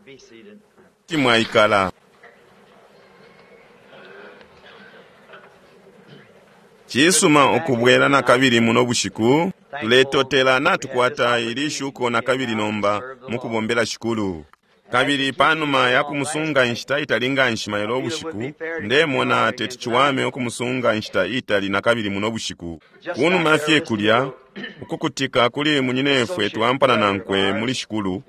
Be seated. Kuti mwaikala. Cisuma ukubwela nakabili muno bushiku. Tuletotela natukwata ili shuko nakabili nomba mukubombela Shikulu. Kabili panuma ya kumusunga inshita itali nganshi mailo ubushiku, ndemona teti ciwame ukumusunga inshita itali nakabili muno bushiku. Kunuma fye kulya, ukukutika kuli munyinefwe twampana nankwe muli Shikulu,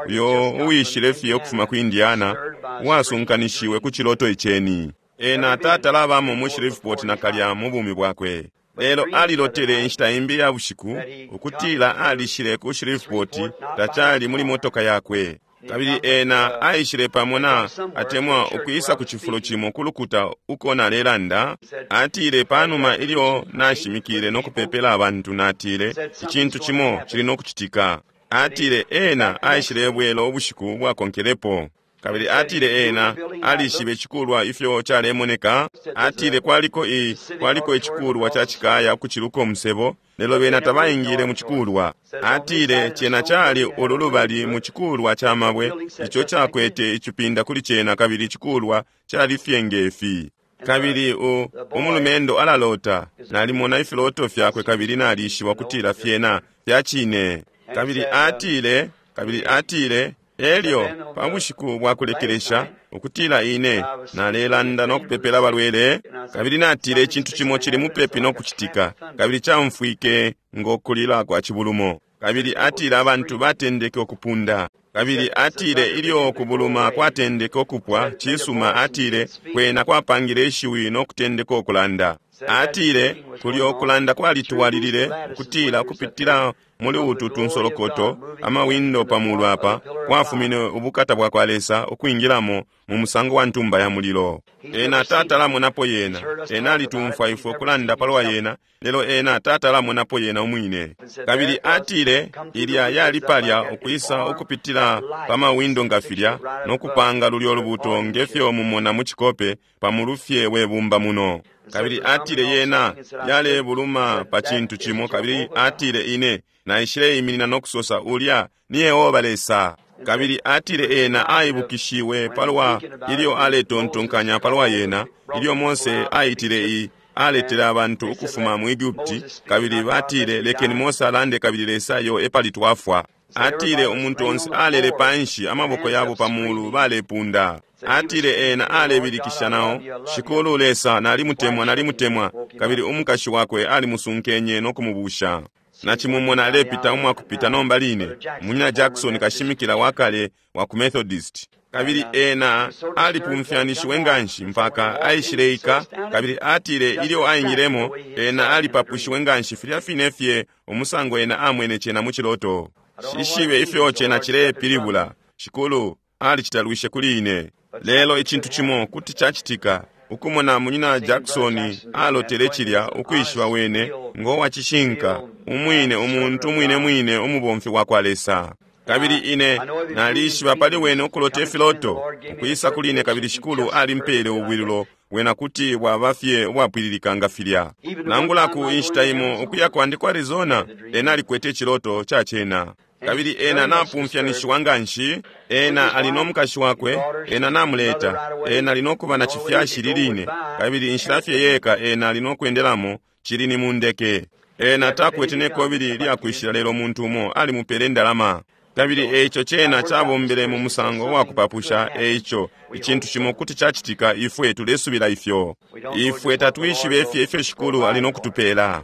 uyo uwishile fye ukufuma ku Indiana, uwasunkanishiwe ku ciloto iceni. Ena tatalabamo mu Shreveport nakalya mu bumi bwakwe. Lelo alilotele inshita imbi ya bushiku ukutila alishile ku Shreveport tacali muli motoka yakwe. Kabili ena aishile pamo na atemwa ukwisa ku cifulo cimo ku lukuta uko nalelanda. Atile panuma ilyo nashimikile no kupepela abantu, natile icintu cimo cili no kucitika. Atile ena aishile bwela ubushiku bwakonkelepo. Kabili atile ena alishibe icikulwa ifyo calemoneka. Atile kwaliko i kwaliko icikulwa ca cikaya ukuciluka umusebo, lelo bena tabaingile mu cikulwa. Atile cena cali ulu lubali mu cikulwa ca mabwe ico cakwete icipinda kuli cena, kabili icikulwa cali fye ngefi. Kabili u umulumendo alalota, nalimona ifiloto fyakwe kabili nalishiba kutila fyena fya cine. Kabili atile, kabili atile, elyo pa bushiku bwa kulekelesha ukutila ine nalelanda no kupepela abalwele, kabili natile icintu cimo cili mupepi no kucitika, kabili caumfwike ngo kulila kwa cibulumo. Kabili atile abantu batendeke ukupunda. Kabili atile ilyo kubuluma kwatendeke ukupwa, cisuma, atile kwena kwapangile ishiwi no kutendeka ukulanda. Atile kulyo kulanda kwalitwalilile ukutila ukupitila muli utu tunsolokoto amawindo pa mulu apa kwafumine ubukata bwa kwa Lesa ukwingilamo mu musango wa ntumba ya mulilo. Ena tatalamonapo yena. Ena alitumfwa ifwe kulanda palwa yena, lelo ena tatalamonapo yena umwine. Kabili atile ilya yali palya ukwisa ukupitila pa mawindo nga filya no kupanga lulyo lubuto ngefyo mumona mu cikope pa mulufye we bumba muno. Kabili atile yena yalebuluma pa cintu cimo, kabili atile ine naishile iminina no kusosa ulya ni Yehoba Lesa. Kabili atile ena aibukishiwe palwa ilyo aletontonkanya palwa yena, ilyo Mose aitile i aletele abantu ukufuma mu Egupti, kabili batile lekeni Mose alande kabili Lesa yo epali twafwa. Atile umuntu onse alele panshi, amaboko yabo pa mulu balepunda. Atile ena alebilikisha nao, Shikulu Lesa, nalimutemwa, nalimutemwa. Kabili umukashi wakwe alimusunkenye no kumubusha. Nacimumona alepita umwakupita nomba line, Munyina Jackson kashimikila wakale wa ku Methodist. Kabili ena alipumfyanishiwe nganshi mpaka aishileika, kabili atile ilyo aingilemo ena alipapushiwe nganshi filya fine fye umusango ena amwene cena mu ciloto. Shishibe ifyo cena cilepilibula. Shikulu alicitalwishe kuli ine. Lelo icintu cimo kuti cacitika ukumona Munyina Jackson alotele cilya, ukwishiba wene ngo wa cishinka umwine, umuntu umwine mwine, umubomfi wa kwa Lesa. Kabili ine nalishiba pali wene ukulota ifiloto ukwisa kuli ine, kabili Shikulu alimpele ubwilulo wena kuti bwaba fye ubwapwililika nga filya. Nangula ku inshita imo ukuya kwandi ku Arizona, ena alikwete iciloto ca cena. Kabili ena napumfyanishiwa nganshi, ena ali no mukashi wakwe, ena namuleta, ena ali no kuba na cifyashi liline, kabili inshila fye yeka ena ali no kwendelamo cili ni mu ndeke. Ena takwete ne kobili lyakwishila, lelo umuntu umo alimupele indalama. Kabili eico cena cabombele mu musango wa kupapusha. Eico icintu cimo kuti cacitika, ifwe tulesubila ifyo. Ifwe tatwishibe fye ifyo Shikulu ali no kutupela.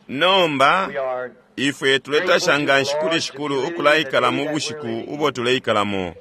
Nomba ifwe tuletasha nganshi kuli Shikulu ukulaikala mu bushiku ubo tuleikalamo.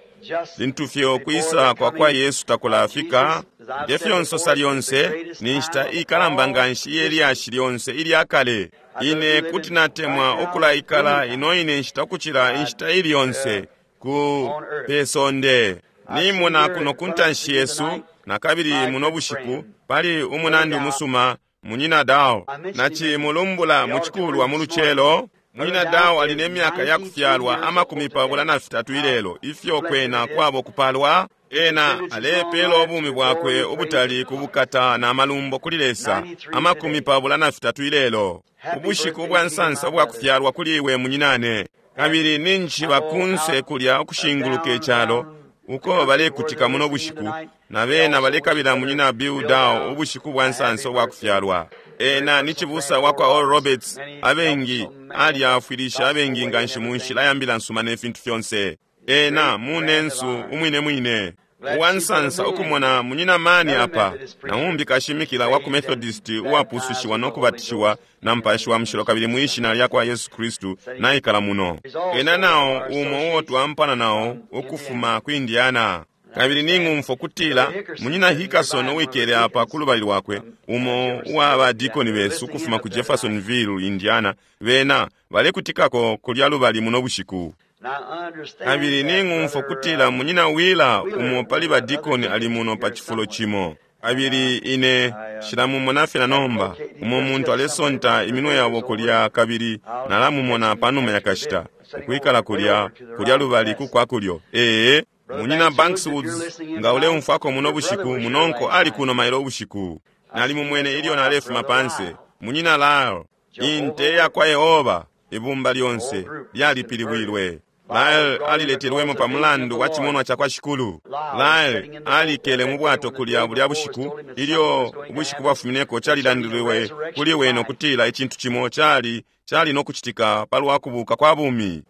Lintu fye ukwisa kwa kwa Yesu takulafika, ngefyo nsosa lyonse, ni nshita ikalamba nganshi iye lyashi lyonse ilya kale. Ine kuti natemwa ukulaikala ino ine nshita ukucila inshita ili yonse ku pe sonde. Nimona kuno ku ntanshi yesu nakabili muno bushiku pali umunandi umusuma Munyina Dao. Nacimulumbula mu cikulwa mu lucelo. Munyina Dao ali ne myaka ya kufyalwa 23 ilelo, ifyo kwena kwabo kupalwa. Ena alepela ubumi bwakwe ubutali ku bukata na malumbo kuli Lesa, 23 ilelo. Ubushiku bwa nsansa ubwa kufyalwa kuli iwe munyinane. Kabili ninjishiba kunse kulya ukushinguluka icalo uko balekutika muno bushiku, na bena balekabila munyina Bill Dow ubushiku bwa nsansa ubwa kufyalwa. Ena ni cibusa wa kwa Oral Roberts, abengi alyafwilisha abengi nganshi mu nshila ya mbila nsuma ne fintu fyonse. Ena munensu umwine mwine. Uwansansa ukumona munyina mani apa, na umbi kashimikila wa ku Methodist uwapusushiwa no kubatishiwa na Mupashi wa Mushilo kabili mwi Shina lya kwa Yesu Kristu naikala muno. Ena nao umo uo twampana nao ukufuma ku Indiana. Kabili ning'umfwa kutila munyina Hickerson uwikele apa kulubali lwakwe, umo uwa badikoni besu ukufuma ku Jeffersonville, Indiana, bena balekutikako kulya lubali muno bushiku. Kabili ning'umfwa kutila munyina Wheeler umo pali badikoni ali muno pa cifulo cimo. Kabili ine shilamumona fye na nomba, umo muntu alesonta iminwe yabo kulya kabili nalamumona panuma ya kashita, ukwikala kulya, kulya lubali ku kwa kulyo. Ee, munyina Banks Woods, nga uleumfwako muno bushiku, munonko ali kuno mailo ubushiku. Nalimumwene ilyo nalefuma panse. Munyina Lyle, inte ya kwa Yehova, ibumba lyonse lyalipilibwilwe. Lyle aliletelwemo pa mulandu wa chimonwa cha kwa Shikulu. Lyle alikele mu bwato kulya bulya bushiku ilyo ubushiku bwafumineko calilandilwe kuli wene ukutila icintu cimo cali cali no kucitika palwa kubuka kwa bumi.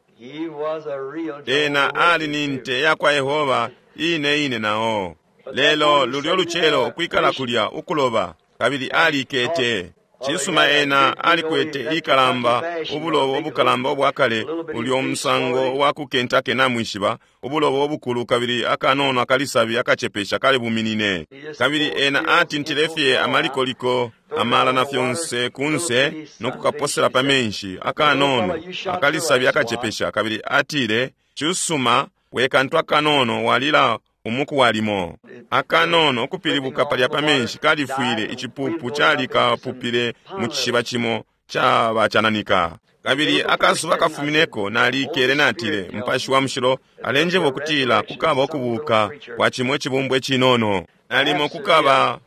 Ena ali ni nte ya kwa Yehova ine ine nao. Lelo lulyo lucelo ukwikala kulya ukuloba kabili alikete. Cisuma ena alikwete ikalamba ubulobo ubukalamba ubwakale ulyo musango wa ku Kentucky namwishiba ubulobo ubukulu kabili akanono akalisabi akacepesha kali buminine. Kabili ena atintile fye amalikoliko amala na fyonse kunse no kukaposela pa menshi akanono akalisabi akacepesha kabili atile cisuma we kantu akanono walila umuku walimo akanono ukupilibuka palya pa menshi kalifwile icipupu calikapupile mu cishiba cimo cabacananika. Kabili akasuba kafumineko nalikele natile Mupashi wa Mushilo alenjeba ukutila kukaba ukubuka kwa cimo icibumbwa icinono nalimo kukaba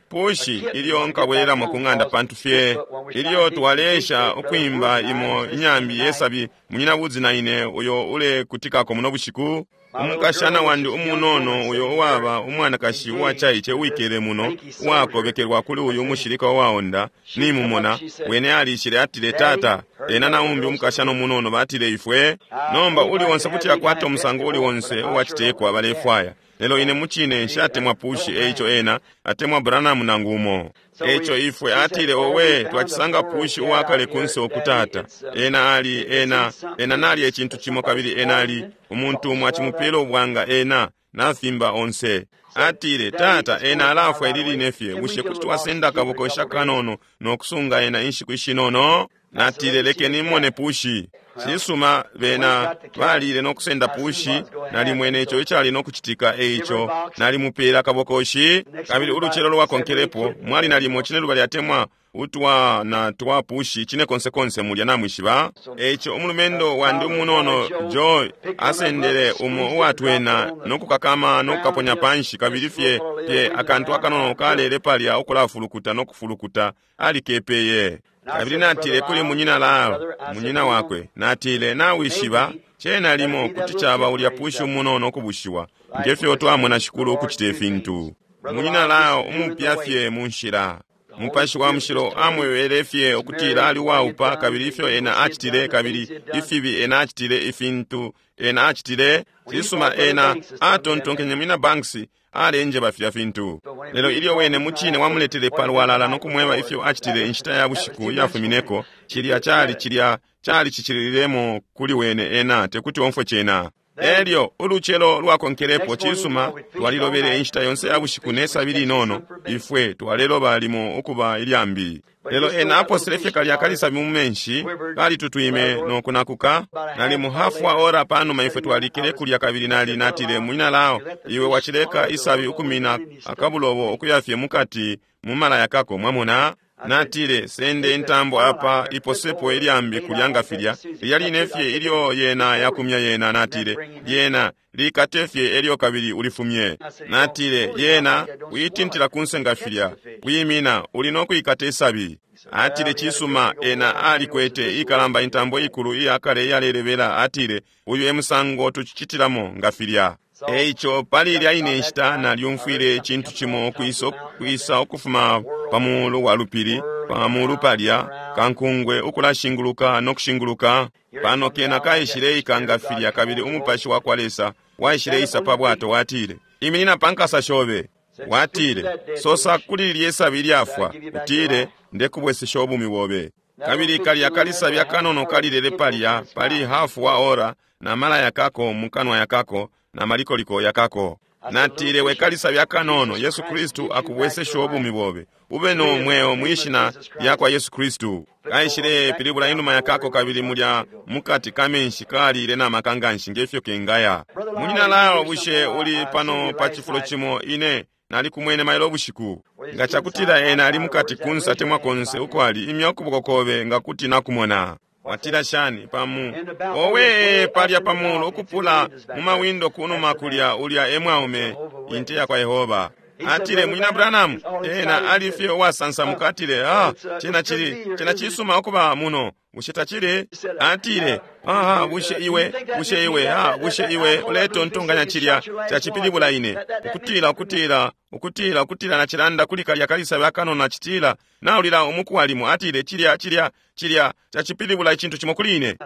pushi ilyo nkabwelelamo ku ng'anda pantu fye ilyo twalesha ukwimba imo inyambi yesabi munyina Woods na ine uyo ulekutikako muno bushiku. Umukashana wandi umunono uyo uwaba umwanakashi uwacaice uwikele muno uwakobekelwa kuli uyu umushilika uwaonda nimumona wene alishile atile tata ena na umbi umukashana umunono batile ifwe nomba uli onse kuti akwata umusango uli onse uwacitekwa balefwaya lelo ine mucine nshatemwa pushi eico ena atemwa Branham nangu umo. Eico ifwe atile owe twacisanga pushi uwakale kunse okutata ena ali ena ena nali ecintu cimo kabili ena ali umuntu umo acimupela ubwanga ena nafimba onse. Atile tata ena alafwa ili line fye bushe kuti twasenda akabokosha kanono no kusunga ena inshiku ishinono. Natile lekeni mone pushi. Cisuma bena balile no kusenda pushi nalimwene ico icali no kucitika eico nalimupela akabokoshi kabili ulucelo lwakonkelepo mwali nalimo cine lubali atemwa utwa na twa pushi cine konse konse mulya namwishiba. Eico umulumendo wandi umunono Joy asendele umo uwatwena no kukakama no kukaponya panshi kabili fye fye akantu akanono kalele palya ukulafulukuta no kufulukuta alikepeye. Kabili natile kuli munyina Lyle, munyina wakwe, natile nawishiba cena limo kuti caba ulya pushi umunono ukubushiwa ngefyo twamona Shikulu ukucita ifintu. Munyina Lyle umupya fye mu nshila. Mupashi wa Mushilo amwebele fye ukutila ali uwaupa kabili ifyo ena acitile kabili ifibi ena acitile ifintu ena acitile. Cisuma ena atontonkenye munyina Banks alenjeba filya fintu. Lelo ilyo wene mucine wamuletele palwalala no kumweba ifyo acitile inshita ya bushiku iyafumineko, cilya cali cilya cali cicililemo kuli wene ena tekuti omfwe cena. Elyo ulucelo lwakonkelepo cisuma twalilobele inshita yonse ya bushiku ne sabi linono ifwe twaleloba limo ukuba ilyambi. Lelo ena aposele fye kalya kalisabi mu menshi kalitutwime no kunakuka. Nali hafu ora panuma ifwe twalikele kulya kabili nali natile munyina Lyle iwe wacileka isabi ukumina akabulobo ukuyafye mukati mu malaya kako mwamona. Natile sende intambo apa iposepo ilyambi kulya nga filya lilya fye ilyo yena yakumya yena. Natile lyena likate fye elyo kabili ulifumye. Natile yena uitintila kunse nga filya wimina uli no kuikata isabi. Atile, Cisuma, ena alikwete ikalamba intambo ikulu iyakale iyalelebela. Atile, Uyu e musango tucicitilamo nga filya. Eico pali ilya ine nshita nalyumfwile icintu cimo ukwisa ukufuma pa mulu wa lupili, pa mulu palya kankungwe, ukulashinguluka no kushinguluka. Pano kena kaishileika nga filya, kabili umupashi wa kwa Lesa waishileisa pa bwato. Watile, Iminina pa nkasa shobe. Watile, Sosa kuli lilye sabi ilyafwa, utile, Ndekubwesesha ubumi bobe. Kabili kalya kalisabi akanono kalilele palya pali hafu wa ora, na mala yakako mukanwa yakako na malikoliko yakako. Natile, We kalisabi akanono, Yesu Kristu akubwesesha ubumi bobe, ube no mweo mwishina lyakwa Yesu Kristu. Kaishile pilibula inuma yakako, kabili mulya mukati kamenshi kalile na maka nganshi ngefyo kengaya. Munyina Lao, bushe uli pano pa cifulo cimo? Ine nalikumwene mailo bushiku. Nga cakutila ena ali mukati kunsa temwa konse uko ali, imya ukuboko kobe nga kuti nakumona. Watila shani pamu owe palya pamulu ukupula mu mawindo kunuma kulya, ulya e mwaume inte yakwa Yehova. Atile, Munyina Branham, ena ali fye uwasansamuka. Atile, Ah, cena chili cena cisuma ukuba muno, bushe tacili? Atile, Aha, bushe iwe bushe iwe ah, bushe iwe uletontonkanya cilya cacipilibula ine ukutila ukutila ukutila ukutila nacilanda kuli kalya kalisabi akanono, nacitila naulila umuku walimo. Atile, Cilya cilya cilya cacipilibula icintu cimo kuli ine.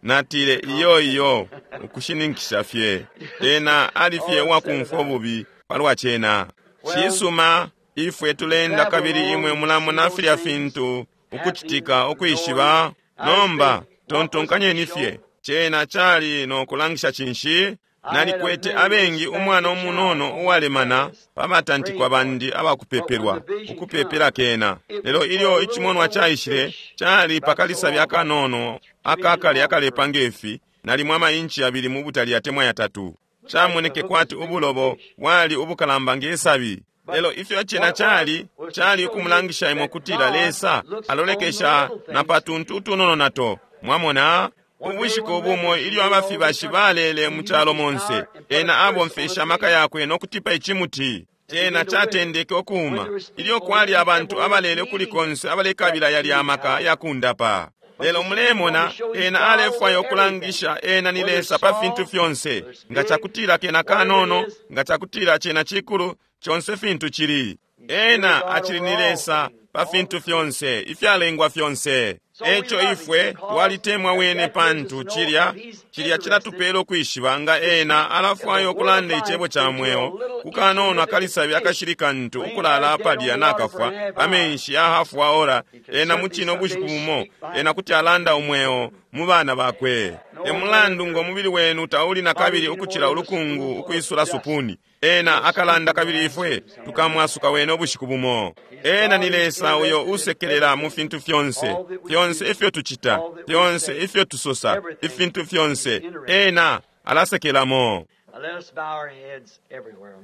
Natile, Iyo iyo, ukushininkisha fye. Ena ali fye uwakumfwa ububi palwa cena. Cisuma, ifwe tulenda kabili imwe mulamona filya fintu ukucitika, ukwishiba. Nomba tontonkanyeni fye, cena cali no kulangisha cinshi? Nalikwete abengi umwana umunono uwalemana pa batantikwa bandi abakupepelwa, ukupepela kena. Lelo ilyo icimonwa caishile, cali pakalisabi akanono akakale akalepa ngefi, nalimo amainchi 2 mu butali atemwa 3. Camoneke kwati ubulobo bwali ubukalamba ngesabi. Lelo ifyo cena cali, cali ukumulangisha imwe kutila Lesa alolekesha na patuntu utunono nato. Mwamona? Ubushiku bumo ilyo abafibashi balele mu calo monse, ena abomfesha amaka yakwe no kutipa icimuti. Cena catendeke ukuuma ilyo kwali abantu abalele ukuli konse abalekabila yali amaka yakundapa. Lelo mulemona, ena alefwaya ukulangisha ena ni Lesa pa fintu fyonse. Nga cakutila kena kanono, nga cakutila cena cikulu, conse fintu cili. Ena acili ni Lesa pa fintu fyonse, ifyalengwa fyonse. Eco ifwe twalitemwa wene, pantu cilya cilya cilatupela ukwishiba nga ena alafwaya ukulanda icebo ca mweo kukanono akalisabi akashili kantu ukulala palya nakafwa amenshi ya hafu wa ora. Ena mucine ubushiku bumo ena kuti alanda umweo mu bana bakwe. E mulandu ngo mubili wenu tauli na kabili ukucila ulukungu ukwisula supuni, ena akalanda kabili ifwe tukamwasuka wene ubushiku bumo. Ena ni Lesa uyo usekelela mu fintu fyonse, fyonse ifyo tucita, fyonse ifyo tusosa, ifintu fyonse ena alasekelamo. Let us bow our heads everywhere.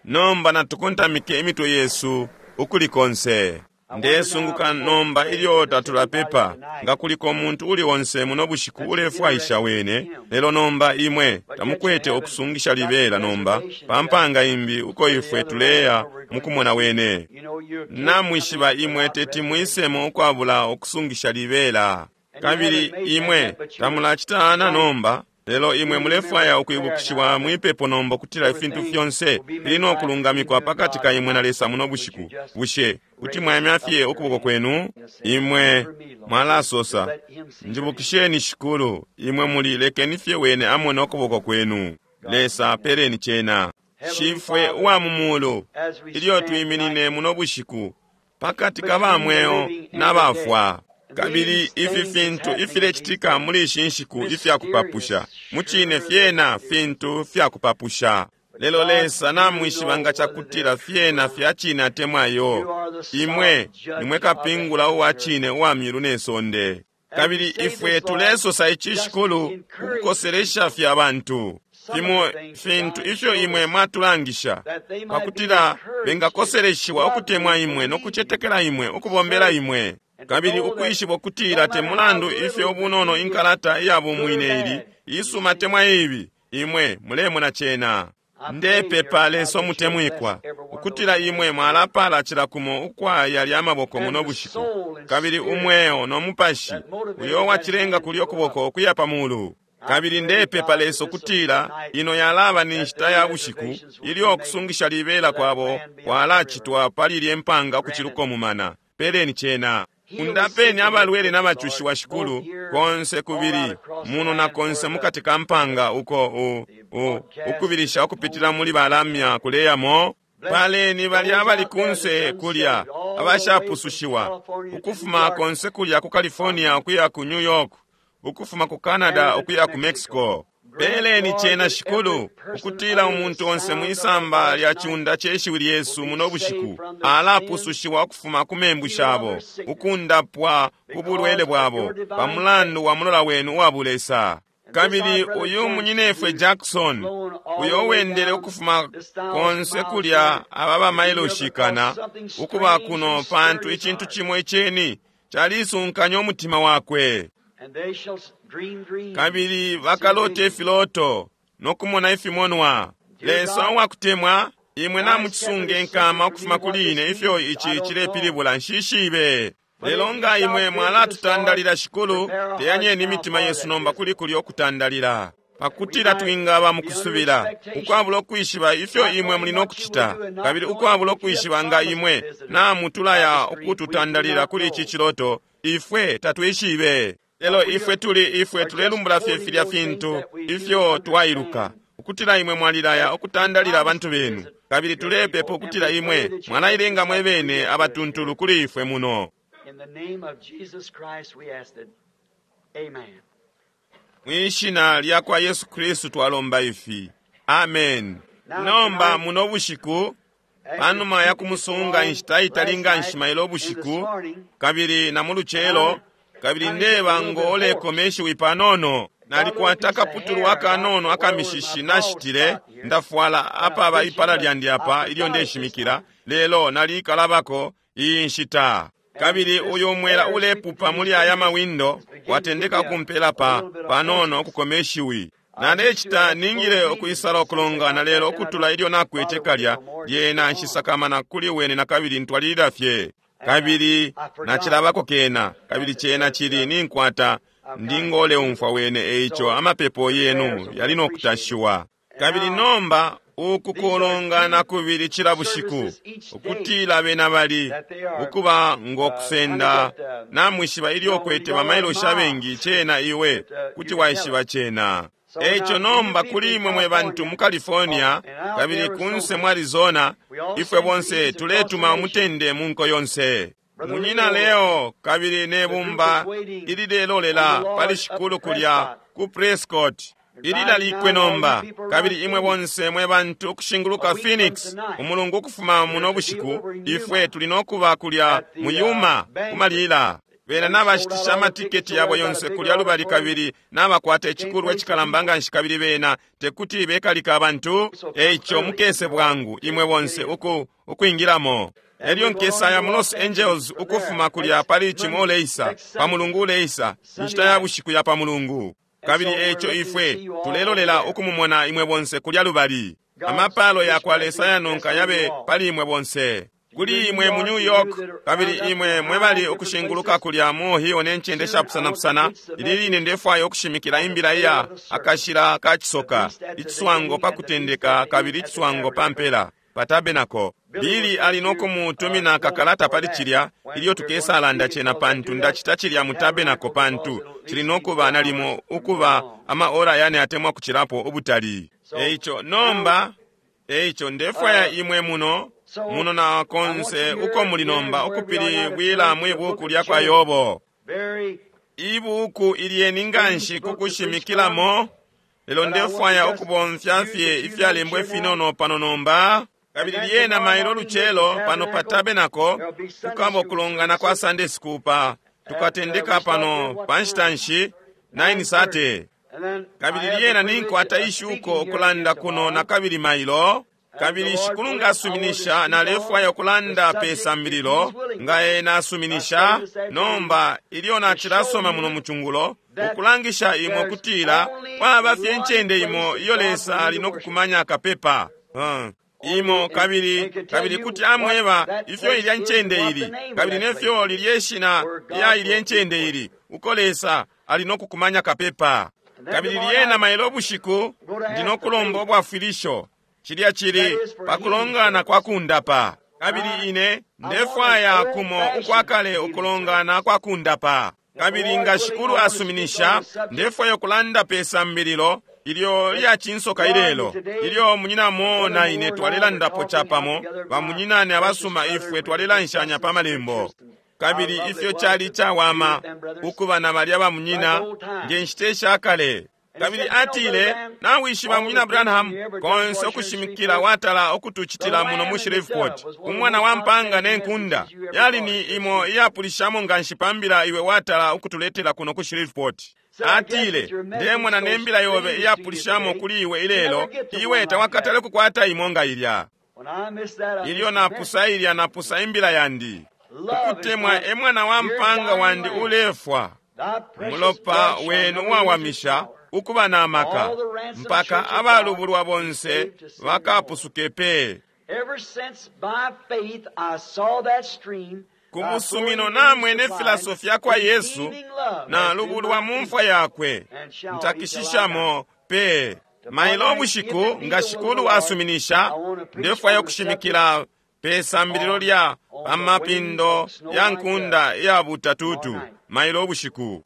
Nomba natukontamike imitwe yesu ukuli konse. Ndesunguka nomba ilyo tatulapepa nga kuliko umuntu uli onse muno bushiku ulefwaisha wene. Lelo nomba imwe tamukwete ukusungisha libela nomba pa mpanga imbi uko ifwe tuleya mukumona wene. You know, you Namwishiba imwe teti mwisemo ukwabula ukusungisha libela. Kabili imwe tamulacitana nomba, lelo imwe mulefwaya ukwibukishiwa mwipepo nomba kutila ifintu fyonse fili no kulungamikwa pakati ka imwe na Lesa muno bushiku. Bushe kuti mwayamya fye ukuboko kwenu? Imwe mwalasosa, Njibukisheni Shikulu, imwe muli lekeni fye wene amone ukuboko kwenu. Lesa peleni cena. Shifwe uwa mu mulu, ilyo twiminine muno bushiku pakati ka bamweo na bafwa, kabili ifi fintu ifilecitika muli ishi nshiku ifyakupapusha, mucine fyena fintu fyakupapusha. Lelo Lesa namwishiba nga cakutila fyena fya cine atemwa yo. Imwe nimwe kapingula uwa cine uwa myulu ne sonde. Kabili ifwe tulesosa ici Shikulu ukukoselesha fye abantu fimo fintu ifyo imwe mwatulangisha, pakutila bengakoseleshiwa ukutemwa imwe no kucetekela imwe, ukubombela imwe, kabili ukwishiba ukutila te mulandu ifyo ubunono inkalata iya bumwine ili isuma temwa ibi, imwe mulemona cena. Ndepepa, Lesa umutemwikwa, ukutila imwe mwalapala cila kumo ukwa yalya amaboko muno bushiku, kabili umweo no mupashi uyo wacilenga kulyo kuboko ukuya pa mulu. Kabili ndepepa, Lesa, ukutila ino yalaba ni nshita ya bushiku ilyo ukusungisha libela kwabo kwalacitwa pali ilye mpanga ukuciluka umumana. Peleni cena. Undapeni abalwele n'abacushiwa, Shikulu, konse kubili muno na konse mukati ka mpanga uko ukubilisha ukupitila muli balamya kuleyamo. Paleni balya abali kunse kulya abashapusushiwa, ukufuma konse kulya ku California ukuya ku New York, ukufuma ku Canada ukuya ku Mexico. Peleni cena, Shikulu, ukutila umuntu onse mwisamba lya ciunda ce shiwi lyesu muno bushiku alapusushiwa ukufuma ku membu shabo, ukundapwa ku bulwele bwabo pa mulandu wa mulola wenu uwa bulesa. Kabili uyu munyinefwe Jackson, uyo wendele ukufuma konse kulya aba bamailoshikana ukuba kuno, pantu icintu cimo iceni calisunkanya umutima wakwe. Kabili bakalota ifiloto nokumona ifimonwa. Lesa uwakutemwa, imwe namucisunga enkama ukufuma kuli ine ifyo ici cilepilibula, nshishibe. Lelo nga imwe mwalatutandalila, Shikulu, teyanyeni imitima yesu nomba kuli kulyo okutandalila, pakutila twingaba mukusubila, ukwabula ukwishiba ifyo imwe muli nokucita, kabili ukwabula ukwishiba nga imwe namutulaya ukututandalila kuli ici ciloto, ifwe tatwishibe. Lelo ifwe tuli ifwe tulelumbula fye filya fintu ifyo twailuka, ukutila imwe mwalilaya ukutandalila abantu benu, kabili tulepepa ukutila imwe mwalailenga mwe bene abatuntulu kuli ifwe muno. In the name of Jesus Christ we ask it. Amen. Mwishina lya kwa Yesu Kristu twalomba ifi. Amen. Nomba muno bushiku, panuma ya kumusunga inshita itali nga nshima ilo bushiku, kabili na mu lucelo, kabili ndeba ngo olekoma ishiwi panono. Nalikwata akaputulu akanono akamishishi nashitile, ndafwala apaba ipala lyandi apa ilyo ndeshimikila, lelo nalikalabako iyi nshita. Kabili uyu mwela ulepupa muli aya mawindo watendeka kumpela pa panono okukoma ishiwi. Nalecita ningile ukwisala okulongana, lelo ukutula ilyo nakwete kalya lyena nshisakamana kuli wene na kabili ntwalilila fye. Kabili nacilabako kena, kabili cena cili ninkwata ndingoleumfwa wene, eico amapepo yenu yali nokutashiwa. Kabili nomba uku kulongana kubili cila bushiku, ukutila bena bali ukuba ngo kusenda, namwishiba ilyo kwete bamailoshi abengi, cena iwe kuti waishiba cena. Eico nomba kuli imwe mwe bantu mu California kabili kunse mu Arizona, ifwe bonse tuletuma umutende mu nko yonse. Munyina Leo kabili ne bumba ililelolela pali Shikulu kulya ku Prescott ililalikwe nomba. Kabili imwe bonse mwe bantu ukushinguluka Phoenix, umulungu ukufuma muno bushiku, ifwe tuli nokuba kulya mu Yuma kumalila. Bena nabashitisha amatiketi yabo yonse kulya lubali, kabili nabakwata icikulwa icikalamba nganshi, kabili bena tekuti bekalika abantu. Eico mukese bwangu imwe bonse ukwingilamo. Elyo nkesaya mu Los Angeles ukufuma kulya pali cimo uleisa, pa mulungu uleisa, inshita ya bushiku ya pa mulungu. Kabili eico ifwe tulelolela ukumumona imwe bonse kulya lubali. Amapalo ya kwa Lesa yanonka yabe pali imwe bonse. Kuli imwe mu New York, kabili imwe mwebali ukushinguluka kulya mu Ohio ne ncende shapusanapusana, ili line ndefwaya ukushimikila imbila iya akashila ka cisoka, iciswango pa kutendeka kabili iciswango pa mpela, pa tabernacle. Bili ali nokumutumina kakalata pali cilya ilyo tukesalanda cena, pantu ndacita cilya mu tabernacle, pantu cili nokuba nalimo ukuba ama ora yane atemwa kucilapo ubutali. Eico nomba, eico ndefwaya imwe muno muno na konse uko muli nomba ukupilibwila mwi buku lya kwa Yobo, ibuku ilyeni nganshi kukushimikilamo, lelo ndefwaya ukubomfya fye ifyalembwa ifinono pano nomba. Kabili lyena mailo lucelo pano pa tabernacle kukaba ukulongana kwa Sunday school pa tukatendeka pano pa nshita nshi 9:30. Kabili lyena ninkwata ishuko ukulanda kuno na kabili mailo. Kabili Shikulu nga asuminisha, nalefwaya ukulanda pe sambililo nga ena asuminisha. Nomba ilyo nacilasoma muno mucungulo, ukulangisha imwe ukutila kwaba fye incende imo iyo Lesa ali nokukumanya kapepa. Imo kabili kabili kuti amweba ifyo ilya ncende ili kabili nefyo lilye shina lya ilye ncende ili uko Lesa ali no kukumanya kapepa. Kabili lyena mailo bushiku ndi no kulomba ubwafwilisho, cilya cili pakulongana kwa kundapa. Kabili ine ndefwaya kumo ukwakale ukulongana kwa kundapa. Kabili nga Shikulu asuminisha, ndefwaya ukulanda pe sambililo ilyo lyacinsoka ilelo, ilyo munyina Mo na ine twalelandapo capamo, bamunyinane abasuma ifwe twalelanshanya pa malembo. Kabili ifyo cali cawama ukuba na balya bamunyina nge nshita ishakale. Kabili atile, nawishiba munyina Branham, konse ukushimikila watala ukutucitila muno mu Shreveport, umwana wa mpanga ne nkunda yali ni imo iyapulishamo nganshi pambila iwe watala ukutuletela kuno ku Shreveport. Atile, ndemona ne mbila yobe iyapulishamo kuli iwe ilelo, iwe tawakatale kukwata imo nga ilya. Ilyo napusa ilya, napusa imbila yandi. Ukutemwa e mwana wa mpanga wandi ulefwa. Umulopa wenu uwawamisha ukuba na maka mpaka abalubulwa bonse bakapusuke pe. Ku musumino namwene filasofi yakwa Yesu nalubulwa mu mfwa yakwe, ntakishishamo pe. Mailo bushiku nga Shikulu asuminisha, ndefwaya ukushimikila pe sambililo lya pamapindo ya nkunda ya butatutu mailo bushiku.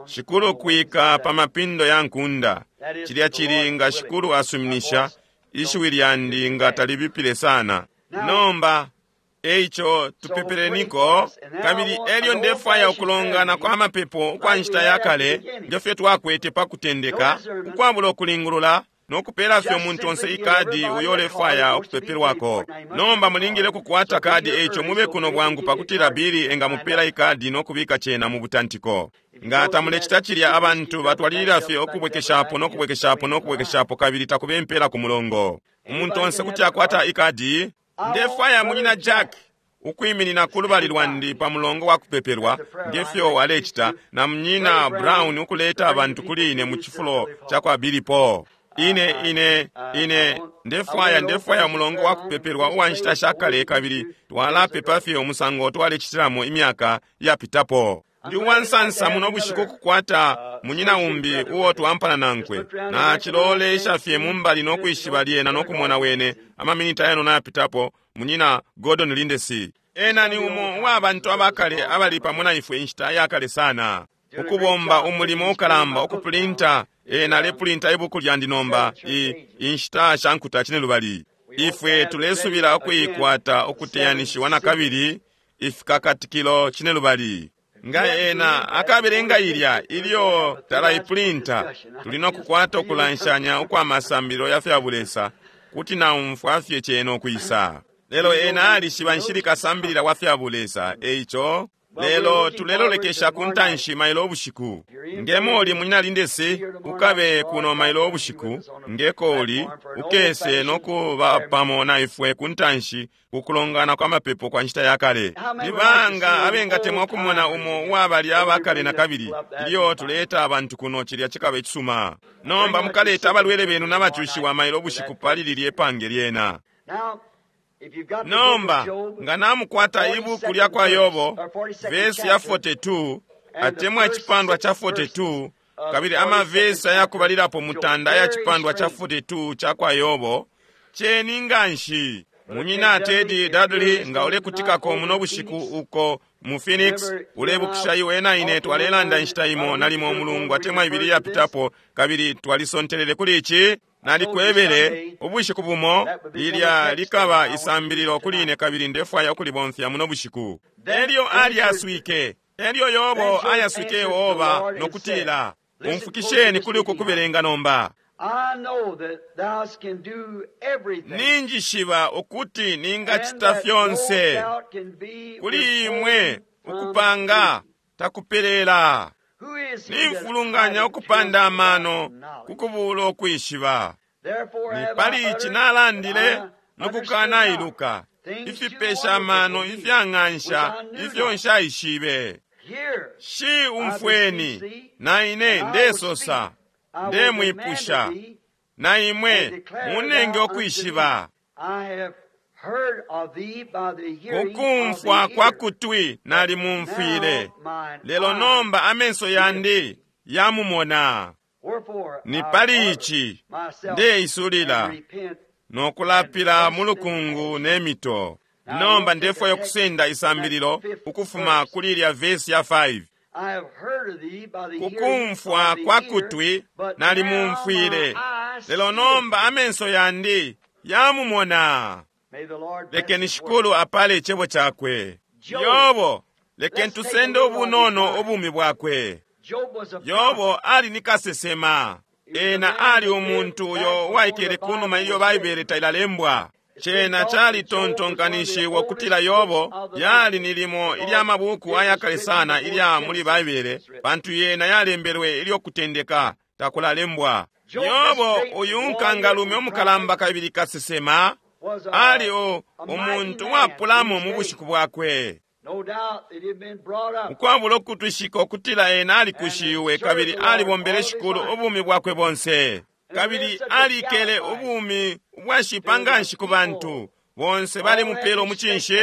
Shikulu kwika pamapindo ya nkunda, cilya cili nga Shikulu asuminisha, ishiwi lyandi nga talibipile sana. Nomba eico tupepeleniko. Kabili elyo ndefwaya ukulongana kwa mapepo ukwa nshita ya kale ngefyo twakwete pa kutendeka, ukwabula ukulingulula no kupela fye umuntu onse ikadi uyo ulefwaya ukupepelwako. Nomba mulingile kukwata kadi, eico mube kuno bwangu pakutila Bili engamupela ikadi no kubika cena mu butantiko. Nga tamulecita cilya, abantu batwalilila fye ukubwekeshapo no kubwekeshapo no kubwekeshapo, kabili takube impela ku mulongo. Umuntu onse kuti akwata ikadi. Ndefwaya munyina Jack ukwiminina ku lubali lwandi pa mulongo wa kupepelwa ngefyo alecita, na munyina Brown ukuleta abantu kuli ine mu cifulo ca kwa Billy Paul. Ine ine ine ndefwaya ndefwaya umulongo wa kupepelwa uwa nshita shakale, kabili twalapepa fye umusango twalecitilamo imyaka yapitapo. Ndi uwansansa muno bushiku ukukwata munyina umbi uo twampana nankwe. Nacilolesha fye mumbali no kwishiba lyena no kumona wene amaminiti ayano nayapitapo, munyina Gordon Lindsay. Ena ni umo uwa bantu abakale abali pamo na ifwe inshita yakale sana, ukubomba umulimo ukalamba ukupulinta. Ena alepulinta ibuku lyandi nomba, inshita sha nkuta cinelubali. Ifwe tulesubila ukuikwata ukuteyanishiwa na kabili ifikakatikilo cinelubali. Nga ena akabelenga ilya ilyo talaipulinta, tuli no kukwata ukulanshanya ukwa masambililo ya fya bulesa, kuti naumfwa fye cena ukwisa. Lelo ena alishiba nshili kasambilila wa fya bulesa, eico lelo tulelolekesha ku ntanshi mailo ubushiku. Nge moli munyina Lindesi, ukabe kuno mailo ubushiku, ngekoli ukese no kuba pamo na ifwe ku ntanshi kukulongana kwa mapepo kwa nshita ya kale. Libanga abengatemwa kumona umo uwabali abakale na kabili ilyo tuleta abantu kuno, cilya cikaba icisuma. Nomba mukaleta abalwele benu n'abacushiwa mailo ubushiku pali lilye pange lyena. Nomba nga namukwata ibuku lya kwa Yobo vesi ya 42 atemwa icipandwa cha 42, kabili amavesi ayakubalilapo mutanda aya cipandwa cha 42 cha kwa Yobo, ceni nganshi. Munyina Teddy Dudley, nga ulekutikako muno bushiku uko mu Phoenix, ulebukisha iwe na ine twalelanda inshita imo nalimo umulungu atemwa ibili yapitapo, kabili twalisontelele kuli ici. Nalikwebele ubushiku bumo lilya likaba isambililo kuli ine, kabili ndefwaya ukulibomfya muno bushiku. Elyo alyaswike, elyo Yobo ayaswike Yehova no kutila, umfukisheni kuli uku kubelenga nomba. Ninjishiba ukuti ningacita fyonse kuli imwe, ukupanga takupelela. Nimfulunganya ukupanda amano kukubula ukwishiba. Ni pali ici nalandile nokukanailuka ifipesha amano ifyang'ansha ifyo nshaishibe. Shi umfweni, na ine ndesosa, ndemwipusha. Na imwe and declare munenge thou unto ukwishiba. me, I have heard of thee by the hearing of Ukumfwa the kwa ear. kutwi nalimumfwile, Now mine lelo eye nomba amenso yandi yamumona. Wherefore Ni I pali order ici myself ndeisulila and repent no kulapila mu lukungu ne mito. Nomba ndefwaya ukusenda isambililo ukufuma kuli ilya vesi ya 5. I have heard of thee by the hearing Kukumfwa of the kwa ear, kutwi but now nalimumfwile, my eyes lelo see nomba thee. amenso yandi yamumona. May the Lord bless Lekeni his word. Shikulu apale icebo chakwe. Yobo, lekeni tusende ubunono ubumi bwakwe. Job was a Yobo prophet. ali ni kasesema. Ena ali umuntu uyo uwaikele kunuma ilyo Baibele tailalembwa. Cena calitontonkanishiwa ukutila Yobo yali ni limo ilya mabuku ayakale sana ilya muli Baibele, pantu yena yalembelwe ilyo kutendeka takulalembwa. Yobo uyu nkangalume umukalamba kabili kasesema Was a, ali o a mighty umuntu man wapulamo in mu his bushiku day. bwakwe. No doubt that he had been brought up Ukwabula ukutwishika ukutila ena alikushiwe kabili alibombele Shikulu ubumi bwakwe bonse, kabili alikele ubumi ubwashipa nganshi ku bantu bonse balimupela umucinshi.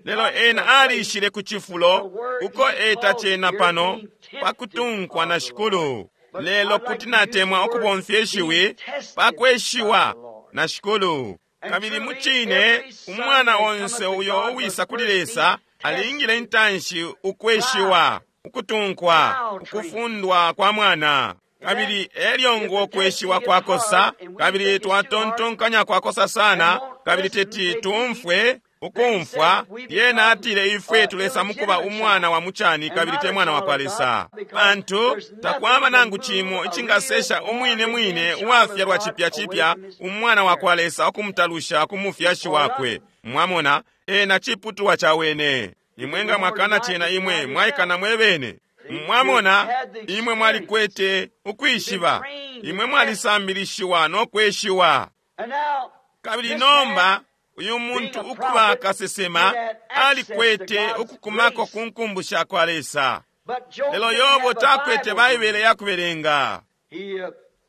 Lelo ena alishile ku cifulo uko eta cena pano pakutunkwa na Shikulu. Lelo kuti natemwa ukubomfya ishiwi pakweshiwa na Shikulu. Kabili mucine umwana onse uyo uwisa kuli Lesa alingile intanshi ukweshiwa, ukutunkwa, ukufundwa kwa mwana. Kabili elyo ngo kweshiwa kwakosa, kabili twatontonkanya kwakosa sana, kabili teti tumfwe ukumfwa. Yena atile ifwe tulesa mukuba umwana wa muchani kabili te mwana wa kwa Lesa, pantu takwaba nangu cimo icingasesha umwine mwine uwafyalwa chipya chipya umwana wa kwa Lesa ukumutalusha ku mufyashi wakwe. Mwamona, ena chiputulwa cha wene. Imwe nga mwakana cena imwe mwaikana mwebene. Mwamona, imwe mwalikwete ukwishiba, imwe mwalisambilishiwa no kweshiwa. And now Kabili this nomba man, uyu muntu ukuba kasesema alikwete ukukumako ku nkumbu sha kwa Lesa. but Job Lelo didn't Yobo have a takwete Bible to Baibele read. ya kubelenga. He,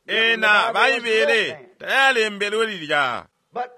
the Ena Bible wasn't Baibele written then. tayalembelwe lilya. But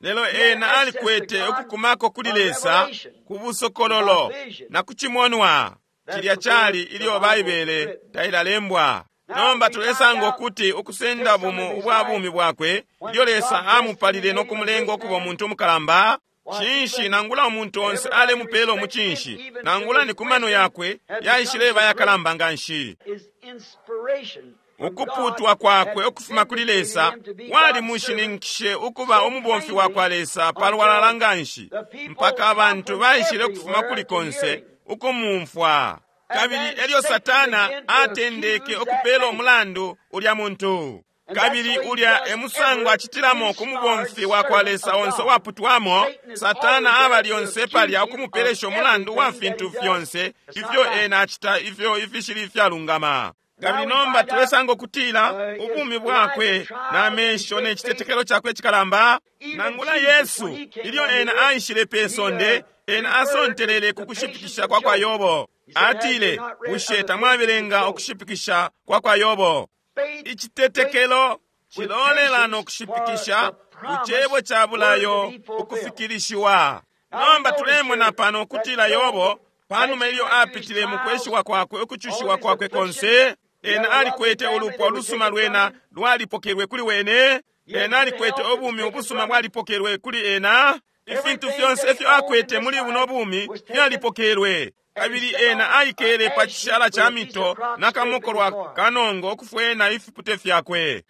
Lelo ena alikwete ukukumako kuli Lesa ku busokololo na ku cimonwa. Cilya cali ilyo Baibele tailalembwa. Nomba tulesanga ukuti ukusenda bumo ubwa bumi bwakwe ilyo Lesa amupalile no kumulenga ukuba umuntu umukalamba, cinshi nangula umuntu onse alemupela umucinshi, nangula ni ku mano yakwe yaishileba yakalamba nganshi. his inspiration from Ukuputwa God kwakwe had ukufuma kuli vindicated Lesa him to be wali God's servant mushininkishe ukuba umubomfi wa kwa Lesa palwalala nganshi, mpaka abantu baishile ukufuma kuli konse ukumumfwa. Kabili elyo Satana atendeke ukupela umulandu ulya muntu. Kabili ulya emusango acitilamo ku mubomfi wa kwa Lesa onse uwaputwamo. Satana aba lyonse palya ukumupelesha umulandu wa fintu fyonse ifyo ena acita ifyo ifishili ifyalungama. Kabili nomba tulesanga ukutila ubumi bwakwe na mesho ne citetekelo chakwe cikalamba, nangula Yesu ilyo ena aishile pe sonde, ena asontelele ku kushipikisha kwa kwa Yobo. Atile, bushe tamwabelenga ukushipikisha kwa kwa Yobo? Faith Icitetekelo cilolela no kushipikisha ku cebo ca bulayo ukufikilishiwa. Nomba tulemona pano ukutila Yobo panuma ilyo apitile mu kweshiwa kwakwe ukucushiwa kwakwe konse, ena alikwete ulupwa ulusuma lwena lwalipokelwe kuli wene, ena alikwete ubumi ubusuma bwalipokelwe kuli ena, ifintu fyonse ifyo akwete muli buno bumi fyalipokelwe. Kabili ena aikele pa cishala ca mito na kamokolwa kanongo ukufwena ifipute fyakwe.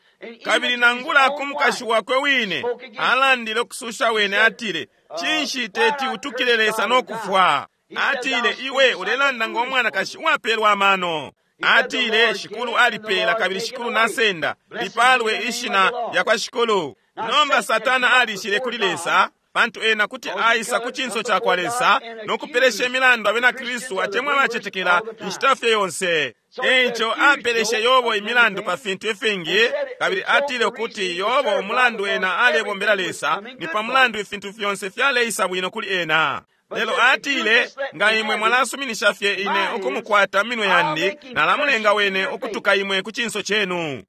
Kabili nangula ku mukashi wakwe wine alandile ukususha wene, atile, cinshi teti utukile Lesa no kufwa? Atile, iwe ulelanda ngo mwanakashi uwapelwa amano. Atile, Shikulu alipela kabili Shikulu nasenda, lipalwe ishina lya kwa Shikulu. Nomba Satana alishile kuli Lesa, pantu ena kuti aisa ku cinso ca kwa Lesa no kupelesha imilandu abena Kristu atemwa abacetekela inshita fye yonse. Eico apeleshe Yobo imilandu pa fintu ifingi, kabili atile ukuti Yobo umulandu ena alebombela Lesa ni pa mulandu ifintu fyonse fyaleisa bwino kuli ena. Lelo atile, nga imwe mwalasuminisha fye ine ukumukwata minwe yandi, nalamulenga wene ukutuka imwe ku cinso cenu.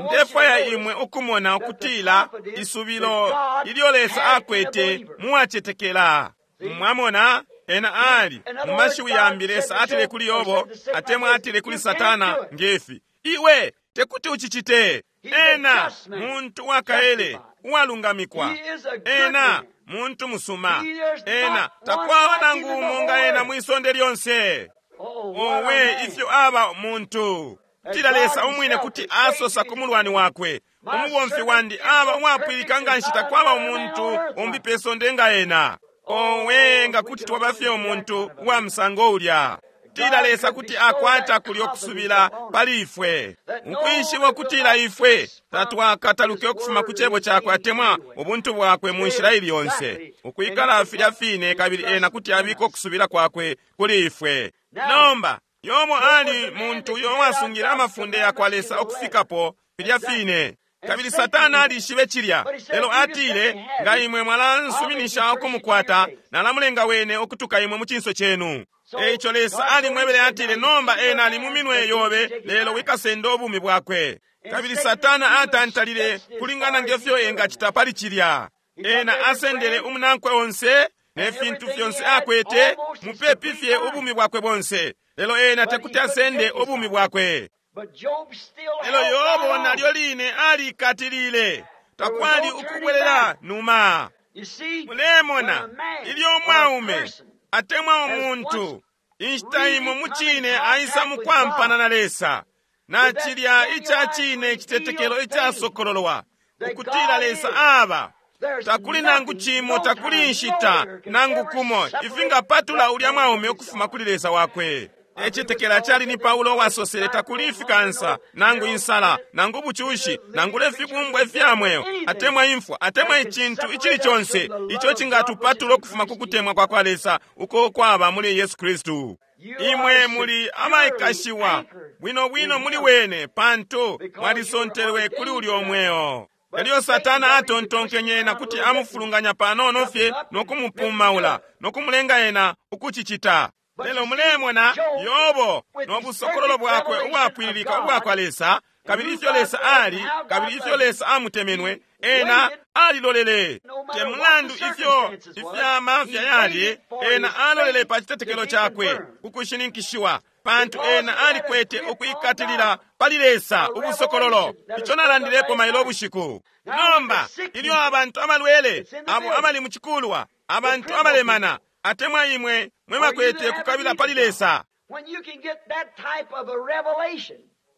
Ndefwaya imwe ukumona ukutila isubilo ilyo Lesa akwete muwacetekela. Mwamona, ena ali mu mashiwi yambi Lesa atile kuli Yobo, atemwa atile kuli Satana ngefi, iwe tekuti ucicite. Ena muntu wakaele uwalungamikwa, ena muntu musuma, ena takwaba nangu umo nga ena mwisonde lyonse. Owe, ifyo aba muntu! Kutila Lesa umwine kuti asosa ku mulwani wakwe, umubomfi wandi aba uwapwilika nga nshi takwaba umuntu umbi pe sonde nga ena. Owe, nga kuti twaba fye umuntu uwa musango ulya! Kutila Lesa kuti akwata kulyo kusubila pali ifwe, ukwishiba ukutila ifwe tatwakataluke ukufuma ku cebo cakwe atemwa ubuntu bwakwe mu nshila ili yonse, ukwikala filya fine, kabili ena kuti abika ukusubila kwakwe kuli ifwe. Nomba Yobo ali muntu uyo wasungile amafunde yakwa Lesa ukufikapo filya fine, kabili Satana alishibe cilya. Lelo atile, nga imwe mwalansuminisha ukumukwata, nalamulenga wene ukutuka imwe mu cinso cenu. Eico Lesa alimwebele, atile, nomba ena ali mu minwe yobe, lelo wikasenda ubumi bwakwe. Kabili Satana atantalile kulingana ngefyo engacita pali cilya. Ena asendele umunankwe onse ne fintu fyonse akwete, mupepi fye ubumi bwakwe bonse, lelo ena tekuti asende ubumi bwakwe. Lelo Yobo nalyo line alikatilile, takwali ukubwelela numa. Mulemona, ilyo umwaume atemwa umuntu inshita imo mucine aisa mukwampana na Lesa, na cilya ica cine icitetekelo icasokololwa ukutila Lesa aba, takuli nangu cimo, takuli inshita nangu kumo ifingapatula ulya mwaume ukufuma kuli Lesa wakwe. Ecetekela cali ni Paulo wasosele, takuli ifikansa nangu insala nangu bucushi nangu lefibumbwa ifya mweo atemwa imfwa atemwa icintu icili conse ico cingatupatula ukufuma ku kutemwa kwa kwa Lesa uko kwaba muli Yesu Kristu. Imwe muli abaikashiwa bwino bwino muli wene, pantu mwalisontelwe kuli ulyo mweo. Elyo Satana atontonkenye ena kuti amufulunganya panono fye no kumupumaula no kumulenga ena ukucicita. Lelo mulemona Yobo no busokololo bwakwe ubwapwililika ubwa kwa Lesa, kabili ifyo Lesa ali, kabili ifyo Lesa amutemenwe, ena alilolele. Te mulandu ifyo ifyamafya yali, ena alolele pa citetekelo cakwe kukushininkishiwa, pantu ena alikwete ukwikatilila pali Lesa ubusokololo. Ico nalandilepo mailo bushiku. Nomba ilyo abantu abalwele, abo abali mu cikulwa, abantu abalemana, atemwa imwe mwe bakwete kukabila pali Lesa,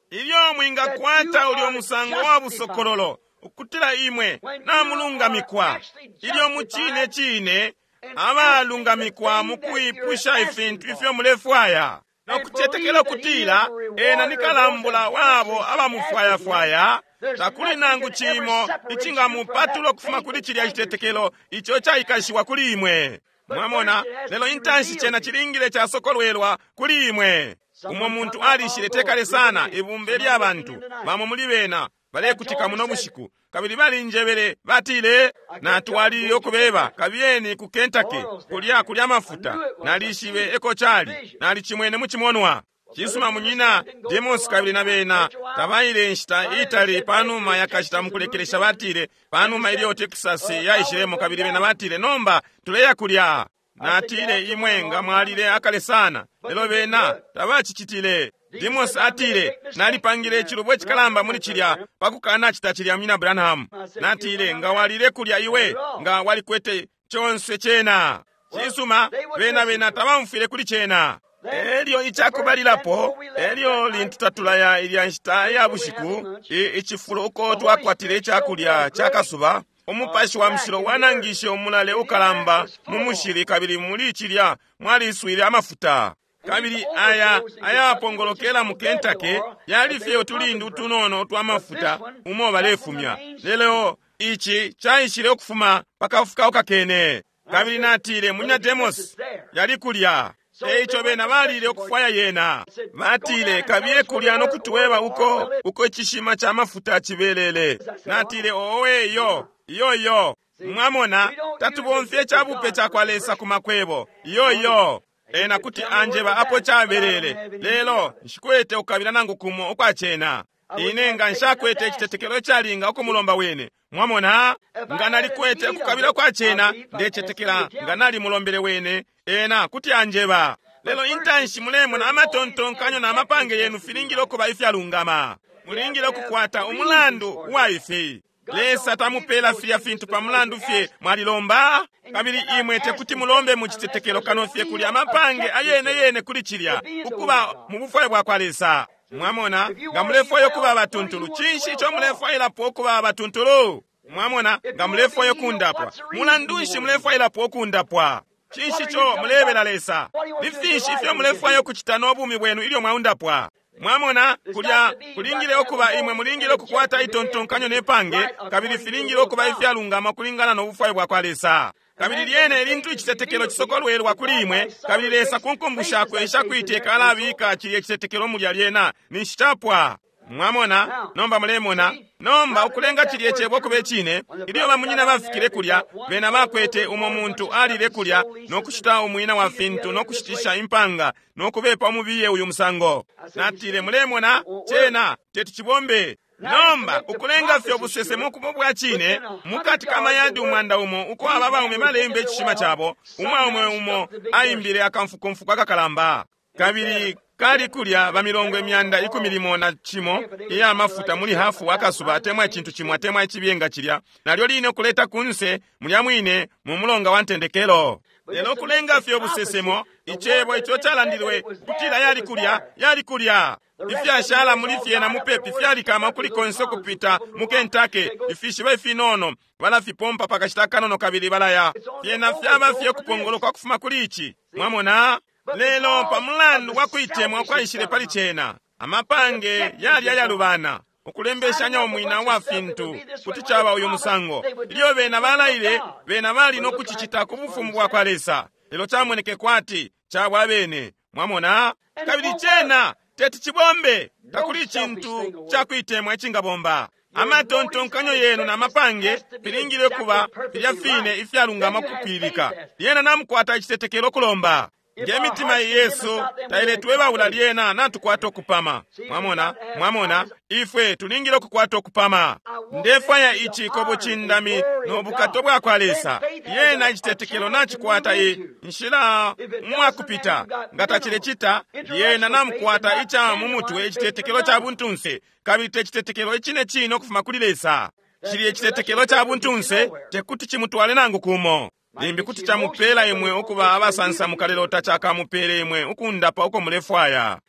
ilyo mwingakwata ulyo musango wa busokololo ukutila imwe namulungamikwa, ilyo mucine cine abalungamikwa mu kwipusha ifintu ifyo mulefwaya no kucetekela ukutila ena ni kalambula wabo abamufwayafwaya, takuli nangu cimo icingamupatula ukufuma kuli cilya citetekelo ico caikashiwa kuli imwe. Mwamona, lelo intanshi cena cilingile casokolwelwa kuli imwe. Umo muntu alishile tekale sana ibumba lya bantu, bamo muli bena balekutika muno bushiku, kabili balinjebele batile, natwalilile ukubeba, kabiyeni ku Kentucky kulya kulya mafuta. Nalishibe eko cali, nalicimwene mu cimonwa. Cisuma munyina Demos kabili na bena tabaile inshita itali panuma yakashita mukulekelesha, batile panuma ilyo Texas yaishilemo, kabili bena batile nomba tuleya kulya. Natile imwe nga mwalile akale sana, lelo bena tabacicitile. Demos atile nalipangile icilubo icikalamba muli cilya pakukana cita cilya munyina Branham. Natile nga walile kulya iwe nga walikwete conse cena. Cisuma bena bena tabamfwile kuli cena. Elyo icakubalilapo, elyo lintu tatulaya ilya nshita ya bushiku, icifulo uko twakwatile icakulya cakasuba, umupashi wa mushilo wanangishe umulale ukalamba mu mushili, kabili muli cilya mwaliswile amafuta. Kabili aya ayapongolokela mu Kentucky yali fye utulindu utunono utwa mafuta umo balefumya, lelo ici caishile ukufuma pakafuka kene. Kabili natile munyina Demos yali kulya. Eico bena balile ukufwaya yena. Batile kabiye kulya no kutuweba uko uko icishima cha mafuta cibelele. Natile owe iyo iyo iyo. Mwamona, tatubomfye chabupe cha kwa Lesa ku makwebo. Iyo iyo. Ena kuti anjeba apo chabelele, lelo nshikwete ukabila nangu kumo ukwachena. Ine nga nshakwete icitetekelo icalinga ukumulomba wene. Mwamona, nga nalikwete ukukabila kwa cena, ndecetekela nga nalimulombele wene, ena kuti anjeba. Lelo intanshi mulemona amatontonkanyo na mapange yenu filingile ukuba ifyalungama. Mulingile ukukwata umulandu uwa ifi. Lesa tamupela filya fintu pa mulandu fye mwalilomba, kabili imwe tekuti mulombe mu citetekelo kano fye kuli amapange ayene yene kuli cilya, ukuba mu bufwayo bwa kwa Lesa. Mwamona, nga mulefwaya ukuba abatuntulu, cinshi ico mulefwailapo ukuba abatuntulu? Mwamona, nga mulefwaya ukundapwa, mulandu nshi mulefwailapo ukundapwa? Cinshi ico mulebela Lesa? Ni finshi ifyo mulefwaya ukucita no bumi bwenu ilyo mwaundapwa? Mwamona, kulya kulingile ukuba imwe mulingile ukukwata itontonkanyo ne pange, kabili filingile ukuba ifyalungama ukulingana no bufwayo bwa kwa Lesa. Kabili lyene ilintu icitetekelo cisokolwelwa kuli imwe, kabili Lesa ku nkumbu shakwe ishakuiteka alabika cilye citetekelo mulya lyena, ninshi capwa. Mwamona, nomba mulemona, nomba ukulenga cilye cebo kube cine, ilyo bamunyina bafikile kulya, bena bakwete umo muntu alile kulya, no kushita umwina wa fintu, no kushitisha impanga, no kubepa umubiye uyu musango. Natile, mulemona, cena teti cibombe. Nomba ukulenga fye ubusesemo kubo bwa cine, mukati ka mayadi umwanda umo uko aba baume balemba icishima cabo, umwaume umo aimbile akamfukumfuku akakalamba. Kabili kali kulya bamilongo imyanda 11 iya mafuta muli hafu akasuba atemwa icintu cimwe atemwa icibiyenga cilya, nalyo line kuleta kunse mulya mwine mu mulonga wa ntendekelo. Lelo kulenga fye ubusesemo, icebo ico calandilwe kutila yali kulya, yali kulya. Ifyashala muli fyena mupepi fyalikama kuli konse kupita mu Kentucky, ifishiba ifinono balafipompa pakashita kanono kabili balaya. Fyena fyaba fye kupongoloka kufuma kuli ici. Mwamona? Lelo pa mulandu wa kuitemwa kwaishile pali cena, amapange yali ayalubana, ukulembeshanya umwina wa fintu kuti caba uyu musango. Ilyo bena balaile, bena bali no kucicita ku bufumu bwa kwa Lesa, lelo camoneke kwati cabwa bene. Mwamona? Kabili cena teti cibombe, takuli icintu ca kuitemwa icingabomba. Amatontonkanyo yenu na mapange filingile kuba filya fine ifyalungama kupwilika. Lyena namukwata icitetekelo kulomba. Nge mitima yesu tailetwebaula lyena natukwata okupama. Mwamona, mwamona, ifwe tulingile okukwata okupama. Ndefwaya ici kobucindami no bukato bwa kwa Lesa. Lyena icitetekelo nacikwata inshila mwakupita. Nga tacilecita, lyena namukwata ica mu mutwe icitetekelo ca buntunse, kabili te citetekelo icine cine ukufuma kuli Lesa. Cilye icitetekelo ca buntunse tekuti cimutwale nangu kumo. Limbi kuti camupela imwe ukuba abasansamuka lelo tacakamupele imwe ukundapa uko mulefwaya.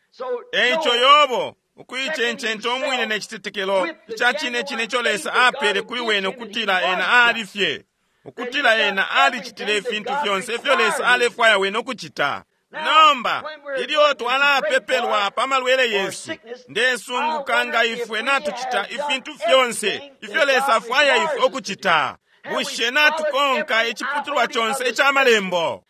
Eico Yobo, ukuicencenta umwine ne citetekelo ica cine cine ico Lesa apele kuli wene ukutila ena ali fye, ukutila ena alicitile ifintu fyonse ifyo Lesa alefwaya wene ukucita. Nomba, ilyo twalapepelwa pa malwele yesu, ndesunguka nga ifwe natucita ifintu fyonse ifyo Lesa afwaya ifwe ukucita. Bushe natukonka iciputulwa conse ica malembo?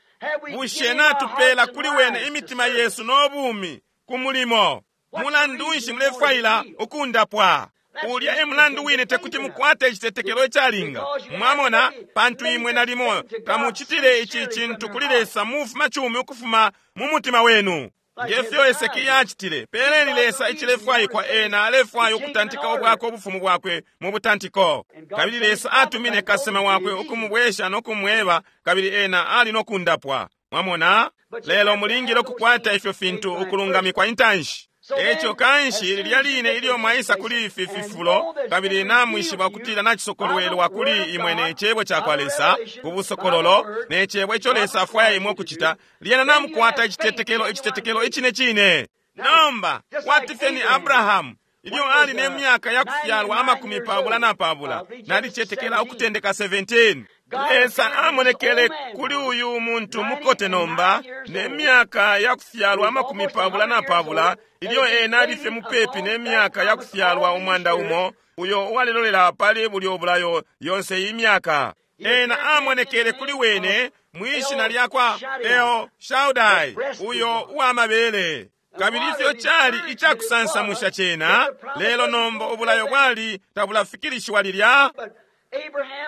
Bushe natupela kuli wene imitima yesu no bumi ku mulimo? Mulandu nshi mulefwaila ukundapwa? Ulya e mulandu wine tekuti mukwate icitetekelo icalinga. Mwamona, pantu imwe nalimo tamucitile ici cintu kuli Lesa mufuma cumi ukufuma mu mutima wenu. Ngefyo Hesekia acitile, peleni Lesa icilefwaikwa ena alefwaya ukutantika ubwakwe ubufumu bwakwe mu butantiko. Kabili Lesa atumine kasema wakwe ukumubwesha no kumweba, kabili ena ali no kundapwa. Mwamona? Lelo mulingile ukukwata ifyo fintu ukulungamikwa intanshi. Eco kanshi lilya line ilyo mwaisa kuli ifi fifulo, kabili namwishiba ukutila nacisokolwelwa kuli imwe ne cebo ca kwa Lesa, ku busokololo, ne cebo ico Lesa afwaya imwe ukucita, lyena namukwata icitetekelo, icitetekelo icine cine. Nomba, kwati fye ni Abrahamu, ilyo ali ne myaka ya kufyalwa 24, nalicetekela ukutendeka 17. Lesa amonekele kuli uyu muntu mukote nomba, ne myaka ya kufyalwa 44, ilyo ena ali fye mupepi ne myaka ya kufyalwa 100, uyo uwalelolela pali bulyo bulayo yonse iyi myaka. Ena amonekele kuli wene mwishina lya kwa El Shaddai, uyo uwamabele. Kabili ifyo cali icakusansamusha cena, lelo nomba ubulayo bwali tabulafikilishiwa lilya.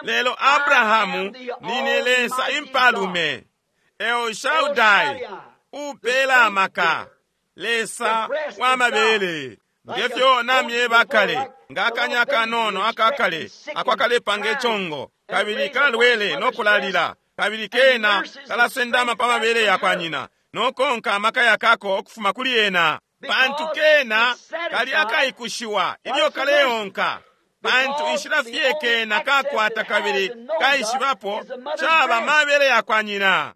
Lelo Abrahamu, nine Lesa impalume, El Shaddai, upela amaka, Lesa wa mabele. Ngefyo namyeba kale, nga akanya kanono akakale ako akalepanga icongo, kabili kalwele no kulalila, kabili kena kalasendama pa mabele yakwa nyina nokonka amaka yakako ukufuma kuli ena, pantu kena kali akaikushiwa ilyo kaleonka, pantu inshila fye kena kakwata kabili kaishibapo caba mabele yakwa nyina.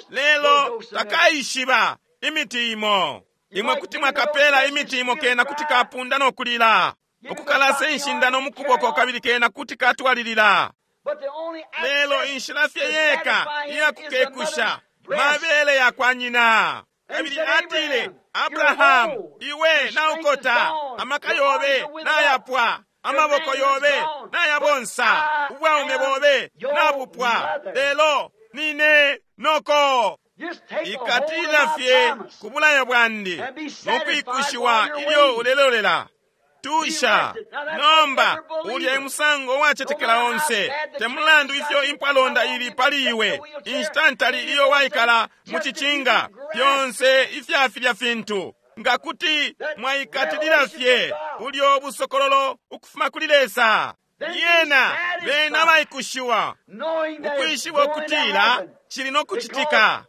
Lelo takaishiba imiti imo. Imwe kuti mwakapela imiti imo, kena kuti kapunda no kulila, ukukalasa inshindano mukuboko, kabili kena kuti katwalilila. Lelo inshila fye yeka iyakukekusha mabele yakwa nyina. Kabili atile, Abrahamu, iwe naukota, amaka yobe nayapwa, amaboko yobe nayabonsa, ubwaume bobe nabupwa, lelo nine noko. Ikatilila fye ku bulayo bwandi nokwikushiwa ilyo ulelolela. Tusha nomba ulya musango wacetekela onse, temulandu ifyo impwalonda ili pali iwe, inshita ntali iyo waikala mu cicinga, fyonse ifya filya fintu, nga kuti mwaikatilila fye ulyo busokololo ukufuma kuli Lesa, yena bena baikushiwa ukwishiba ukutila cili no kucitika,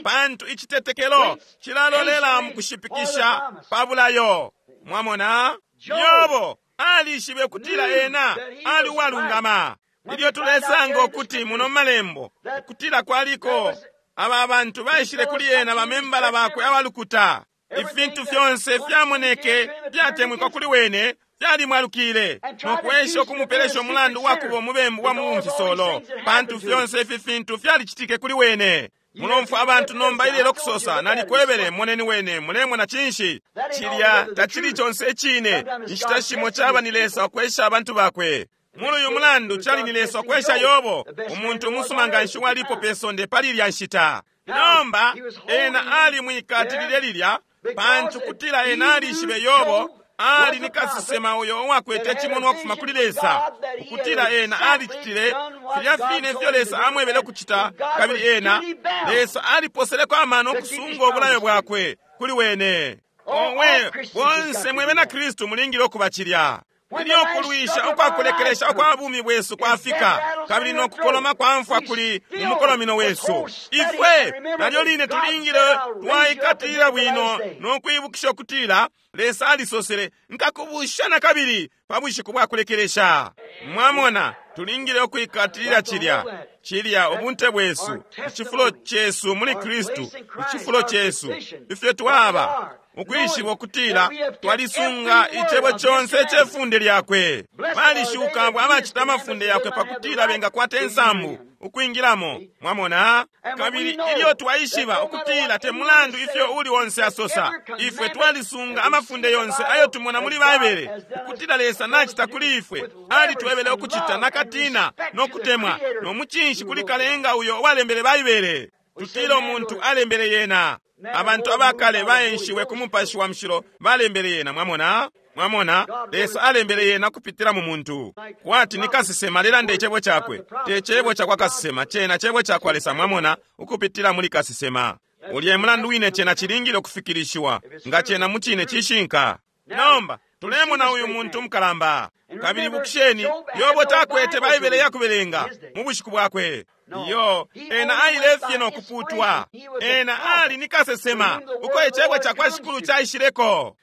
pantu icitetekelo cilalolela mu kushipikisha pa bulayo. Mwamona, Yobo alishibe kutila ena ali uwalungama. Ilyo tulesanga ukuti muno malembo ukutila kwaliko aba bantu baishile kuli ena, bamembala bakwe abalukuta, ifintu fyonse fyamoneke fyatemwikwa kuli wene, fyalimwalukile nokwesha ukumupelesha umulandu wakuba umubembu wa mumfisolo, pantu fyonse ifi fintu fyalicitike kuli wene. Mulomfwa abantu nomba ilelo kusosa, nalikwebele, moneni wene, mulemona cinshi? Cilya tacili conse icine. Inshita shimo caba ni Lesa ukwesha abantu bakwe. Muli uyu mulandu cali ni Lesa ukwesha Yobo, umuntu umusuma nganshi walipo pe sonde pali ilya nshita. Nomba ena alimwikatilile lilya, pantu kutila ena alishibe Yobo ali ni kasesema uyo uwakwete cimonwa ukufuma kuli Lesa, ukutila ena alicitile filya fine ifyo Lesa amwebele kucita, kabili ena Lesa aliposeleko amano ukusunga ubulayo bwakwe kuli wene. Owe, bonse mwebe na Kristu mulingile ukuba cilya. Ilyo kulwisha ukwakulekelesha ukwa bumi bwesu kwafika, kabili no kukoloma kwa mfwa kuli mu mukolomino wesu, ifwe nalyo line tulingile twaikatilila bwino no kwibukisha ukutila Lesa alisosele, nkakubusha na kabili pa bushiku bwa kulekelesha. Mwamona, tulingile ukwikatilila cilya cilya ubunte bwesu, icifulo cesu muli Kristu, icifulo cesu ifyo twaba, ukwishiba ukutila twalisunga icebo conse icefunde lyakwe. Balishuka abo abacita amafunde yakwe pakutila bengakwata insambu ukwingilamo. Mwamona, kabili ilyo twaishiba ukutila te mulandu ifyo uli onse asosa, ifwe twalisunga amafunde yonse ayo tumona muli Baibele, ukutila Lesa nachita kuli ifwe, alitwebele ukucita nakatina no kutemwa no mucinshi kuli Kalenga uyo walembele Baibele. Tutila umuntu alembele yena. Abantu abakale baenshiwe ku mupashi wa mushilo balembele yena. Mwamona, mwamona, Lesa alembele yena kupitila mu muntu, kwati ni kasesema alelanda icebo cakwe, te cebo cakwa kasesema, cena cebo cakwa Lesa. Mwamona, ukupitila muli kasesema. Ulya mulandu wine cena cilingile ukufikilishiwa, nga cena mu cine cishinka. Nomba tulemona uyu muntu mukalamba. Kabili bukisheni, Yobo takwete Baibele yakubelenga mu bushiku bwakwe. Iyo, ena aile fye no kuputwa. Ena ali ni kasesema uko icebo cakwa Shikulu caishileko.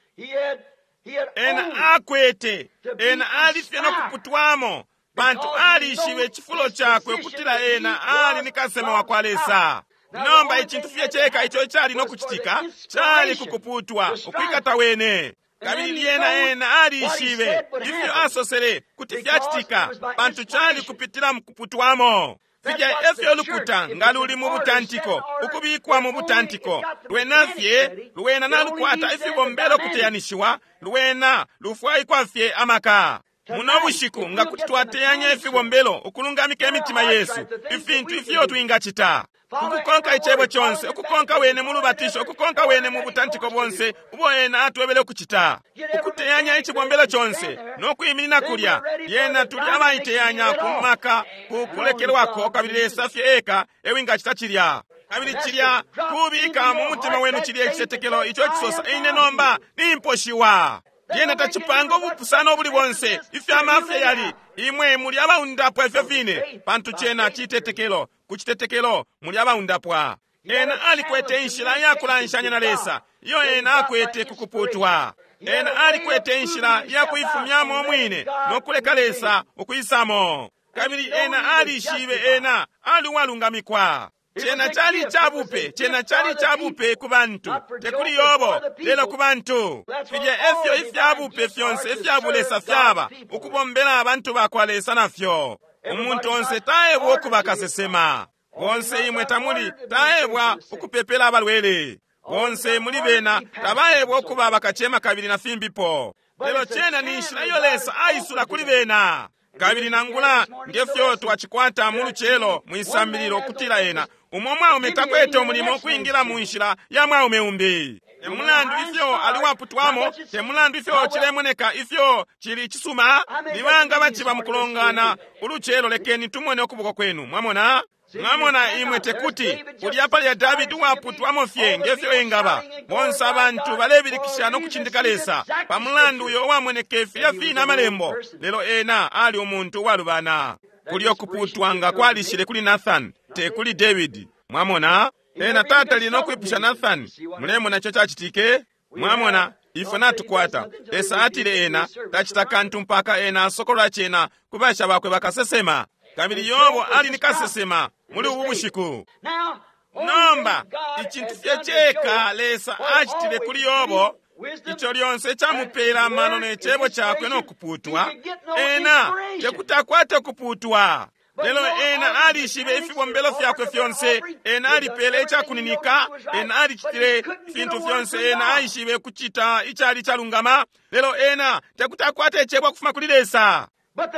Ena akwete, ena ali fye no kuputwamo, pantu alishibe icifulo cakwe ukutila ena ali ni kasesema wa kwa Lesa. Nomba icintu fye ceka ico cali no kucitika cali kukuputwa, ukwikata wene. Kabili lyena ena alishibe ifyo asosele kuti fyacitika, pantu cali kupitila mukuputwamo. Filya efyo lukuta nga luli mu butantiko, ukubikwa mu butantiko, lwena fye lwena nalukwata ifibombelo kuteyanishiwa, lwena lufwaikwa fye amaka. Muno bushiku nga kuti twateyanya ifibombelo ukulungamika imitima yesu, ifintu ifyo twingacita, ukukonka icebo conse, ukukonka wene mu lubatisho, ukukonka wene mu butantiko bonse ubo ena atwebele ukucita, ukuteyanya icibombelo conse no kwiminina kulya, lyena tuli abaiteyanya ku maka ku kulekelwako, kabili Lesa fye eka ewingacita cilya. Kabili cilya kubika mu mutima wenu cilya icitetekelo ico cisosa, ine nomba nimposhiwa. Lyena tacipanga ubupusano ubuli bonse ifyo amafya yali, imwe muli abaundapwa ifyo fine, pantu cena citetekelo. Ku citetekelo muli abaundapwa. Ena alikwete inshila ya kulanshanya na Lesa iyo ena akwete kukuputwa. Ena alikwete inshila ya kuifumyamo umwine no kuleka Lesa ukwisamo. Kabili ena alishibe ena ali uwalungamikwa. Cena cali icabupe, cena cali icabupe ku bantu, te kuli Yobo, lelo ku bantu. Filya efyo ifyabupe fyonse ifya bulesa fyaba, ukubombela abantu bakwa Lesa nafyo. Umuntu onse taebwa ukuba kasesema. Bonse imwe tamuli taebwa ukupepela abalwele. Bonse muli bena tabaebwa ukuba bakacema kabili na fimbipo. Lelo cena ni nshila iyo Lesa aisula kuli bena. Kabili nangula ngefyo twacikwata mu lucelo mwisambililo ukutila ena umo mwaume takwete umulimo ukwingila mu nshila ya mwaume umbi. Te mulandu ifyo ali waputwamo, te mulandu ifyo cilemoneka ifyo cili cisuma, ni banga baciba mukulongana ulucelo, lekeni tumone ukuboko kwenu. Mwamona? Mwamona imwe tekuti ulya palya Davidi uwaputwamo fye ngefyo engaba. Bonse abantu balebilikisha no kucindika Lesa pa mulandu uyo uwamoneke filya fine amalembo, lelo ena ali umuntu uwalubana. Kulyo kuputwa nga kwalishile kuli Nathan, te kuli Davidi. Mwamona? Ena tatalile no kwipusha Nathan. Mulemona ico cacitike? Mwamona? Ifwe natukwata. Lesa atile ena tacita kantu mpaka ena asokolola cena ku basha bakwe bakasesema. Kabili Yobo ali ni kasesema muli ubu bushiku. Nomba icintu fye ceka Lesa acitile kuli Yobo, ico lyonse camupela amano ne cebo cakwe no kuputwa, ena tekuti akwate kuputwa. Lelo ena alishibe ifibombelo fyakwe fyonse, ena alipele icakuninika, ena alicitile fintu fyonse, ena aishibe kucita icali calungama, lelo ena tekuti akwate icebo ukufuma kuli Lesa.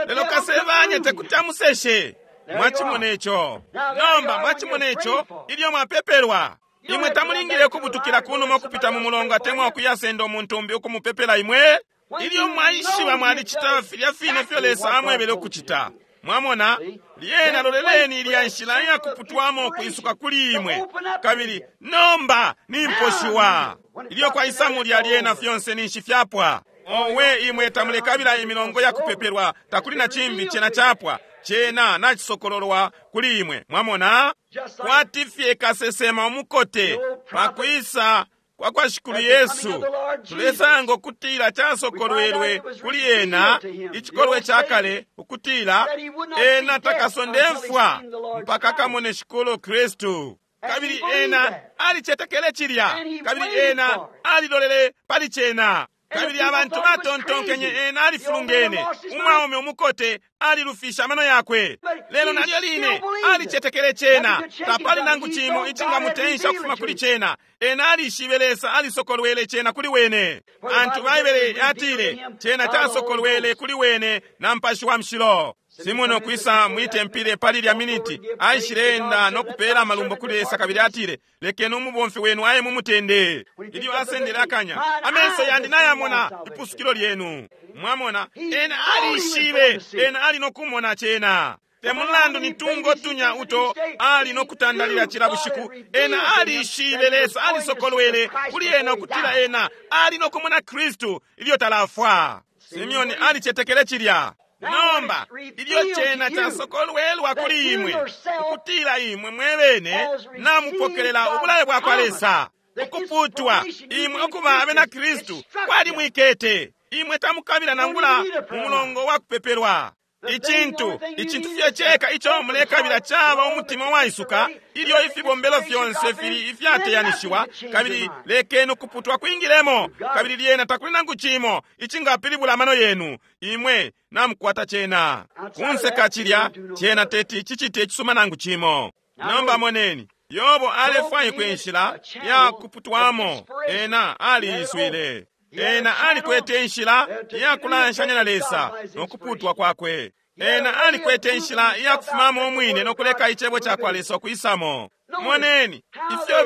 Lelo kasebanya tekuti amuseshe. Mwachimona ico. Nomba mwachimona ico ilyo mwapepelwa. Imwe tamulingile kubutukila kunuma ukupita mu mulongo atemwa ukuyasenda umuntu umbi ukumupepela imwe. Ilyo mwaishiba mwalicita filya fine fyo Lesa amwebele ukucita. Mwamona? Lyena loleleni ilya nshila ya kuputwamo kwisuka kuli imwe. Kabili nomba nimposhiwa. Ilyo kwaisa mulya lyena fyonse ninshi fyapwa. Owe imwe tamulekabila imilongo ya kupepelwa, takuli na cimbi cena chapwa. Cena nacisokololwa kuli imwe. Mwamona? Kwati fye kasesema umukote pakwisa kwa kwa Shikulu Yesu, tulesanga ukutila casokolwelwe kuli ena icikolwe ca kale ukutila ena takasonde mfwa mpaka kamone Shikulu Kristu. Kabili ena alicetekele cilya, kabili ena alilolele pali cena. Kabili abantu batontonkenye ena alifulungene, umwaume umukote alilufisha amano yakwe. Lelo nalyo line alicetekele cena, tapali nangu cimo icingamutensha ukufuma kuli cena. Ena alishibe Lesa alisokolwele cena kuli wene. Antu Baibele yatile cena casokolwele kuli wene na Mupashi wa Mushilo. Simoni okwisa mwitempile pali lya miniti aishile enda no kupela amalumbo kuli Lesa, kabili atile, lekeni umubomfi wenu aye mumutende. Ilyo asendele akanya, amenso yandi nayamona ipusukilo lyenu. Mwamona, ena alishibe, ena ali nokumona cena. Te mulandu ni tungo tunya uto ali nokutandalila cila bushiku, ena alishibe Lesa alisokolwele kuli ena ukutila ena ali nokumona Kristu ilyo talafwa. Simeoni alicetekele cilya. Nomba ilyo cena casokolwelwa kuli imwe ukutila imwe mwebene namupokelela ubulayo bwa kwa Lesa, ukuputwa imwe ukuba abena Kristu kwali mwikete. Imwe tamukabila nangula umulongo wa kupepelwa. Icintu fye ceka ico mulekabila caba umutima waisuka, ilyo ifibombelo fyonse fili ifyateyanishiwa, kabili lekeni ukuputwa kwingilemo, kabili lyena takuli nangu cimo icingapilibula amano yenu. Imwe namukwata cena. Kunse ka cilya, cena teti cicite icisuma nangu cimo. Nomba moneni, Yobo alefwaikwa inshila ya kuputwamo, ena aliiswile. Ena alikwete inshila ya kulanshanya na Lesa no kuputwa kwakwe. Ena alikwete inshila ya kufumamo umwine no kuleka icebo ca kwa Lesa ukwisamo. Moneni ifyo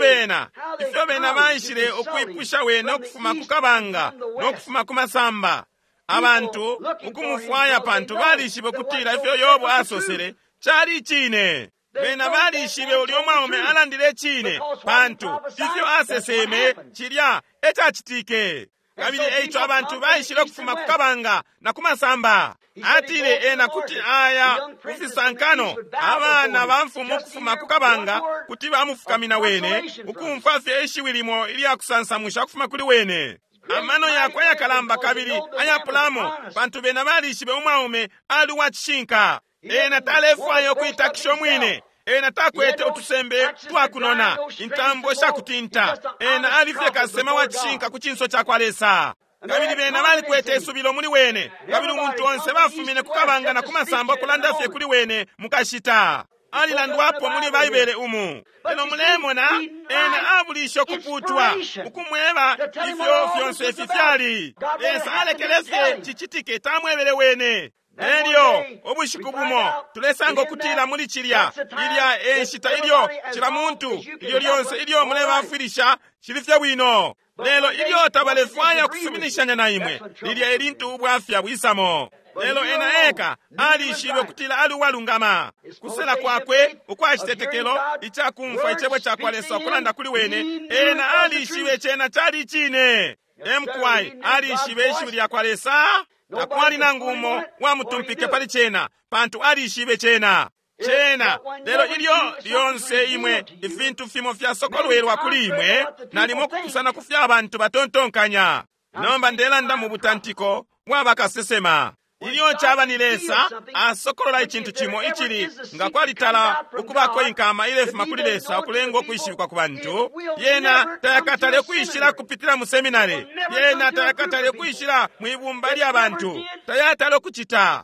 bena baishile ukwipusha wene ukufuma ku kabanga no kufuma ku masamba. Abantu ukumufwaya pantu balishibe kutila ifyo Yobo asosele cali icine. Bena balishibe ulyo mwaume alandile icine, pantu ifyo aseseme cilya ecacitike. Kabili eico abantu baishile ukufuma ku kabanga na ku masamba. Atile ena kuti aya kufisankano, abana ba mfumu ukufuma ku kabanga kuti bamufukamina wene, ukumfwa fye ishiwi limo ilya kusansamusha ukufuma kuli wene. Amano yakwe ayakalamba kabili ayapulamo, pantu bena balishibe umwaume ali uwa cishinka. Ena talefwaya ukuitakisha umwine. Ena takwete utusembe twakunona, intambo shakutinta. Ena ali fye kasesema wa cishinka ku cinso ca kwa Lesa. Kabili bena balikwete isubilo muli wene, kabili umuntu onse bafumine ku kabanga na ku masamba ukulanda fye kuli wene mukashita. Alilandwapo muli Baibele umu. Lelo mulemona, ena abulishe ukuputwa, ukumweba ifyo fyonse ifi fyali. Lesa alekele fye cicitike, tamwebele wene. Elyo ubushiku bumo tulesanga ukutila muli cilya ilya enshita ilyo cila muntu ilyo lyonse ilyo mulebafwilisha cili fye bwino. Lelo ilyo tabalefwaya ukusuminishanya na imwe, lilya elintu ubwafya bwisamo. Lelo ena eka alishibe ukutila ali uwalungama. Kusela kwakwe ukwa citetekelo icakumfwa icebo ca kwa Lesa ukulanda kuli wene, ena alishibe cena cali icine. Emkwai alishibe ishiwi lya kwa Lesa. Takwali nangu umo wamutumpike pali cena, pantu alishibe cena. Cena, lelo ilyo lyonse imwe ifintu fimo fyasokolwelwa kuli imwe, nalimo kupusana ku fya bantu batontonkanya. Nomba ndelanda mu butantiko bwa bakasesema. Ilyo caba ni Lesa asokolola icintu cimo icili nga kwalitala ukubako inkama ilefuma kuli Lesa ukulenga ukwishibikwa ku bantu, yena tayakatale kwishila kupitila mu seminari, yena tayakatale kwishila mwibumba lya bantu, tayatale ukucita.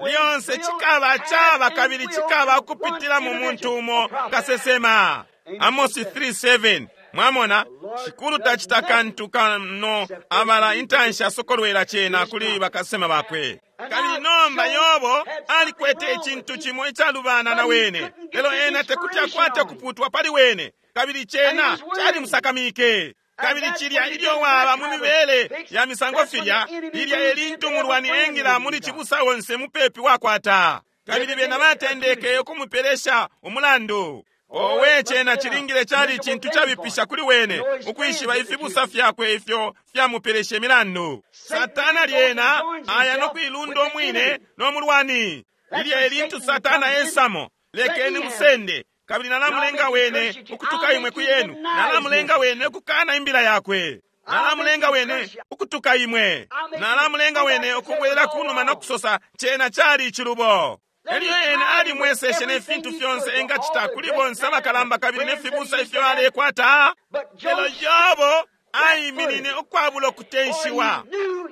Lyonse cikaba caba kabili cikaba ukupitila mu muntu umo kasesema. Amosi 3:7. Mwamona, Shikulu tacita kantu kano abala intanshi asokolwela cena kuli bakasema bakwe. Kabili nomba Yobo alikwete icintu cimo icalubana na wene, lelo ena tekuti akwate ukuputwa pali wene, kabili cena calimusakamike. Kabili cilya ilyo waba mu mibele ya misango filya, lilya elintu umulwani engila muli cibusa onse mupepi wakwata. Kabili bena batendeke ukumupelesha umulandu. Owe, cena cilingile cali icintu cabipisha kuli wene ukwishiba ifibusa fyakwe ifyo fyamupeleshe milandu. Satana lyena aya no kuilunda umwine no mulwani. Lilya elintu Satana esamo, lekeni musende, kabili nalamulenga wene ukutuka imwe ku yenu, nalamulenga wene ukukana imbila yakwe, nalamulenga wene ukutuka imwe, nalamulenga wene ukubwelela kunuma no kusosa cena cali icilubo. Elyo ena alimweseshe ne fintu fyonse engacita kuli bonse abakalamba kabili ne fibusa ifyo alekwata. Lelo Yobo aiminine ukwabula ukutenshiwa,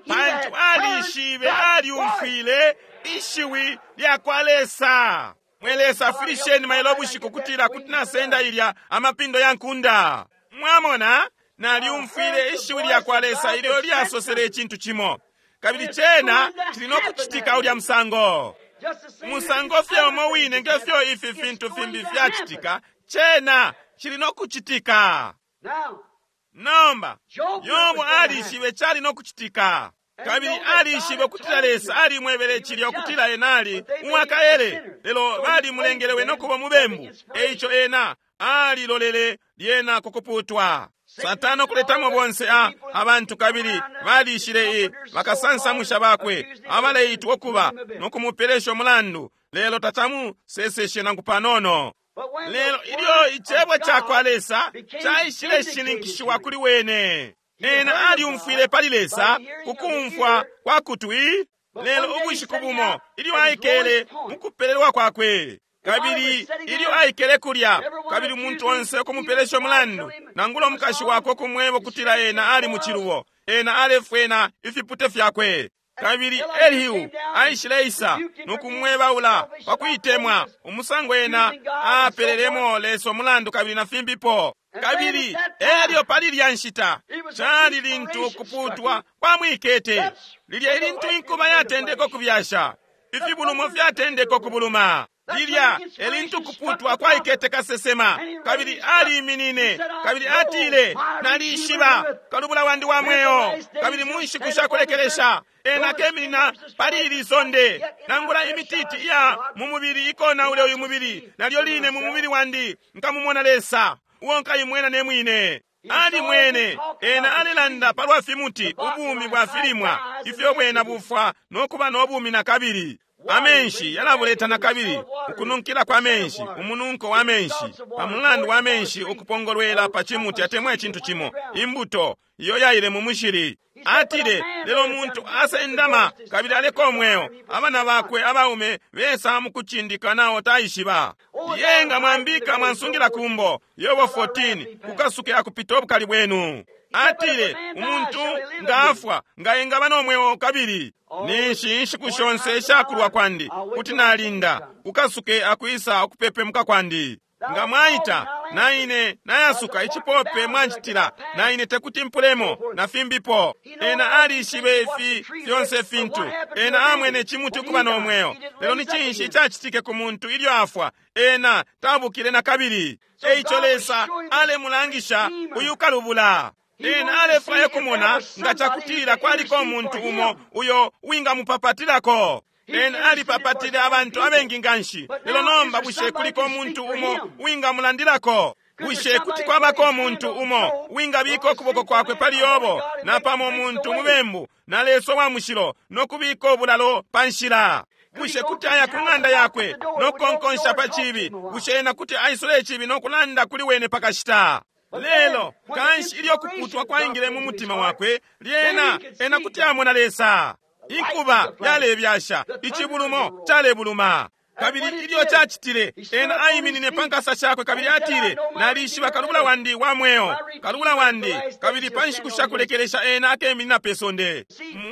pantu alishibe, alyumfwile ishiwi lya kwa Lesa. Mwe Lesa, afwilisheni mailo bushiku kutila kuti nasenda ilya amapindo ya nkunda. Mwamona, nalyumfwile ishiwi lya kwa Lesa ilyo lyasosele icintu cimo, kabili cena cili no kucitika ulya musango. Musango fye umo wine ngefyo ifi fintu fimbi fyacitika, cena cili no kucitika. Nomba Yobo alishibe cali no kucitika, kabili alishibe ukutila Lesa alimwebele cilya ukutila ena ali uwakaele, lelo balimulengele wene ukuba mubembu. Eico ena alilolele lyena kukuputwa. Satana okuletamo bonse abantu kabili balishile bakasansamusha bakwe abaleitwa ukuba no kumupelesha umulandu, lelo tacamuseseshe nangu panono. Lelo ilyo icebo ca kwa Lesa caishile shininkishiwa kuli wene, ena alyumfwile pali Lesa kukumfwa kwa kutwi. Lelo ubushiku bumo ilyo aikele mukupelelwa kwakwe, kabili ilyo aikele kulya, kabili umuntu onse ukumupelesha umulandu, nangula umukashi wakwe ukumweba ukutila ena ali mucilubo, ena alefwena ifipute fyakwe. Kabili Elihu aishileisa no kumwebaula pa kuitemwa umusango ena apelelemo Lesa umulandu kabili na fimbipo. Kabili elyo pali lya nshita cali lintu ukuputwa kwamwikete, lilya ilintu inkuba yatendeka ukubyasha, ifibulumo fyatendeka ukubuluma. Lilya elintu kuputwa kwaikete kasesema, kabili aliiminine kabili atile, nalishiba kalubula wandi wa mweo, kabili mu nshiku shakulekelesha ena keminina pali ili sonde. Nangula imititi iya mu mubili ikonaule uyu mubili, nalyo line mu mubili wandi nkamumona Lesa uo nkaimwena ne mwine. Alimwene ena alelanda palwa fimuti, ubumi bwa filimwa ifyo bwena bufwa nokuba no bumi na kabili. Amenshi yalabuleta na kabili, ukununkila kwa menshi, umununko wa menshi, pa mulandu wa menshi ukupongolwela pa cimuti atemwa icintu cimo, imbuto iyo yaile mu mushili. Atile, lelo muntu asendama kabili aleka umweo, abana bakwe abaume besa mukucindika nao taishiba. Yenga mwambika mwansungila kumbo. Yobo 14, kukasuke akupita obukali bwenu. Atile, umuntu ngaafwa nga engaba nomweo kabili. Ninshi inshiku shonse ishakulwa kwandi kuti nalinda kukasuke akwisa ukupepemuka kwandi. Nga mwaita naine nayasuka icipope mwanjitila, naine tekuti mpulemo na fimbipo. Ena alishibe ifi fyonse fintu. Ena amwene cimuti ukuba no mweo, lelo ni cinshi icacitike ku muntu ilyo afwa? Ena tabukile na kabili. Eico Lesa alemulangisha uyu kalubula. Ena alefwaya kumona nga cakutila kwaliko umuntu umo uyo wingamupapatilako. Ena alipapatile abantu abengi nganshi, lelo nomba bushe kuliko umuntu umo wingamulandilako? Bushe kuti kwabako umuntu umo wingabika ukuboko kwakwe pali Yobo, napamo umuntu mubembu na Lesa wa mushilo, nokubika obulalo pa nshila? Bushe kuti aya ku ng'anda yakwe nokukonkonsha pa cibi? Bushe ena kuti aisula icibi nokulanda kuli wene pakashita? Lelo kanshi ilyo kuputwa kwaingile mu mutima wakwe, lyena ena kuti amona Lesa. Inkuba yalebyasha, icibulumo calebuluma. Kabili ilyo cacitile, ena aiminine pa nkasa shakwe kabili atile, nalishiba kalubula wandi wa mweo, kalubula wandi, kabili pa nshiku shakulekelesha ena akeminina pe sonde.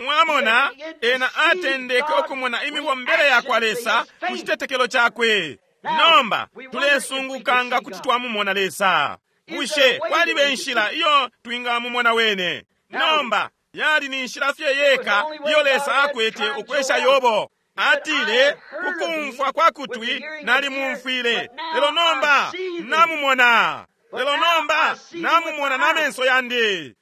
Mwamona, ena atendeke ukumona imibombele ya kwa Lesa ku citetekelo cakwe. Nomba tulesunguka nga kuti twamumona Lesa. Bushe kwaliba inshila iyo twingamumona wene? Nomba yali ni nshila fye yeka iyo Lesa akwete ukwesha Yobo. Atile, kukumfwa kwa kutwi nalimumfwile, lelo nomba namumona. Lelo nomba namumona na menso yandi.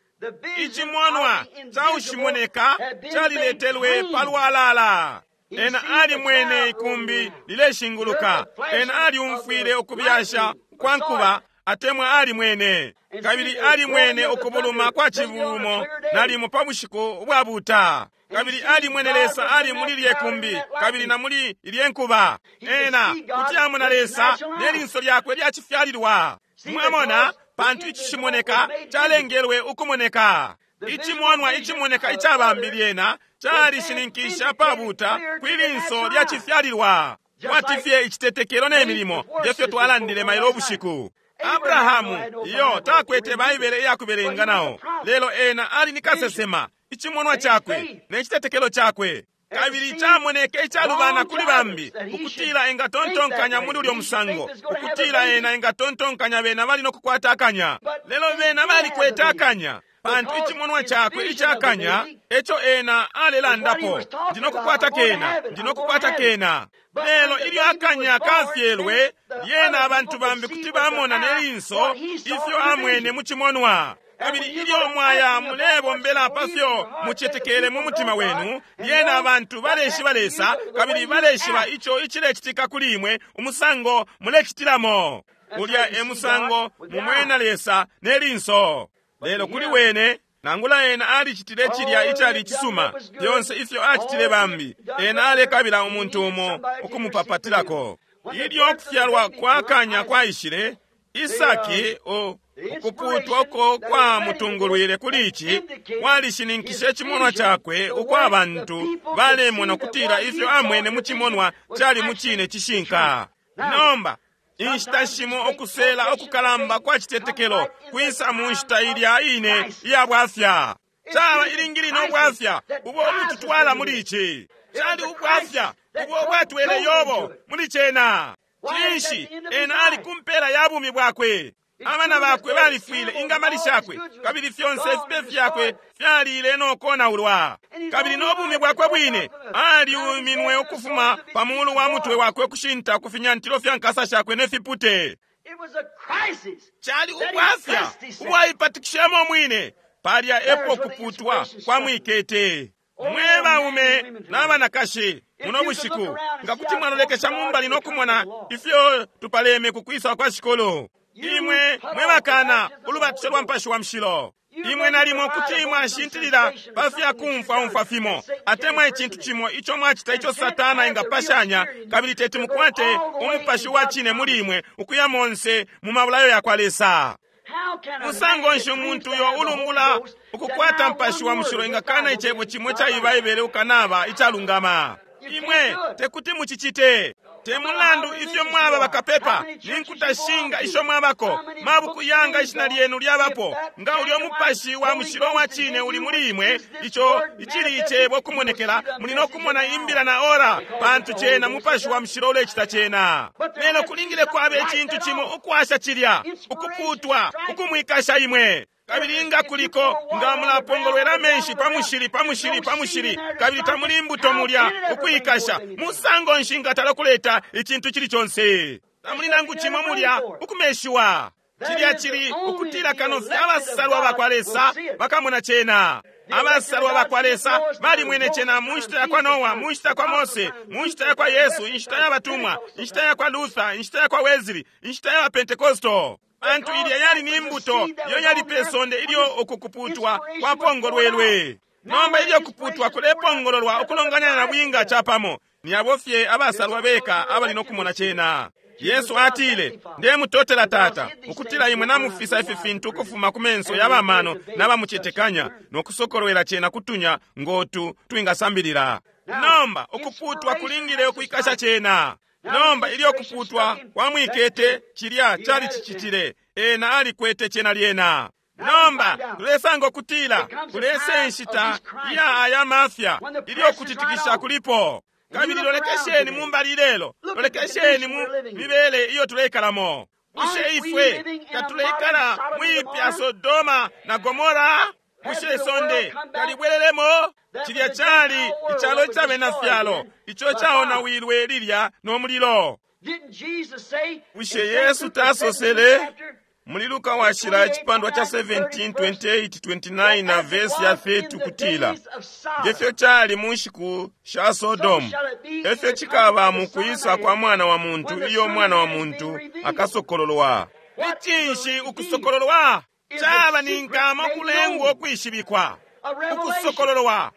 Icimonwa caushimoneka caliletelwe palwalala. Ena alimwene ikumbi lileshinguluka. Ena aliumfwile ukubyasha kwa nkuba atemwa alimwene. Kabili alimwene ukubuluma kwa cibulumo nalimo pa bushiku ubwabuta. Kabili alimwene Lesa ali muli lye kumbi kabili na muli ilye nkuba. Ena kuti amona Lesa ne linso lyakwe lyacifyalilwa. Mwamona, pantu icishimoneka calengelwe ukumoneka. Icimonwa icimoneka icabambi lyena calishininkisha pabuta kwi linso lyacifyalilwa. Kwati fye icitetekelo ne milimo ngefyo twalandile mailo ubushiku. Abrahamu iyo takwete Baibele iyakubelenga nao, lelo ena ali ni kasesema, icimonwa cakwe ne citetekelo cakwe. Kabili camoneke icalubana kuli bambi ukutila engatontonkanya muli ulyo musango, ukutila ena engatontonkanya bena bali nokukwata akanya, lelo bena balikwete akanya, pantu icimonwa cakwe icakanya eco ena alelandapo, ndinokukwata kena, ndinokukwata kena. Lelo ilyo akanya kafyelwe, lyena abantu bambi kuti bamona ne linso ifyo amwene mu cimonwa. Kabili ilyo mwaya mulebombela pafyo mucetekele mu mutima wenu, lyena abantu baleshiba Lesa kabili baleshiba ico icilecitika kuli imwe, umusango mulecitilamo. Ulya e musango mumwena Lesa ne linso. Lelo kuli wene, nangula ena alicitile cilya icali cisuma, fyonse ifyo acitile bambi, ena alekabila umuntu umo ukumupapatilako. Ilyo kufyalwa kwa kanya kwaishile, Isaki ukuputwa uko kwamutungulwile kuli ici kwalishininkishe icimonwa cakwe uko abantu balemona ukutila ifyo amwene mu cimonwa cali mu cine cishinka. Nomba inshita shimo ukusela ukukalamba kwa citetekelo kwisa mu nshita ilya ine iya bwafya. Caba ilingili no bwafya ubo ubututwala muli ici. Cali ubwafya ubo ubwatwele Yobo muli cena. Cinshi? Ena ali kumpela ya bumi bwakwe. Abana bakwe balifwile, ingamali shakwe kabili fyonse ifipe fyakwe fyalile no konaulwa. Kabili no bumi bwakwe bwine aliuminwe ukufuma pa mulu wa mutwe wakwe kushinta ku finyantilo fya nkasa shakwe ne fipute. It was a crisis. Cali ubwafya ubwaipatikishemo mwine. Palya epo kuputwa kwa mwikete. Mwe baume n'abanakashi muno bushiku, nga kuti mwalolekesha mumbali no kumona ifyo tupaleme ku kwisa kwa shikulu. Imwe mwe bakana ulubatisho lwa Mupashi wa Mushilo. Imwe nalimo kuti mwashintilila pa fya kumfwaumfwa fimo atemwa icintu cimo ico mwacita ico Satana engapashanya, kabili teti mukwate umupashi wa cine muli imwe ukuya monse mu mabulayo ya kwa Lesa. How can a Musango man nshi that umuntu claims to uyo have the Holy ulumbula Ghost ukukwata deny Mupashi one wa Mushilo word of the engakana Bible icebo being cimo not ca right? Baibele ukanaba icalungama? Imwe tekuti mucicite. Te mulandu ifyo mwaba bakapepa, ni nkuta shinga isho mwabako, mabuku yanga ishina lyenu lyabapo, nga ulyo Mupashi wa Mushilo wa cine uli muli imwe, ico icili icebo kumonekela, muli no kumona imbila na ora, pantu cena Mupashi wa Mushilo ulecita cena. Lelo kulingile kwaba icintu cimo ukwasha cilya, ukuputwa, ukumwikasha imwe. Kabili nga kuliko, nga mulapongolwela amenshi pa mushili, pa mushili, pa mushili, kabili tamuli imbuto mulya ukwikasha, musango nshi nga talakuleta icintu cili conse? Tamuli nangu cimo mulya ukumeshiwa. Cilya cili ukutila kano fye abasalwa bakwa Lesa bakamona cena. Abasalwa bakwa Lesa balimwene cena mu nshita ya kwa Noa, mu nshita ya kwa Mose, mu nshita ya kwa Yesu, inshita ya batumwa, inshita ya kwa Luther, inshita ya kwa Wesley, inshita ya Pentecosto. Pantu ilya yali ni mbuto iyo yali pe sonde ilyo ukukuputwa kwapongolwelwe. Nomba ilyo kuputwa kulepongololwa ukulonganya na bwinga capamo, ni abo fye abasalwa beka abali no kumona cena. Yesu atile, ndemutotela Tata, ukutila imwe namufisa ifi fintu ukufuma ku menso ya bamano n'abamucetekanya, no kusokolwela cena kutunya ngotu twingasambilila. Nomba ukuputwa kulingile ukwikasha cena. Nomba ilyo kuputwa kwamwikete, cilya cali cicitile, ena alikwete cena lyena. Nomba tulesanga ukutila kulese nshita iya aya mafya ilyo kutitikisha kulipo. Kabili lolekesheni mu mbali lelo, lolekesheni mu mibele iyo tuleikalamo. Bushe ifwe tatuleikala mwipya Sodoma na Gomora? Bushe isonde talibwelelemo? Cilya cali icalo icabena fyalo ico caonawilwe lilya no mulilo. Didn't Jesus say in Bushe St. Yesu Luke, the tasosele 17th chapter, muli Luka washila icipandwa cha 17, 28, 29 na as it vesi ya was in 30 the kutila, days of Sodom, ngefyo cali mu nshiku sha Sodomu, efyo cikaba mu kwisa kwa Mwana wa Muntu iyo Mwana wa Muntu akasokololwa. Ni cinshi ukusokololwa? Caba ni nkama ukulengwa ukwishibikwa. a revelation Ukusokololwa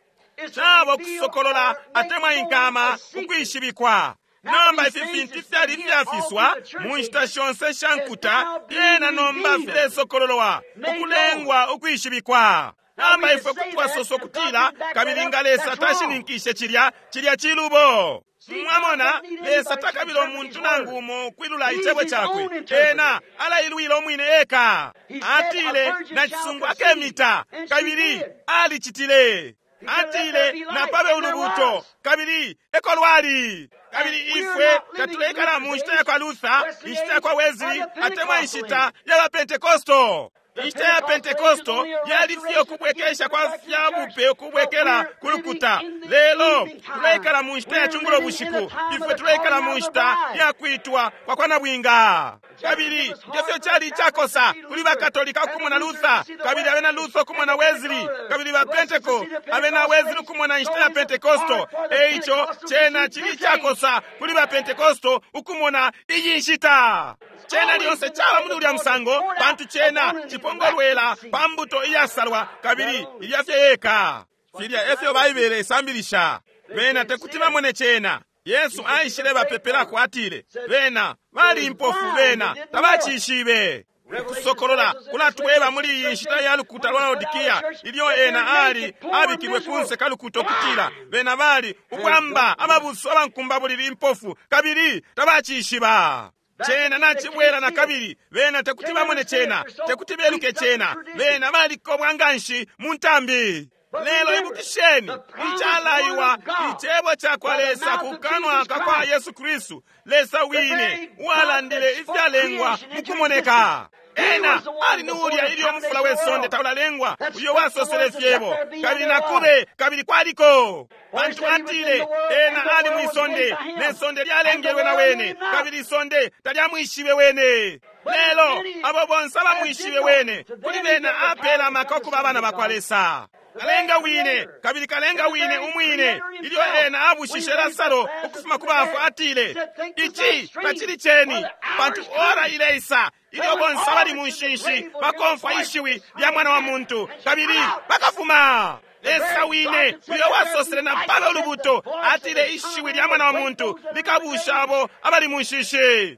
is to caba reveal ukusokolola or make atemwa known inkama a secret. ukwishibikwa. Nomba ifi fintu fyali fyafiswa mu nshita shonse sha nkuta, lyena nomba filesokololwa ukulengwa ukwishibikwa. Nomba ifwe kuti twasosa ukutila, kabili nga Lesa tashininkishe cilya, cilya cilubo. Mwamona, Lesa takabila umuntu nangu umo ukwilula icebo cakwe. Ena alailwila umwine eka. Atile, nacisungu akemita, kabili alicitile. Atile, napabe ulubuto, kabili eko lwali. Kabili ifwe tatuleikala mu nshita ya kwa Luther, inshita ya kwa Wesley, atemwa inshita ya ba Pentecosto. Inshita ya Pentecosto yali fye ukubwekesha kwa fya bupe ukubwekela ku lukuta. Lelo tuleikala mu nshita ya cungulo bushiku, ifwe tuleikala mu nshita ya kwitwa kwa kwa nabwinga. Kabili ngefyo cali icakosa kuli bakatolika ukumona Luther, kabili abena Luther ukumona Wesley, kabili ba Penteco abena Wesley ukumona inshita ya Pentecosto. Eico cena cili icakosa kuli ba Pentecosto ukumona iyi nshita. Cena lyonse caba muli ulya musango, pantu cena cipongolwela pa mbuto iyasalwa kabili ilya fye yeka. Filya efyo Baibele isambilisha. Bena tekuti bamone cena. Yesu aishile bapepelako atile, bena bali impofu, bena tabacishibe. Ukusokolola kulatweba muli iyi nshita ya lukuta lwa Laodikia ilyo ena ali abikilwe kunse ka lukuta ukutila bena bali ubwamba ababusu abankumbabulili impofu kabili tabacishiba. Cena nacibwela na kabili, bena tekuti bamone cena, tekuti beluke cena, bena balikobwa nganshi mu ntambi. Lelo ibukisheni, icalaiwa icebo cakwa Lesa ku kanwa kakwa Yesu Kristu, Lesa wine uwalandile ifyalengwa mukumoneka. Ena ali ni ulya ilyo umufula we sonde taulalengwa, uyo wasosele fyebo, kabili nakube, kabili kwaliko. Pantu atile ena ali mwisonde, ne sonde lyalengelwe na wene, kabili isonde talyamwishibe wene. Lelo abo bonse abamwishibe wene, kuli bena apela amaka okuba abana bakwa Lesa. Kalenga wine, kabili kalenga wine umwine, ilyo ena abushishe Lasaro ukufuma ku bafwa, atile, ici tacili ceni, pantu ora ileisa ilyo bonse abali mu nshinshi bakomfwa ishiwi lya mwana wa muntu, kabili bakafuma. Lesa wine uyo wasosele na palo lubuto atile ishiwi lya mwana wa muntu likabusha abo abali mu nshinshi.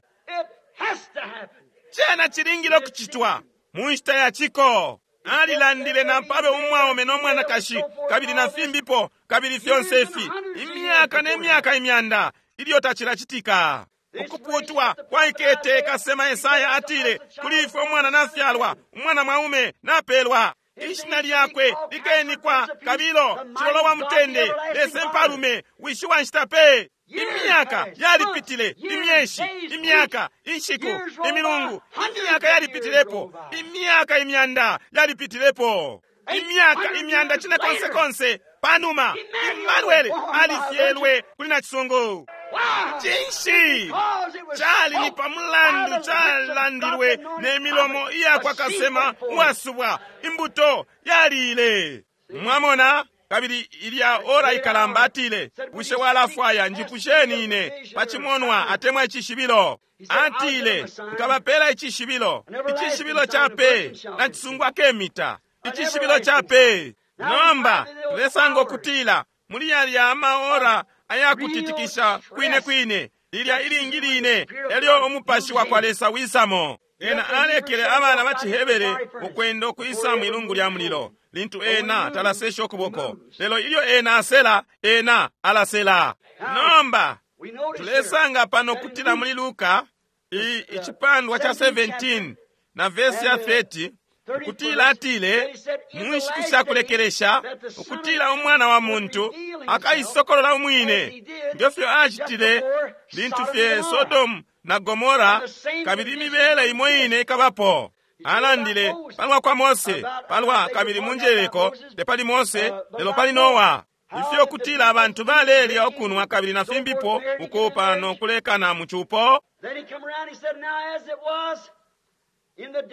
Cena cilingile ukucitwa mu nshita ya ciko. Alilandile na pabe umwaume no mwanakashi, kabili na fimbipo, kabili fyonse ifi imyaka ne myaka imyanda ilyo tacilacitika. Ukuputwa kwaikete kasema Esaya atile, kuli ifwe umwana nafyalwa, umwana mwaume napelwa, ishina lyakwe likenikwa Kabilo, Cilolo wa Mutende, Lesa Mpalume, Wishi wa nshita pe. Imyaka yalipitile, imyeshi, imyaka, inshiku, imilungu, imyaka yalipitilepo, imyaka imyanda yalipitilepo, imyaka imyanda cine konse konse. Panuma Emmanuel alifyelwe kuli nacisungu. Cinshi cali ni pamulandu calandilwe ne milomo iyakwa kasema uwasubwa, imbuto yalile. Mwamona? Kabili ilya ora ikalamba atile, bushe walafwaya njipusheni ine pacimonwa atemwa icishibilo? Atile, nkabapela icishibilo, icishibilo ca pe na cisungu akemita, icishibilo ca pe. Nomba tulesanga ukutila muli yalya amaora ayakutitikisha kwine kwine, lilya ilingi line elyo umupashi wa kwa Lesa wisamo. Ena alekele abana ba ciHebere ukwenda ukwisa mwilungu lya mulilo lintu ena talasesha ukuboko, lelo ilyo ena asela, ena alasela. Nomba tulesanga pano kutila muli Luka icipandwa ca 17 na vesi ya 30 ukutila atile mu nshiku sha kulekelesha ukutila umwana wa muntu akaisokolola umwine ngefyo acitile lintu fye Sodomu na Gomora, kabili imibele imo ine ikabapo. Alandile palwa kwa Mose, palwa kabili munjeleko tepali Mose lelo pali Noa, ifyo kutila abantu balelya ukunwa kabili na fimbipo ukupa no kulekana mu cupo.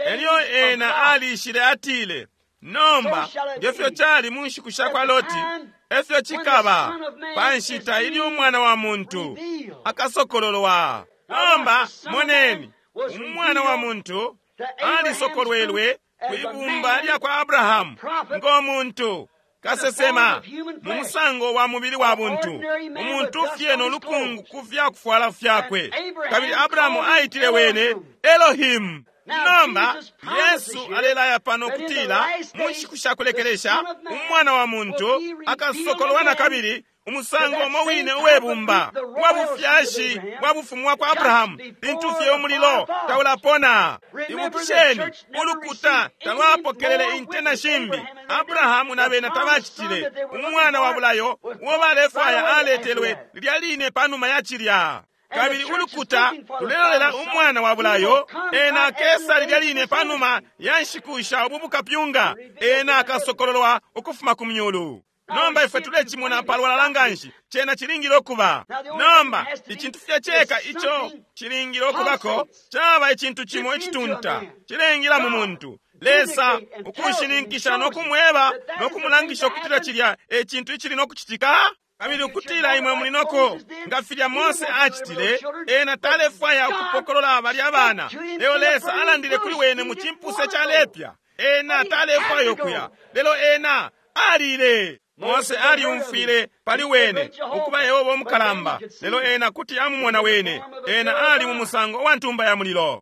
Elyo ena alishile atile, nomba ngefyo cali mu nshiku sha kwa Loti, efyo cikaba pa nshita ilyo umwana wa muntu akasokololwa. Nomba moneni, umwana wa muntu alisokolwelwe kwibumba lya kwa Abrahamu ngo muntu kasesema mu musango wa mubili wa buntu, umuntu fye no lukungu ku fyakufwala fyakwe. Kabili Abrahamu aitile wene Elohim. Nomba Yesu alelaya pano kutila mu nshiku sha kulekelesha umwana wa muntu akasokolwa na kabili umusango umo wine uwebumba wa bufyashi bwa bufumu bwa kwa Abrahamu lintu fye umulilo taulapona. Ibukisheni, ulukuta talwapokelele inte na shimbi. Abrahamu na bena tabacitile. Umwana wa bulayo uo balefwaya aletelwe lilya line panuma ya cilya. Kabili ulukuta lulelolela umwana wa bulayo, ena akesa lilya line panuma ya nshiku sha ubu bukapyunga, ena akasokololwa ukufuma ku myulu. Nomba ifwe tulecimona palwalala nganshi, cena cilingile ukuba. Nomba icintu fye ceka ico cilingile ukubako caba icintu cimo icitunta cilengila mu muntu. Lesa ukushininkisha no kumweba no kumulangisha ukutila cilya e cintu icili no kucitika. Kabili ukutila imwe muli noko nga filya Mose acitile, ena talefwaya ukupokolola balya abana, lelo Lesa alandile kuli wene mu cimpuse calepya. Ena talefwaya ukuya, lelo ena alile. Mose aliumfwile pali wene ukuba Yehova umukalamba, lelo ena kuti amumona wene. Ena ali mu musango wa ntumba ya mulilo.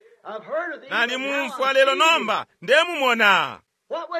Nalimumfwa, lelo nomba ndemumona.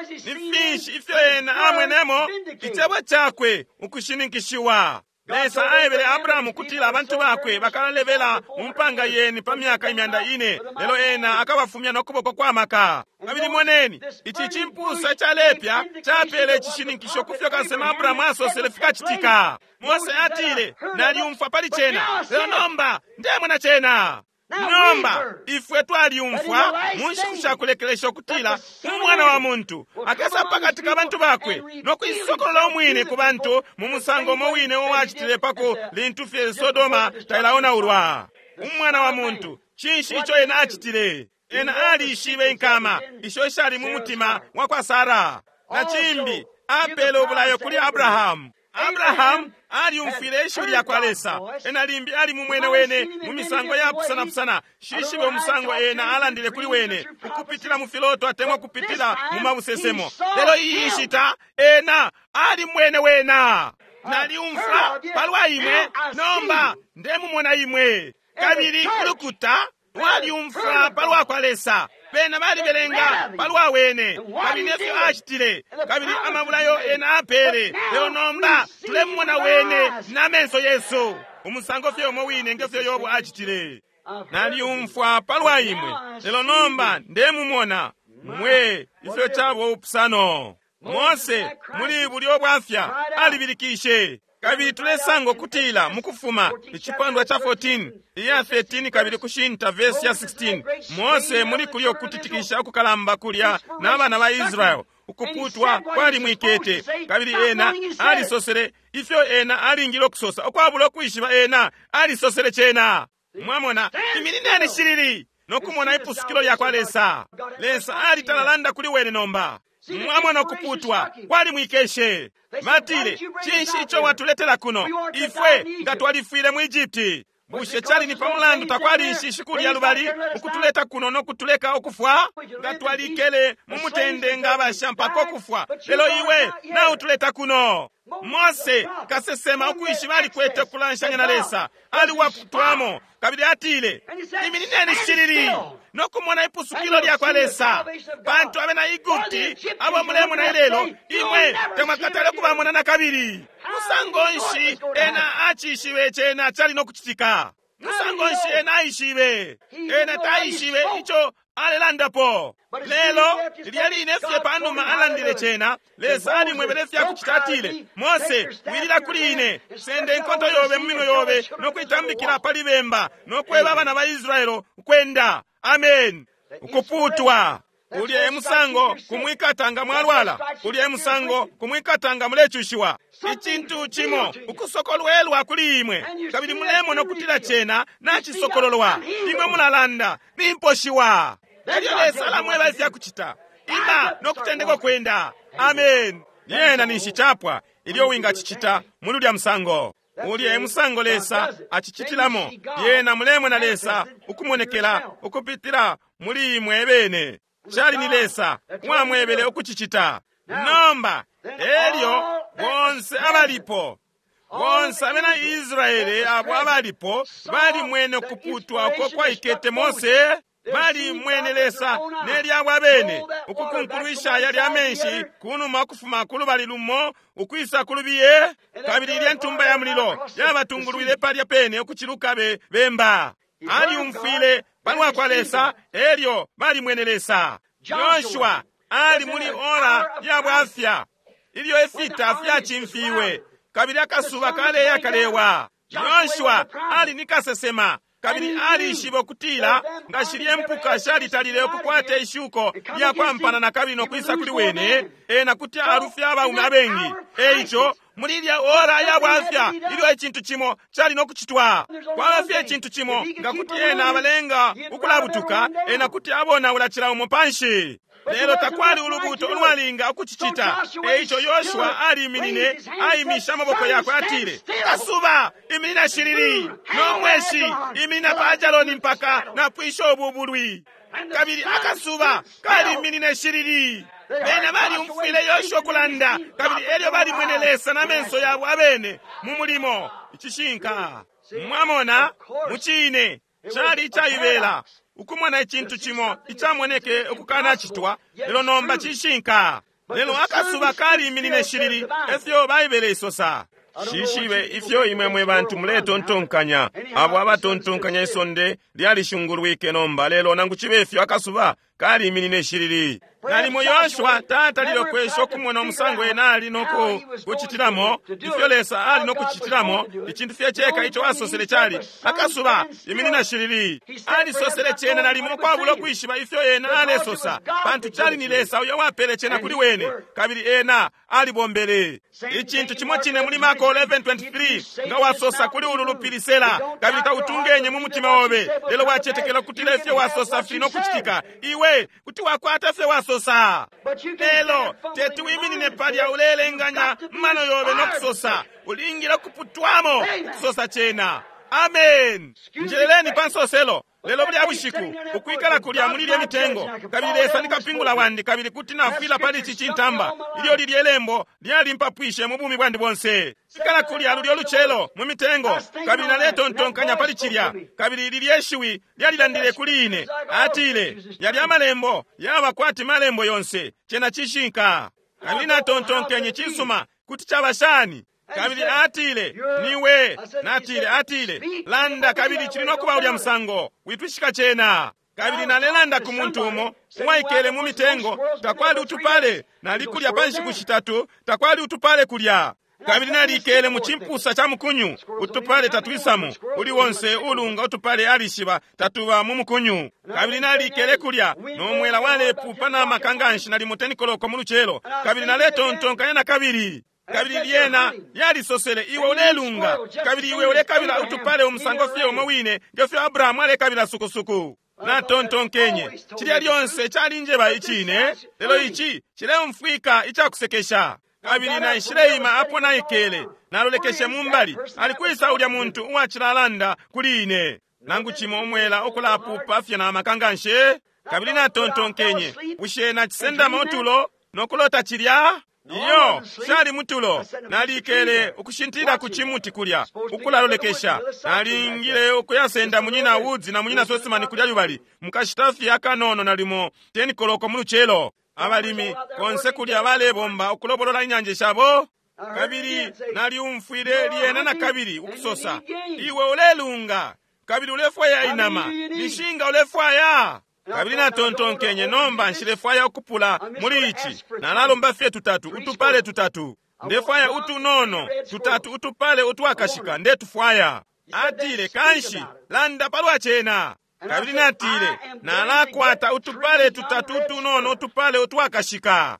Ni finshi ifyo ena amwenemo? Icebo cakwe ukushininkishiwa. Lesa aebele Abrahamu kutila abantu bakwe bakalalebela mu mpanga yeni pa myaka 400, lelo ena akabafumya no kuboko kwa maka. Kabili moneni, ici cimpusa calepya capele icishininkisho kufyo kasema Abrahamu asosele fikacitika. Mose atile, "Naliumfwa pali cena, lelo nomba ndemona cena." Nomba ifwe twaliumfwa mu nshiku shakulekelesha ukutila umwana wa muntu akesa pakati ka bantu bakwe no kuisokolola umwine ku bantu mu musango umo wine uwacitile pako lintu fye Sodoma tailaonaulwa. Umwana wa muntu, cinshi ico ena acitile? Ena alishibe inkama isho ishali mu mutima wa kwa Sara. Na cimbi apele ubulayo kuli Abrahamu. Abrahamu aliumfwile ishiwi lya kwa Lesa. Ena limbi ali mumwene wene mu misango ya pusana-pusana. Shishibe umusango ena alandile kuli wene ukupitila mu filoto atemwa kupitila mu mabusesemo. Lelo iyi nshita ena ali mwene wena. Naliumfwa palwa imwe, nomba ndemumona imwe. Kabili ulukuta lwaliumfwa palwa kwa Lesa. Bena balibelenga palwa wene, kabili nefyo acitile, kabili amabulayo ena apele. Lelo nomba tulemumona wene na menso yesu, umusango fye umo wine ngefyo Yobu acitile. Naliumfwa palwa imwe, lelo nomba ndemumona mwe. Ifyo cabo upusano. Mose muli bulyo bwafya alibilikishe. Kabili tulesanga ukutila mukufuma icipandwa cha 14 iya 13 kabili kushinta verse ya 16, Mose muli kulyo kutitikisha ukukalamba kulya n'abana ba Israel, ukuputwa kwalimwikete, kabili ena alisosele ifyo ena alingile ukusosa ukwabula ukwishiba. Ena alisosele cena. Mwamona, iminineni shilili nokumona ipusukilo lya kwa Lesa. Lesa alitalalanda kuli wene nomba. Mwamona, ukuputwa kwalimwikeshe. Batile, cinshi ico watuletela kuno? Ifwe nga twalifwile mu Egypti. Bushe cali ni pamulandu takwali inshishi kulya lubali ukutuleta kuno no kutuleka ukufwa? Nga twalikele mu mutende nga abasha mpaka ukufwa, lelo iwe nautuleta kuno. Mose kasesema ukwishiba alikwete ukulanshanya na Lesa, aliwaputwamo, kabili atile, iminineni shilili no kumona ipusukilo lya kwa Lesa. Pantu abena Egupti abo mulemona ilelo, imwe temwakatale kubamona na kabili. Musango nshi ena acishibe cena cali no kucitika? Musango nshi ena aishibe? Ena taishibe ico alelandapo. Lelo lilya line fye panuma alandile cena, Lesa alimwebele fya kucita. Atile, Mose, wilila kuli ine, sende inkonto yobe mu minwe yobe no kuitambikila pali bemba no kweba abana ba Israelo ukwenda. Amen. Ukuputwa ulya emusango kumwikata nga mwalwala, ulya emusango kumwikata nga mulecushiwa. Icintu cimo ukusokolwelwa kuli imwe, kabili mulemona ukutila cena nacisokololwa. Imwe mulalanda, nimposhiwa. Elyo Lesa alamweba ifya kucita. Ima no kutendeka kwenda. Amen. Lyena ninshi chapwa ilyo wingacicita muli ulya musango. Ulya emusango Lesa acicitilamo. Lyena mulemona Lesa ukumonekela ukupitila muli imwe bene. Cali ni Lesa uwamwebele ukucicita. Nomba elyo bonse abalipo, bonse abena Israele abo abalipo balimwene ukuputwa uko kwaikete Mose. Balimwene Lesa nelyabo abene ukukunkulwisha yalya amenshi kunuma ukufuma ku lubali lumo ukwisa ku lubiye, kabili ilya ntumba ya mulilo yabatungulwile palya pene ukuciluka bemba. Aliumfwile palwa kwa Lesa, elyo balimwene Lesa. Yoshua ali muli ora ya bwafya ilyo ifita fyacimfiwe kabili akasuba kaleya kalewa. Yoshua ali ni kasesema kabili alishiba ukutila nga shilye mpuka shalitalile ukukwata ishuko lya kwampana na kabili nokwisa kuli wene, ena kuti alufya abaume abengi. Eico muli ilya ora ya bwafya ilyo icintu cimo cali no kucitwa, kwaba fye icintu cimo nga kuti ena abalenga ukulabutuka, ena kuti abonaula cila umo panshi. Lelo takwali ulubuto ulwalinga ukucicita. Eico Yoshua aliminine, aimisha amaboko yakwe, atile, kasuba iminina shilili, no mweshi iminina pa Ajaloni mpaka napwisha ubu bulwi. Kabili akasuba kaliminine shilili. Bena baliumfwile Yoshua kulanda, kabili elyo balimwene Lesa na menso yabo abene mu mulimo. Icishinka mwamona mucine cali icaibela ukumona icintu cimo icamoneke ukukanacitwa, lelo nomba cishinka. Lelo akasuba kaliminine shilili, efyo Baibele isosa. Shishibe ifyo imwe mwe bantu muletontonkanya, abo abatontonkanya isonde lyalishungulwike nomba, lelo nangu cibe ifyo akasuba kaliminine shilili. Nalimo Yoshua tatalile ukwesha ukumona umusango ena ali no kucitilamo, ifyo Lesa ali no kucitilamo. Icintu fye ceka ico asosele cali akasuba iminina shilili. Alisosele cena nalimo ukwabula ukwishiba ifyo ena alesosa, pantu cali ni Lesa uyo wapele cena kuli wene, kabili ena alibombele icintu cimo cine muli Marko 11:23, nga wasosa kuli ulu lupili sela, kabili tautungenye mu mutima obe, lelo wacetekela kutila ifyo wasosa fili no kucitika, iwe kuti wakwata ifyo wasosa. Lelo teti wiminine palya uleelenganya mano yobe no kusosa, ulingile kuputwamo ukusosa cena. Amen. Njeleleni pa nsoselo. Lelo bulya bushiku ukwikala kulya muli lye mitengo, kabili Lesa ni kapingula wandi, kabili kuti nafwila pali ici cintamba. Ilyo lilye lembo lyalimpapwishe mu bumi bwandi bonse. Ikala kulya lulyo lucelo mu mitengo, kabili naletontonkanya pali cilya, kabili lilye shiwi lyalilandile kuli ine. Atile, yalya malembo yaba kwati malembo yonse, cena cishinka. Kabili natontonkenye, cisuma, kuti caba shani? Kabili atile, niwe. Natile, atile, landa, kabili cili nokuba ulya musango, witwishika cena. Kabili nalelanda ku muntu umo uwaikele mu mitengo, takwali utupale, nalikulya pa nshiku shitatu, takwali utupale kulya. Kabili nalikele mu cimpusa ca mukunyu, utupale tatwisamo, uli wonse ulunga utupale alishiba tatuba mu mukunyu. Kabili nalikele kulya no mwela walepupa na maka nganshi, nalimo 10 koloko mu lucelo. Kabili naletontonkanya na kabili. Kabili lyena lyalisosele, iwe ulelunga, kabili iwe ulekabila utupale umusango fye umo wine ngefyo Abrahamu alekabila sukusuku. Natontonkenye, cilya lyonse calinjeba icine, lelo ici cileumfwika icakusekesha. Kabili naishileima apo naikele, nalolekeshe mumbali, alikwisa ulya muntu uwacilalanda kuli ine, nangu cimo umwela ukulapupa fye na maka nganshi. Kabili natontonkenye, bushe nacisendama utulo nokulota cilya? Iyo, shali mutulo. Nalikele ukushintilila ku cimuti kulya, ukulalolekesha. Nalingile ukuyasenda munyina Woods na munyina Sosimani kulya lubali, mukashita fye akanono nalimo 10 koloko mu lucelo. Abalimi konse kulya balebomba ukulobolola inyanje shabo. Kabili naliumfwile lyena na kabili ukusosa, iwe ulelunga, kabili ulefwaya inama, nishinga ulefwaya. Kabili natontonkenye, nomba nshilefwaya ukupula muli ici, nalalomba fye tutatu, utupale tutatu. Ndefwaya utunono tutatu, utupale utwakashika, ndetufwaya. Atile, kanshi landa palwa cena. Kabili natile, nalakwata utupale tutatu utunono, utupale utwakashika.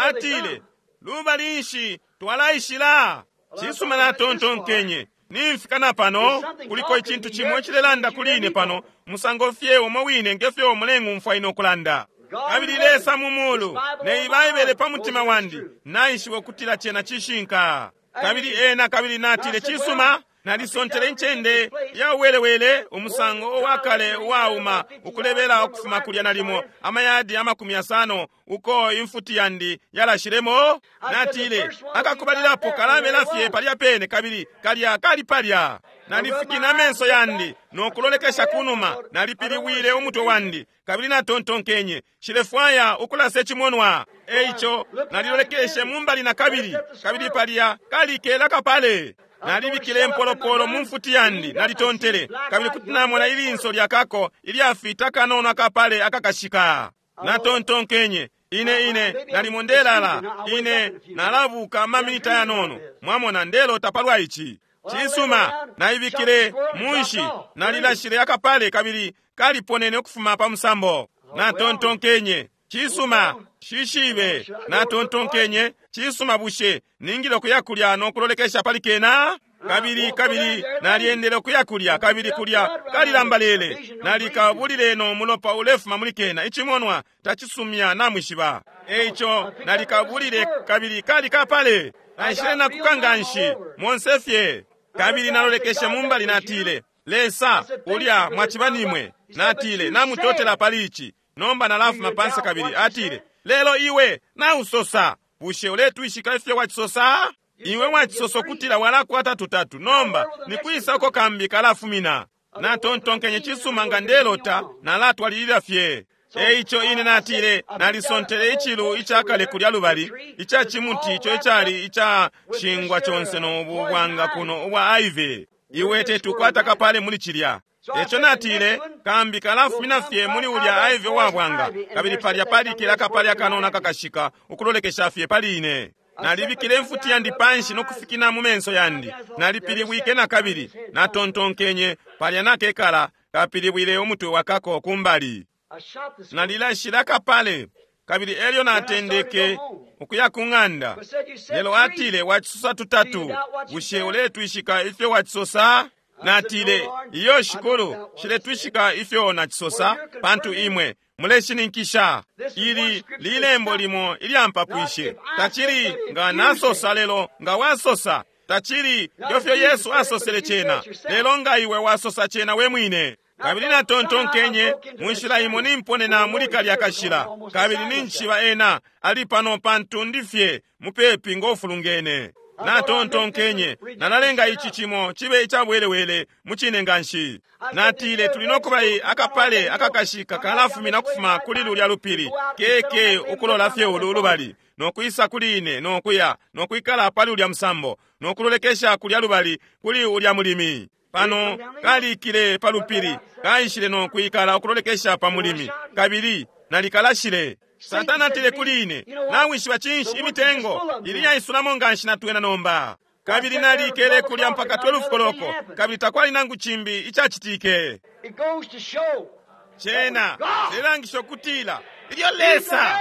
Atile, lubali nshi twalaishila? Cisuma, natontonkenye, nimfika na pano, kuliko icintu cimo icilelanda kuli ine pano, musango fye umo wine ngefyo muleng'umfwa ine ukulanda. Kabili Lesa mu mulu, ne Baibele pa mutima wandi, naishiba ukutila cena cishinka. Kabili ena, kabili natile, cisuma, nalisontele incende ya uwelewele, umusango uwakale uwauma, ukulebela ukufuma kulya nalimo amayadi 50 uko imfuti yandi yalashilemo. Natile, akakubalilapo kalabela fye palya pene, kabili kalya kali palya. Nalifikina amenso yandi nokulolekesha kunuma, nalipiliwile umutwe wandi, kabili natontonkenye, nshilefwaya ukulasa icimonwa. Eico nalilolekeshe mumbali na kabili, kabili palya kalikela kapale. Nalibikile impolopolo mu mfuti yandi, nalitontele, kabili kuti namona ilinso lyakako ilyafita kanono akapale akakashika. Natontonkenye, ine nalimo ndelala, ine nalabuka amaminita yanono. Mwamona, ndelota palwa ici. Cisuma, naibikile munshi, nalilashile akapale, kabili kaliponene ukufuma pa musambo. Natontonkenye, cisuma, shishibe. Natontonkenye, cisuma, bushe ningile ukuya kulya no kulolekesha pali kena? Kabili nalyendele ukuya kulya, kabili kulya kalilambalele. Nalikabulile no mulopa ulefuma muli kena, icimonwa tacisumya namwishiba. Eico nalikabulile, kabili kali kapale. Naishile nakuka nganshi monse fye. Kabili nalolekeshe mumbali, natile, Lesa, ulya mwaciba nimwe. Natile, namutotela pali ici. Nomba nalafuma panse. Kabili atile, lelo iwe nausosa, bushe uletwishika ifyo wacisosa? Iwe wacisosa ukutila walakwata tutatu, nomba nikwisa uko kambi kalafumina? Natontonkenye, cisuma, nga ndelota, nalatwalilila fye. Eico ine natile nalisontele icilu icakale kulya lubali, ica cimuti ico icali icashingwa conse no bwanga kuno ubwa ivy. Iwe tetukwata kapale muli cilya. Eco natile kambi kalafumina fye muli ulya ivy uwabwanga, kabili palya palikila akapale akanono akakashika ukulolekesha fye pali ine. Nalibikile imfuti yandi panshi nokufikina mu menso yandi. Nalipilibwike na kabili natontonkenye palya nakekala kapilibwile umutwe wakako kumbali. Nalilashile akapale kabili elyo natendeke ukuya ku ng'anda. Lelo atile, wacisosa tutatu, bushe uletwishika ifyo wacisosa? Natile, iyo Shikulu, shiletwishika ifyo nacisosa, pantu imwe muleshininkisha. Ili lilembo limo ilyampapwishe. Tacili nga nasosa, lelo nga wasosa. Tacili ngefyo Yesu asosele cena, lelo nga iwe wasosa cena we mwine. Kabili natontonkenye mu nshila imo nimponena muli kalya kashila, kabili ninjishiba ena ali pano pantu ndi fye mupepi ngofulungene. Natontonkenye nalalenga ici cimo cibe icabwelewele mucine nganshi. Natile tuli nokuba akapale akakashika kalafumina kufuma kuli lulya lupili keke ukulola fye ulu lubali, nokwisa kuli ine nokuya nokwikala pali ulya musambo nokulolekesha kulya lubali kuli ulya mulimi. Pano kalikile pa lupili, kaishile nokwikala ukulolekesha pa mulimi, kabili nalikalashile. Satana atile kuli ine, nawishiba cinshi imitengo ili yaisulamo nganshi natwena nomba. Kabili nalikele kulya mpaka 12 koloko, kabili takwali nangu cimbi icacitike. Cena cilelangisha ukutila ilyo Lesa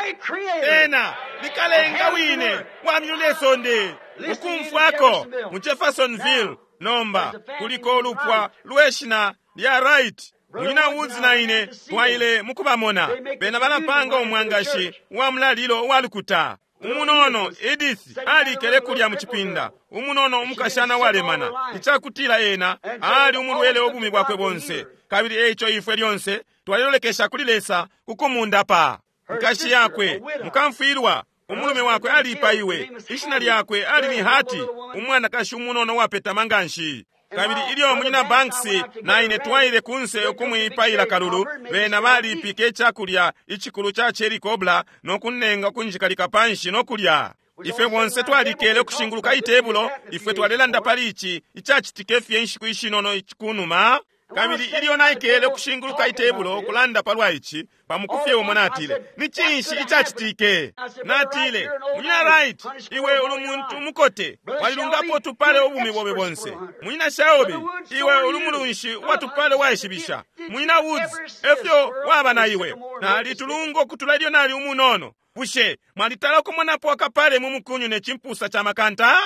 ena likalenga wine wa myulu sonde ukumfwako mu Jeffersonville. Nomba kuliko ulupwa lweshina lya Wright. Munyina Woods na ine twaile mukubamona. Bena balapanga umwangashi wa mulalilo uwalukuta. Umunono Edith alikele kulya mu cipinda, umunono umukashana walemana, icakutila ena ali umulwele ubumi bwakwe bonse. Kabili eico ifwe lyonse twalilolekesha kuli Lesa kukumundapa. Nkashi yakwe mukamfwilwa, umulume wakwe alipaiwe, ishina lyakwe ali ni Hati, umwanakashi umunono wapetama nganshi. Kabili ilyo munyina Banks na ine twaile kunse ukumwipaila kalulu, bena balipike icakulya icikulu ca cherry cobbler nokunenga kunjikalika panshi nokulya. Ifwe bonse twalikele ukushinguluka itebulo, ifwe twalelanda pali ici icacitike fye inshiku ishinono kunuma. Kabili ilyo naikele ukushinguluka itebulo ukulanda palwa ici, pamukufye umo natile, ni cinshi icacitike? Natile, munyina Wright, iwe uli muntu umukote, walilungapo tupale ubumi bobe bonse. Munyina Shelby, iwe uli mulunshi uwatupale waishibisha. Munyina Woods, efyo waba na iwe. Nalitulunga ukutula ilyo nali umunono. Bushe mwalitala ukumonapo akapale mu mukunyu ne cimpusa ca makanta?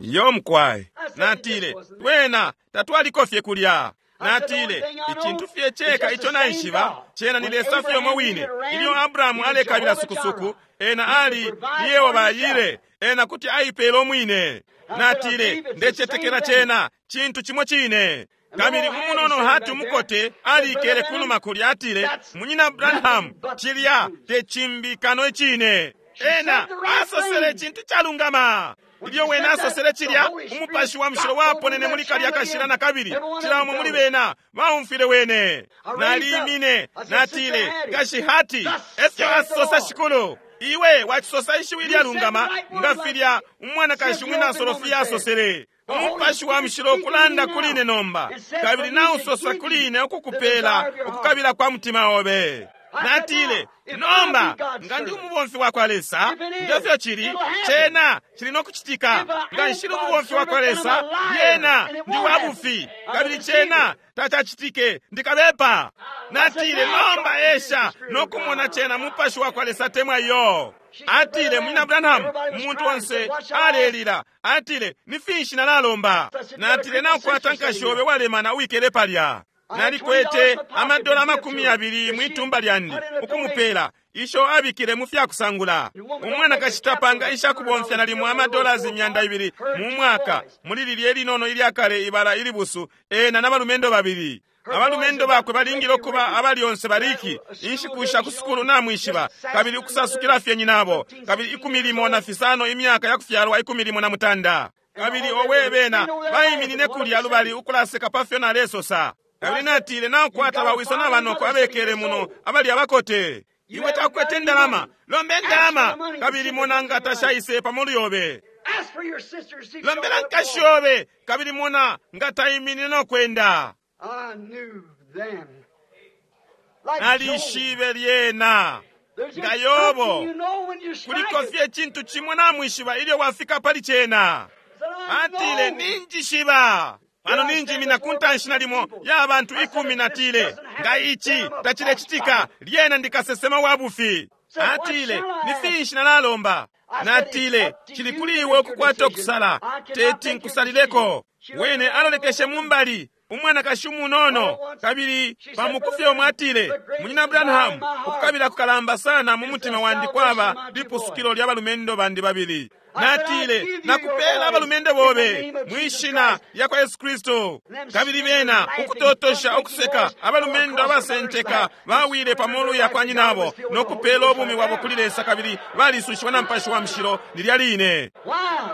Iyo mkwai. Natile, twena tatwaliko fye kulya. Natile, icintu fye ceka ico naishiba cena ni Lesa fye umo wine. Ilyo Abrahamu alekabila sukusuku, ena ali Yehova Yire, ena kuti aipela umwine. Natile, ndecetekela cena cintu cimo cine. Kabili umunono Hati umukote alikele kunuma kulya, atile, munyina Branham, cilya te cimbi kano icine. Ena asosele icintu calungama. Ilyo wena asosele cilya, umupashi wa mushilo waponene muli kalya kashila na kabili cila umo muli bena baumfwile wene. Nalimine, natile, kashi Hati, efyo asosa Shikulu, iwe wacisosa ishiwi ilyalungama nga filya umwanakashi umwina Sofia asosele. Umupashi wa mushilo ukulanda kuli ine nomba, kabili nausosa kuli ine ukukupela ukukabila kwa mutima obe. Natile, nomba nga ndi umubomfi wa kwa Lesa, ngefyo cili cena cili nokucitika. Nga nshili umubomfi wa kwa Lesa, yena ndi wabufi, kabili cena tacacitike, ndikabepa. Natile, nomba esha nokumona cena mupashi wa kwa Lesa temwa iyo. Atile, munyina Branham, umuntu onse alelila. Atile, ni finshi nalalomba? Natile, naukwata nkashi obe walemana uwikele palya. Nalikwete amadola 20 mwitumba lyandi ukumupela isho abikile mu fyakusangula. Umwanakashi tapanga ishakubomfya nalimo amadola 200 mu mwaka muli lilye linono ilyakale ibala ilibusu, ena n'abalumendo babili. Abalumendo bakwe balingile ukuba abalyonse bariki inshiku sha kusukulu namwishiba, kabili ukusasukila fye nyinabo, kabili 15 imyaka yakufyalwa 18. Kabili owe bena baiminine kulya lubali ukulaseka pafyo nalesosa. Kabili natile, Naukwata bawiso na banoko abekele muno abali abakote. Iwe takwete ndalama, lombe ndalama, kabili mona nga tashaise pamolu yobe. Ask for your sister to see if Lombela she'll nkashi walk. yobe, kabili mona nga taiminine no kwenda. I knew then. Like Job, Nalishibe lyena. there's nga just Yobo, something you know when you strike Kuliko it. fye icintu cimo namwishiba ilyo wafika pali cena. Said, I Atile, know. ninjishiba. Pano ninjimina ku ntanshi nalimo ya bantu 10 natile, nga ici tacilecitika, lyena ndikasesema wa bufi. Atile, ni finshi nalalomba? Natile, cili kuli iwe ukukwata ukusala, teti nkusalileko. Wene alolekeshe mumbali, umwanakashi umunono, kabili pamukufye umwe atile, Munyina Branham, ukukabila kukalamba sana mu mutima wandi kwaba lipusukilo lya balumendo bandi babili. Natile, nakupela abalumendo bobe mwishina lya kwa Yesu Kristu. Kabili bena ukutotosha ukuseka abalumendo abasenteka bawile pamolu ya kwa nyinabo no kupela ubumi bwabo kuli Lesa kabili balisushiwa na Mupashi wa Mushilo lilya line. Why?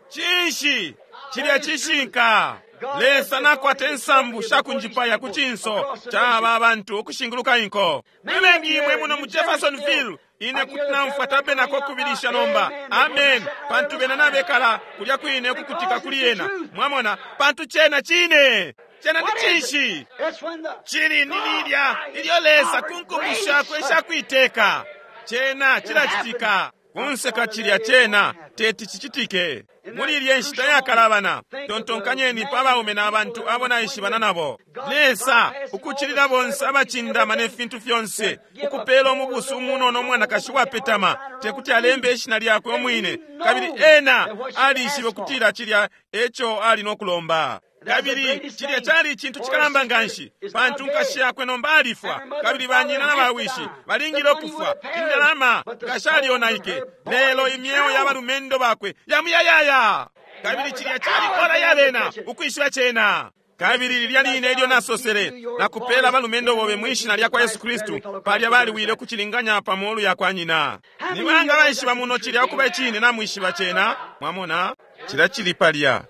Cinshi cilya cishinka? Lesa nakwata insambu shakunjipaya ku cinso ca aba bantu ukushinguluka inko. Mwe imwe muno mu Jeffersonville, ine kuti namfwa tabenako kubilisha nomba. Amen. Pantu bena nabekala kulya kwine ukukutika kuli yena. Mwamona, pantu cena cine. Cena ni What is cinshi? it? It's when the Cili ni lilya ilyo Lesa kunkumbusha kwesha kuiteka. Cena cilacitika. Kunseka cilya cena teti cicitike. Muli ilye nshita yakalabana, tontonkanyeni pa baume na bantu abo naishibana nabo. Lesa ukucilila bonse abacindama ne fintu fyonse, ukupela umubusu umunono umwanakashi wapetama, tekuti alembe ishina lyakwe umwine, kabili ena alishibe ukutila cilya eco ali no kulomba. Kabili cilya cali icintu cikalamba nganshi, pantu nkashi yakwe nomba alifwa, kabili banyina na bawishi balingile ukufwa. Indalama ngashalionaike, lelo imyeo ya balumendo bakwe yamuyayaya. Kabili cilya cali kola ya bena ukwishiba cena. Kabili lilya line ilyo nasosele, nakupela abalumendo bobe mwishina lya kwa Yesu Kristu, palya baliwile ukucilinganya pa molu ya kwa nyina. Ni banga baishiba muno cilya ukuba icine namwishiba cena? Mwamona? Cilya cili palya.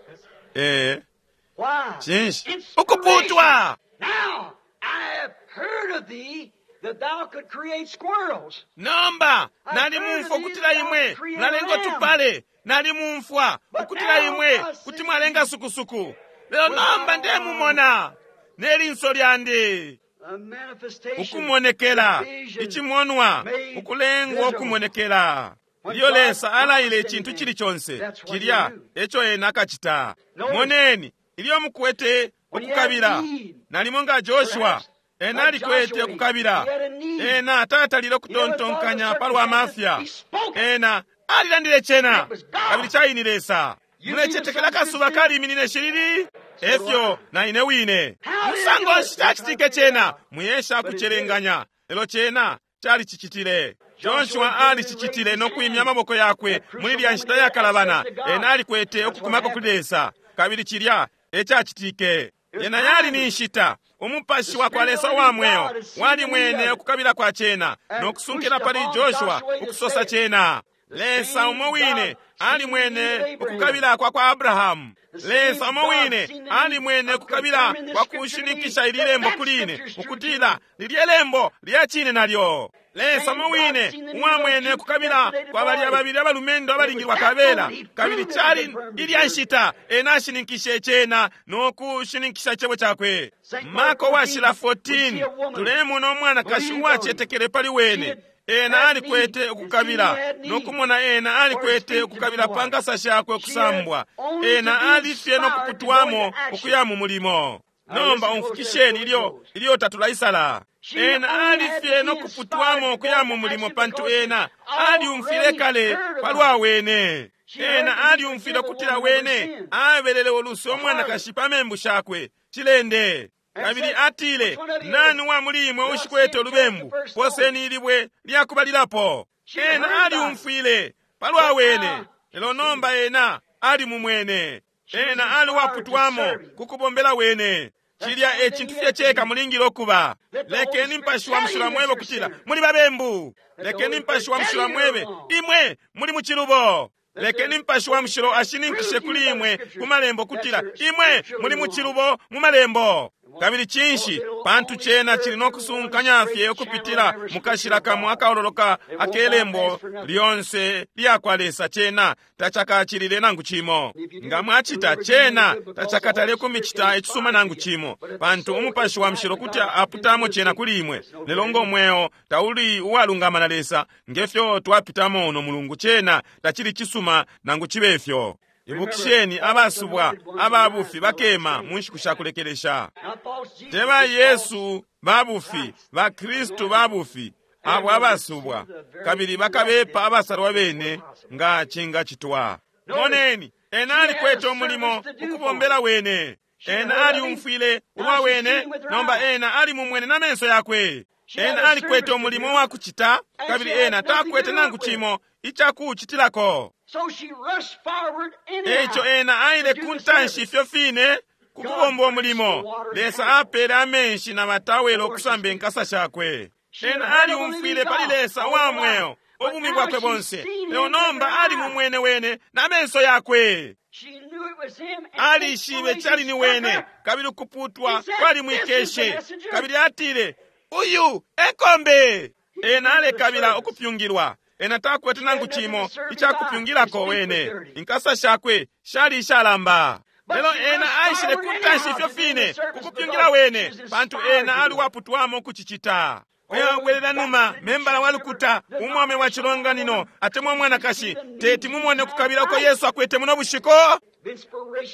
Why? Cinshi? Inspiration. Ukuputwa! Now I have heard of thee that thou could create squirrels. Nomba nalimumfwa ukutila imwe mwalenga tupale, nalimumfwa ukutila imwe kuti mwalenga sukusuku. Lelo nomba ndemumona ne linso lyandi A manifestation. ukumonekela, vision icimonwa made ukulengwa visible. ukumonekela. When Ilyo God Lesa alaile promised icintu anything, cili chonse, that's what cilya he do. eco ena akacita. Notice, Moneni, ilyo mukwete when you have ukukabila, need, nalimo nga Joshua, perhaps, ena like alikwete Joshua, ukukabila. he had a need. Ena tatalile He never thought of ukutontonkanya the pa lwa mafya. circumstances. He spoke it. Ena alilandile cena, It was God. kabili caini Lesa. You Mulecetekela need the akasuba sun to kaliminine shilili? Efyo na ine wine. How did Musango it do it? nshi cacitike cena? Muyesha kucelenganya. Lelo cena calicicitile. Joshua alicicitile no kwimya amaboko yakwe muli lya nshita yakalabana. Ena alikwete ukukumako kuli Lesa. Kabili cilya ecacitike. Yena yali ni nshita. Umupashi wa kwa Lesa wa mweo walimwene ukukabila kwa cena no kusunkila pali Joshua ukusosa cena. Lesa umo wine alimwene ukukabila kwa kwa Abrahamu. Lesa umo wine alimwene ukukabila kwa kushininkisha ili lembo kuli ine, ukutila lilye lembo lya cine nalyo. Lesa umo wine uwamwene ukukabila kwa balya babili abalumendo abalingilwa kabela, kabili cali ilya nshita ena ashininkishe cena no kushininkisha icebo cakwe. Marko washila 14 tulemona umwanakashi uwacetekele pali wene. Ena alikwete ukukabila nokumona ena alikwete ukukabila pa nkasa shakwe ukusambwa. Ena alifye nokuputwamo ukuya mu mulimo. Nomba umfukisheni ilyo ilyo tatulaisala. Ena alifye nokuputwamo ukuya mu mulimo pantu ena aliumfile kale palwa wene. Ena aliumfile ukutila wene abelele uluse umwanakashi pa membu shakwe cilende. Kabili atile, nani wa muli imwe ushikwete ulubembu, poseni ilibwe lyakubalilapo. Ena aliumfwile palwa wene, lelo nomba ena ali mumwene. Ena aliwaputwamo ku kubombela wene. Cilya e cintu fye ceka mulingile ukuba. Lekeni Mupashi wa Mushilo amwebe ukutila muli babembu. Lekeni Mupashi wa Mushilo amwebe imwe muli mu cilubo. Lekeni Mupashi wa Mushilo ashininkishe kuli imwe ku malembo kutila imwe muli mu cilubo mu malembo. Kabili cinshi? Pantu cena cili no kusunkanya fye ukupitila mukashila kamo akaololoka akelembo lyonse lyakwa Lesa. Cena tacakacilile nangu cimo. Nga mwacita cena tacakatale kumicita icisuma nangu cimo, pantu Umupashi wa Mushilo kuti aputamo cena kuli imwe. Lelo ngo mweo tauli uwalungama na Lesa ngefyo twapitamo uno mulungu, cena tacili cisuma nangu cibe fyo. Ibukisheni, abasubwa ababufi bakema mu nshiku sha kulekelesha. Te ba Yesu babufi, ba Kristu babufi, abo abasubwa, kabili bakabepa abasalwa bene nga cingacitwa. Moneni, ena alikwete umulimo ukubombela wene. Ena aliumfwile ulwa wene, nomba ena ali mumwene na menso yakwe. Ena alikwete umulimo wa kucita, kabili ena takwete nangu cimo icakucitilako. Eico ena aile kuntanshi ifyo fine kukubomba umulimo. Lesa apele amenshi na matawelo okusamba inkasa shakwe. Ena aliumfwile pali Lesa wa mweo ubumi bwakwe bonse, lelo nomba ali mumwene wene na menso yakwe. Alishibe cali ni wene, kabili ukuputwa kwalimwikeshe, kabili atile, uyu ekombe. Ena alekabila ukupyungilwa. Ena takwete nangu cimo icakupyungilako wene. Inkasa shakwe shali ishalamba. Lelo ena aishile kuntanshi ifyo fine kukupyungila wene, pantu ena ali waputwamo kucicita. Oyabwelela numa membala wa lukuta, umwame wa chilonganino atemwa mwanakashi, teti mumone kukabila uko Yesu akwete muno bushiku.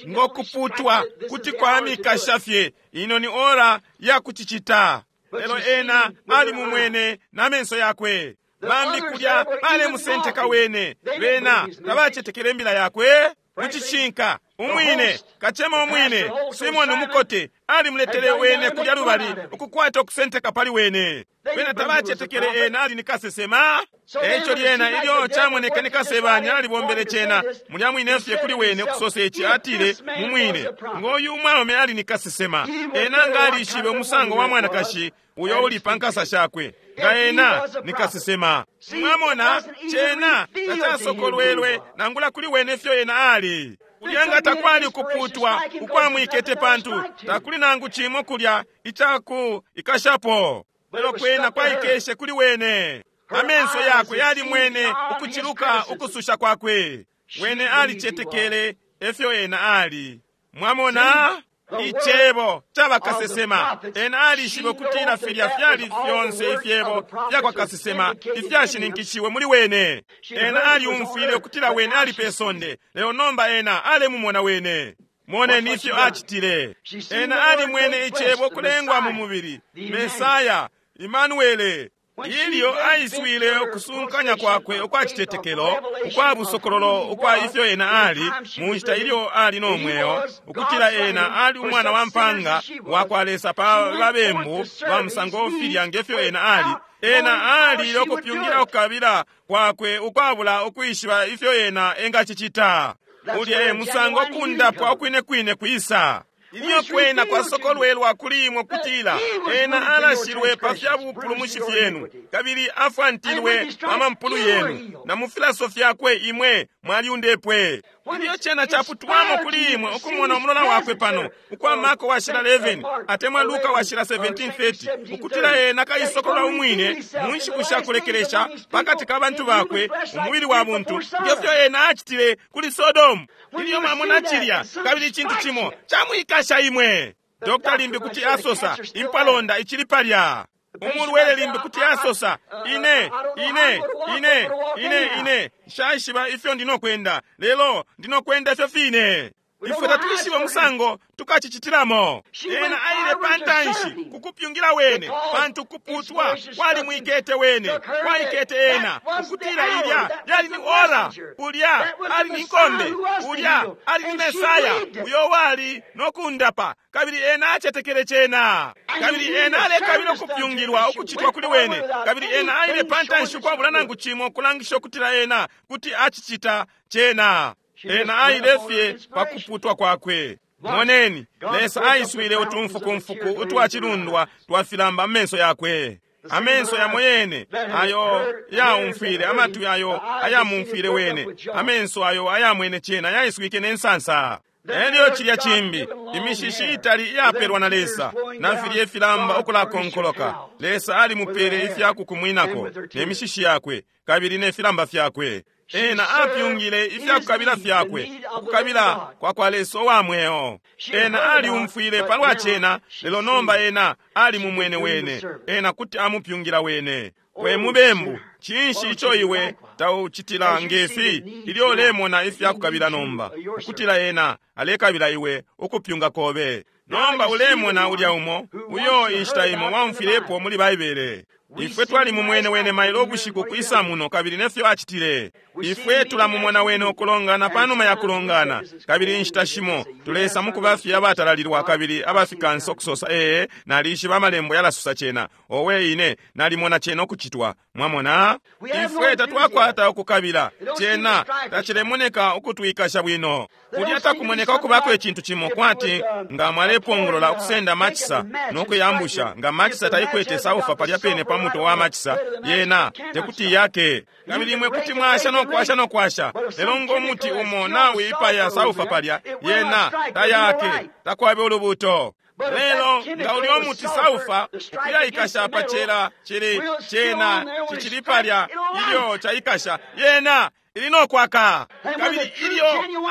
Ngokuputwa kuti kwamikasha fye, ino ni ora ya kucicita. Lelo ena ali mumwene na menso yakwe. Bambi kulya balemusenteka wene, bena tabacetekele imbila yakwe. Mucishinka umwine kacema umwine Simoni umukote alimuletele wene kulya lubali ukukwata okusenteka pali wene. Bena tabacetekele ena ali ni kasesema. Eico lyena ilyo camoneke ni kasebanya alibombele cena mulya mwine fye kuli wene okusosa ici, atile mumwine ngoyu umwaume ali ni kasesema. Ena nga alishibe umusango wa mwanakashi uyo uli pa nkasa shakwe, nga ena ni kasesema. Mwamona, cena tacasokolwelwe nangula kuli wene fyo ena ali. Kulya nga takwali kuputwa ukwamwikete, pantu takuli nangu cimo kulya icaku ikashapo. Lelo kwena kwaikeshe kuli wene. Amenso yakwe yalimwene ukuciluka ukususha kwakwe. Wene alicetekele efyo ena ali. Mwamona, icebo caba kasesema. Ena alishibe ukutila filya fyali fyonse ifyebo fyakwa kasesema ifyashininkishiwe muli wene. Ena aliumfwile ukutila wene ali pe sonde, lelo nomba ena alemumona wene. Moneni ifyo acitile. Ena alimwene icebo kulengwa mu mubili, Mesaya, Imanuele. Ilyo aiswile ukusunkanya kwakwe ukwa citetekelo, ukwa busokololo ukwa ifyo ena ali mu nshita ilyo ali no mweo, ukutila ena ali umwana wa mpanga wa kwa Lesa pa babembu ba musango filya ngefyo ena ali. Ena ali okupyungira ukukabila kwakwe ukwabula ukwishiba ifyo ena engacicita. Ulya e musango okundapwa okwine kwine kwisa. Ilyo kwena kwasokolwelwa kuli imwe kutila ena alashilwe pa fya bupulumushi fyenu, kabili afwantilwe pa mampulu yenu, na mu filaso fyakwe imwe mwalyundepwe. Ilyo cena caputwamo kuli imwe ukumona umulola wakwe pano ukwa Marko washila 11 atemwa Luka washila 17:30, ukutila ena kaisokolola umwine mu nshiku sha kulekelesha pakati ka bantu bakwe umubili wa buntu, ngefyo ena acitile kuli Sodomu. Ilyo mwamona cilya, kabili icintu cimo camwikasha imwe. Dokta limbi kuti asosa, impalonda icili palya. Umulwele limbi kuti asosa, ine ine ine ine ine nshaishiba ifyo ndinokwenda, lelo ndinokwenda ifyo fine. Ifwe tatuishibe musango tukacicitilamo. Ena aile pantanshi kukupyungila wene, pantu kuputwa kwalimwikete wene, kwaikete ena ukutila ilya yali ni ora, ulya ali ni nkombe, ulya ali ni Mesaya uyo wali nokundapa, kabili ena acetekele cena. Kabili ena alekabila ukupyungilwa ukucitwa kuli wene, kabili ena aile pantanshi ukwabula nangu cimo kulangisha ukutila ena kuti acicita cena. Ena aile fye pa kuputwa kwakwe. Moneni, Lesa aiswile utumfukumfuku utwacilundwa twafilamba amenso yakwe. Amenso yamo yene ayo yaumfwile, amatwi ayo ayamumfwile wene, amenso ayo ayamwene cena yaiswike ne nsansa. Elyo cilya cimbi, imishishi itali iyapelwa na Lesa, na filye ifilamba ukulakonkoloka. Lesa alimupele ifya kukumwinako ne mishishi yakwe kabili ne filamba fyakwe. Ena apyungile ifya kukabila fyakwe, ukukabila kwa kwa Lesa uwa mweo. Ena aliumfwile palwa cena, lelo nomba ena ali mumwene wene. Ena kuti amupyungila wene. We mubembu, cinshi ico iwe taucitila ngefi ilyo ulemona ifya kukabila nomba, ukutila ena alekabila iwe ukupyunga kobe? Nomba ulemona ulya umo uyo inshita imo waumfwilepo muli Baibele. Ifwe twali mumwene wene mailo ubushiku kwisa muno kabili nefyo acitile. Ifwe tulamumona wene ukulongana panuma ya kulongana, kabili inshita shimo tulesa mukuba fye abatalalilwa kabili abafikansa ukusosa, ee, nalishiba amalembo yalasosa cena, owe ine nalimona cena ukucitwa. Mwamona, ifwe tatwakwata ukukabila cena, tacilemoneka ukutwikasha bwino. Kulya takumoneka ukubako icintu cimo kwati nga mwalepongolola ukusenda machisa nokuyambusha, nga machisa taikwete saufa palya pene pa muto wa machisa, yena tekuti yake. Kabili imwe kuti mwasha nokwasha nokwasha, lelo ngo muti umo nawiipaya saufa palya, yena tayake, takwabe ulubuto. Lelo nga ulya umuti saufa ukuyaikasha pa cela cili cena cicili palya, ilyo caikasha yena ili nokwaka. Kabili ilyo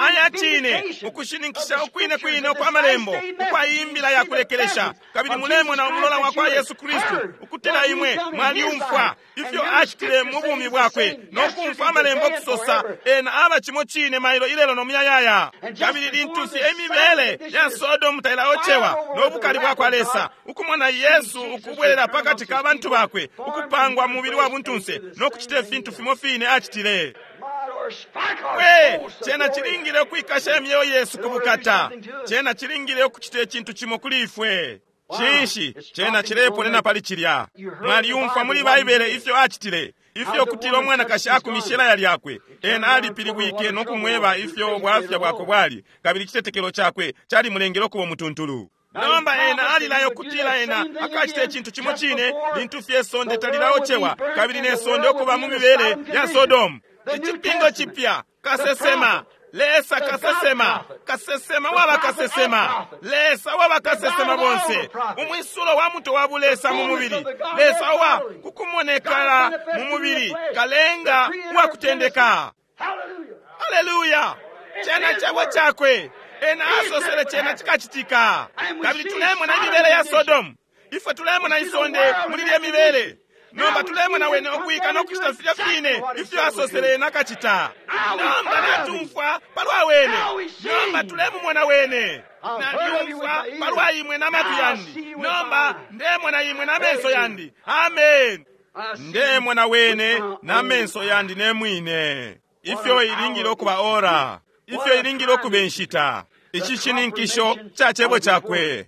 aya cine ukushininkisha ukwine kwine ukwa malembo ukwa imbila ya kulekelesha, kabili mulemona umulola wa kwa Yesu Kristu ukutila imwe mwaliumfwa ifyo acitile mu bumi bwakwe nokumfwa amalembo kusosa ena aba cimo cine mailo ilelo no muyayaya. Kabili lintu fye imibele ya Sodomu tailaocewa no bukali bwa kwa Lesa, ukumona Yesu ukubwelela pakati ka bantu bakwe, ukupangwa mubili wa buntunse no kucita ifintu fimo fine acitile. We, cena cilingile ukwikasha imyeo yesu kubukata. Cena cilingile ukucita icintu cimo kuli ifwe. Cinshi cena cileponena pali cilya? Mwaliumfwa muli Baibele ifyo acitile, ifyo kutila umwanakashi akumishe ilaya lyakwe. Ena alipilibwike no kumweba ifyo bwafya bwakwe bwali, kabili icitetekelo cakwe calimulengele ukuba umutuntulu. Nomba ena alilayo kutila ena akacita icintu cimo cine lintu fye sonde talilaocewa kabili ne sonde ukuba mu mibele ya Sodomu. Icipingo cipya, kasesema, Lesa kasesema, kasesema waba kasesema, Lesa waba kasesema bonse, umwisulo wa muto wa bulesa mu mubili, Lesa wa kukumonekala mu mubili, kalenga wa kutendeka. Haleluya! Cena cebo cakwe, ena asosele cena cikacitika. Kabili tulemona imibele ya Sodomu, ifwe tulemona isonde muli lye mibele. Nomba tulemona wene ukwika nokucita filya fine ifyo asosele nakacita. Nomba natumfwa palwa wene, nomba tulemumona wene. Nalyumfwa palwa imwe na matwi yandi, nomba ndemona imwe na menso yandi. Amen. Ndemona wene na menso yandi ne mwine. Ifyo ilingile ukuba ora, ifyo ilingile ukuba inshita. Ici cininkisho ca cebo cakwe.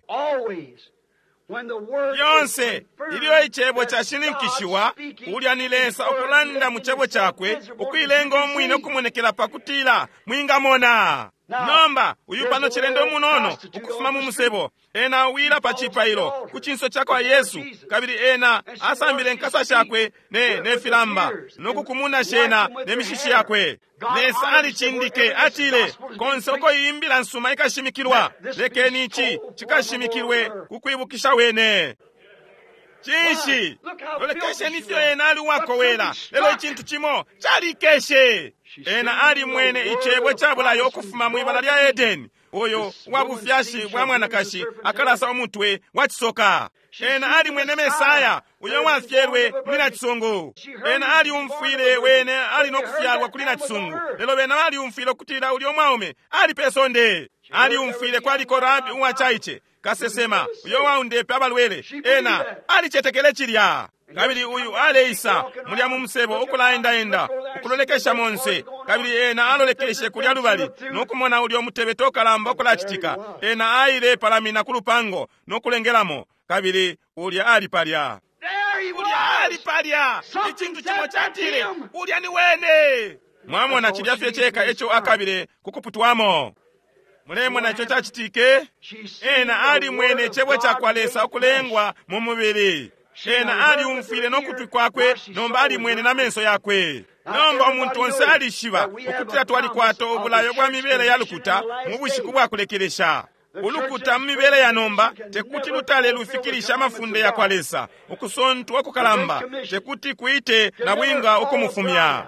Yonse ilyo icebo cashininkishiwa, ulya ni Lesa ukulanda mu cebo cakwe, ukuilenga umwine ukumonekela pakutila mwingamona. Nomba uyu pano cilendo umunono ukufuma mu musebo, ena awila pa cipailo ku cinso ca kwa Yesu, kabili ena asambile nkasa shakwe ne filamba nokukumuna shena ne mishishi yakwe. Lesa alicindike, atile, konse uko imbila nsuma ikashimikilwa, lekeni ici cikashimikilwe ku kwibukisha wene. Cinshi? Lolekesheni ifyo ena ali uwakowela, lelo icintu cimo calikeshe. Ena alimwene icebo cabulayo ukufuma mwibala lya Edeni, uyo wa bufyashi bwa mwanakashi akalasa umutwe wa cisoka. Ena alimwene Mesaya uyo wafyelwe muli nacisungu. Ena aliumfwile wene ali no kufyalwa kuli nacisungu, lelo bena baliumfwile ukutila ulya mwaume ali pe sonde. Aliumfwile kwaliko Rabi uwacaice, kasesema uyo waundepe abalwele. Ena alicetekele cilya. Kabili uyu aleisa mulya mu musebo ukulaendaenda ukulolekesha monse, kabili ena alolekeshe kulya lubali nokumona ulya umutebeto ukalamba ukulacitika. Ena aile palamina ku lupango nokulengelamo, kabili ulya ali palya, ulya ali palya. Icintu cimo catile, ulya ni wene. Mwamona cilya fye ceka eco akabile kukuputwamo. Mulemona ico cacitike? Ena alimwene icebo ca kwa Lesa ukulengwa mu mubili. Ena aliumfwile no kutwi kwakwe, nomba alimwene na menso yakwe. Nomba umuntu onse alishiba ukutila twalikwata ubulayo bwa mibele ya lukuta mu bushiku bwa kulekelesha. Ulukuta mu mibele ya nomba tekuti lutale lufikilisha amafunde ya kwa Lesa. Ukusontwa kukalamba tekuti kuite na bwinga ukumufumya.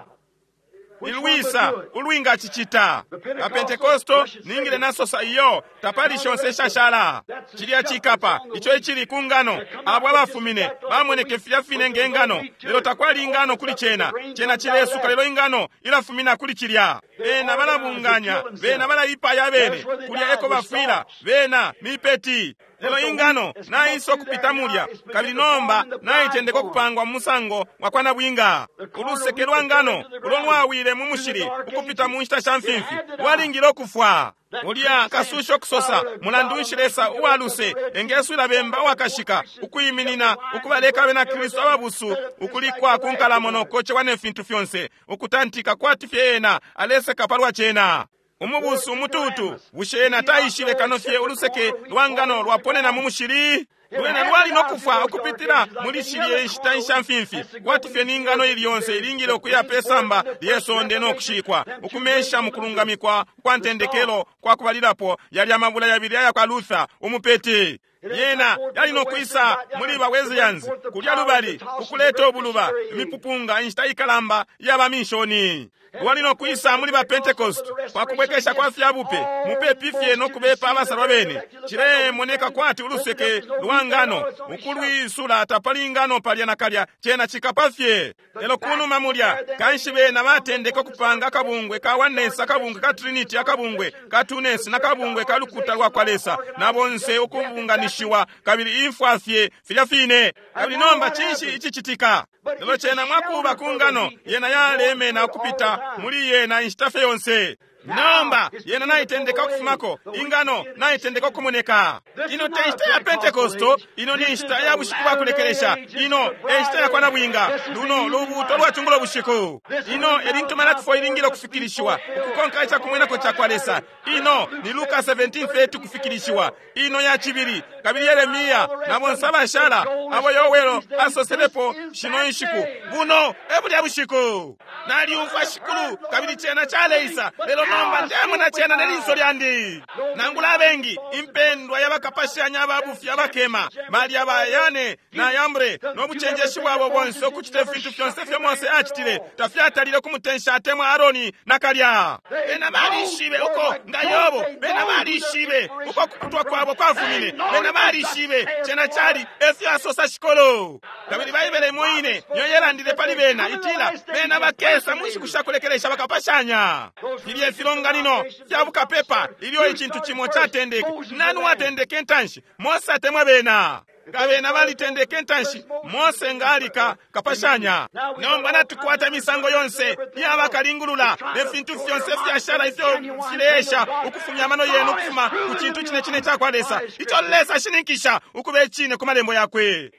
Ilwisa ulwinga cicita. Apentekosto ningile nasosa iyo tapali shonse shashala. Chilya chikapa icho ichili ku ngano abo abafumine bamoneke filya fine nge ngano, lelo takwali ingano kuli chena. Chena chilesuka lelo ingano ilafumina kuli chilya. Bena balabunganya, bena balaipaya bene, kulya eko bafwila, bena mipeti. Lelo ingano naiso kupita mulya, kabili nomba naitendeka okupangwa mu musango wa kwa nabwinga. Uluseke lwa ngano ulo lwawile mu mushili ukupita mu nshita sha mfimfi lwalingile okufwa. Ulya kasusha okusosa mulandu nshi Lesa uwa luse engeswila bemba uwakashika ukwiminina ukubaleka abena Kristu ababusu ukulikwa ku nkalamo nokocewa ne fintu fyonse ukutantika kwati fye ena aleseka palwa cena. Umubusu umututu bushe ena taishile kano fye uluseke lwa ngano lwaponena mu mushili? Lwena lwali nokufwa ukupitila muli shilye nshita nsha mfimfi kwati fye ni ngano ili yonse ilingile ukuya pe samba lye sonde nokushikwa ukumesha mu kulungamikwa kwa ntendekelo kwa kubalilapo yali amabula yabili aya kwa Luther umupeti. Yena yali nokwisa muli ba Wesleyans kulya lubali ukuleta obuluba imipupunga inshita ikalamba yaba minshoni. Lwali nokwisa muli ba Pentecost kwa kubwekesha kwa fyabupe mupepi fye nokubepa abasalwa bene. Chilemoneka kwati uluseke lwa ngano ukulwisula tapali ngano palya na kalya chena chikapa fye. Lelo kunuma mulya kanshi bena batendeka okupanga akabungwe ka Oneness, akabungwe ka Trinity, akabungwe ka Twoness na kabungwe ka lukuta lwa kwa Lesa na bonse ukubunganishiwa kabili imfwa fye filya fine. Kabili nomba cinshi icicitika? Lelo chena mwakuba ku ngano yena yalemena ukupita muli yena inshita fye yonse. Nomba yena naitendeka okufumako ingano naitendeka okumoneka. Ino te nshita ya Pentekosto, ino ni nshita ya bushiku bwa kulekelesha, ino e nshita ya kwa nabwinga, luno lubuuto lwa chungulo bushiku. Ino e lintu Malaki 4 ilingile okufikilishiwa ukukonka icakumwenako ca kwa Lesa. Ino ni Luka 17:30 kufikilishiwa. Ino ya cibili kabili Yeremia na bonse abashala abo Yowelo asoselepo shino inshiku. Buno e bulya bushiku. Nalyumfwa Shikulu kabili cena caleisa, lelo nomba ndemona cena ne linso lyandi. Nangula abengi impendwa y'abakapashanya ababufi abakema balya bayane na Yambre n'obucenjeshi bwabo bonse okucita efintu fyonse fyo Mose acitile tafyatalile kumutensha atemwa Aroni na kalya. Bena balishibe uko nga Yobo, bena balishibe uko kukutwa kwabo kwafumine, bena balishibe cena cali efyo asosa Shikolo. Kabili Baibele imo ine niyo yelandile pali bena itila bena bakesa mu nshiku sha kulekelesha bakapashanya. Filya ifilonganino fya bukapepa ilyo icintu cimo catendeke. Nani watendeke ntanshi? Mose atemwa bena. Nga bena balitendeke ntanshi, Mose nga alika kapashanya. Nomba natukwata imisango yonse iyabakalingulula ne fintu fyonse fyashala ifyo fileesha ukufumya amano yenu ukufuma ku cintu cine cine ca kwa Lesa ico Lesa ashininkisha ukuba icine ku malembo yakwe.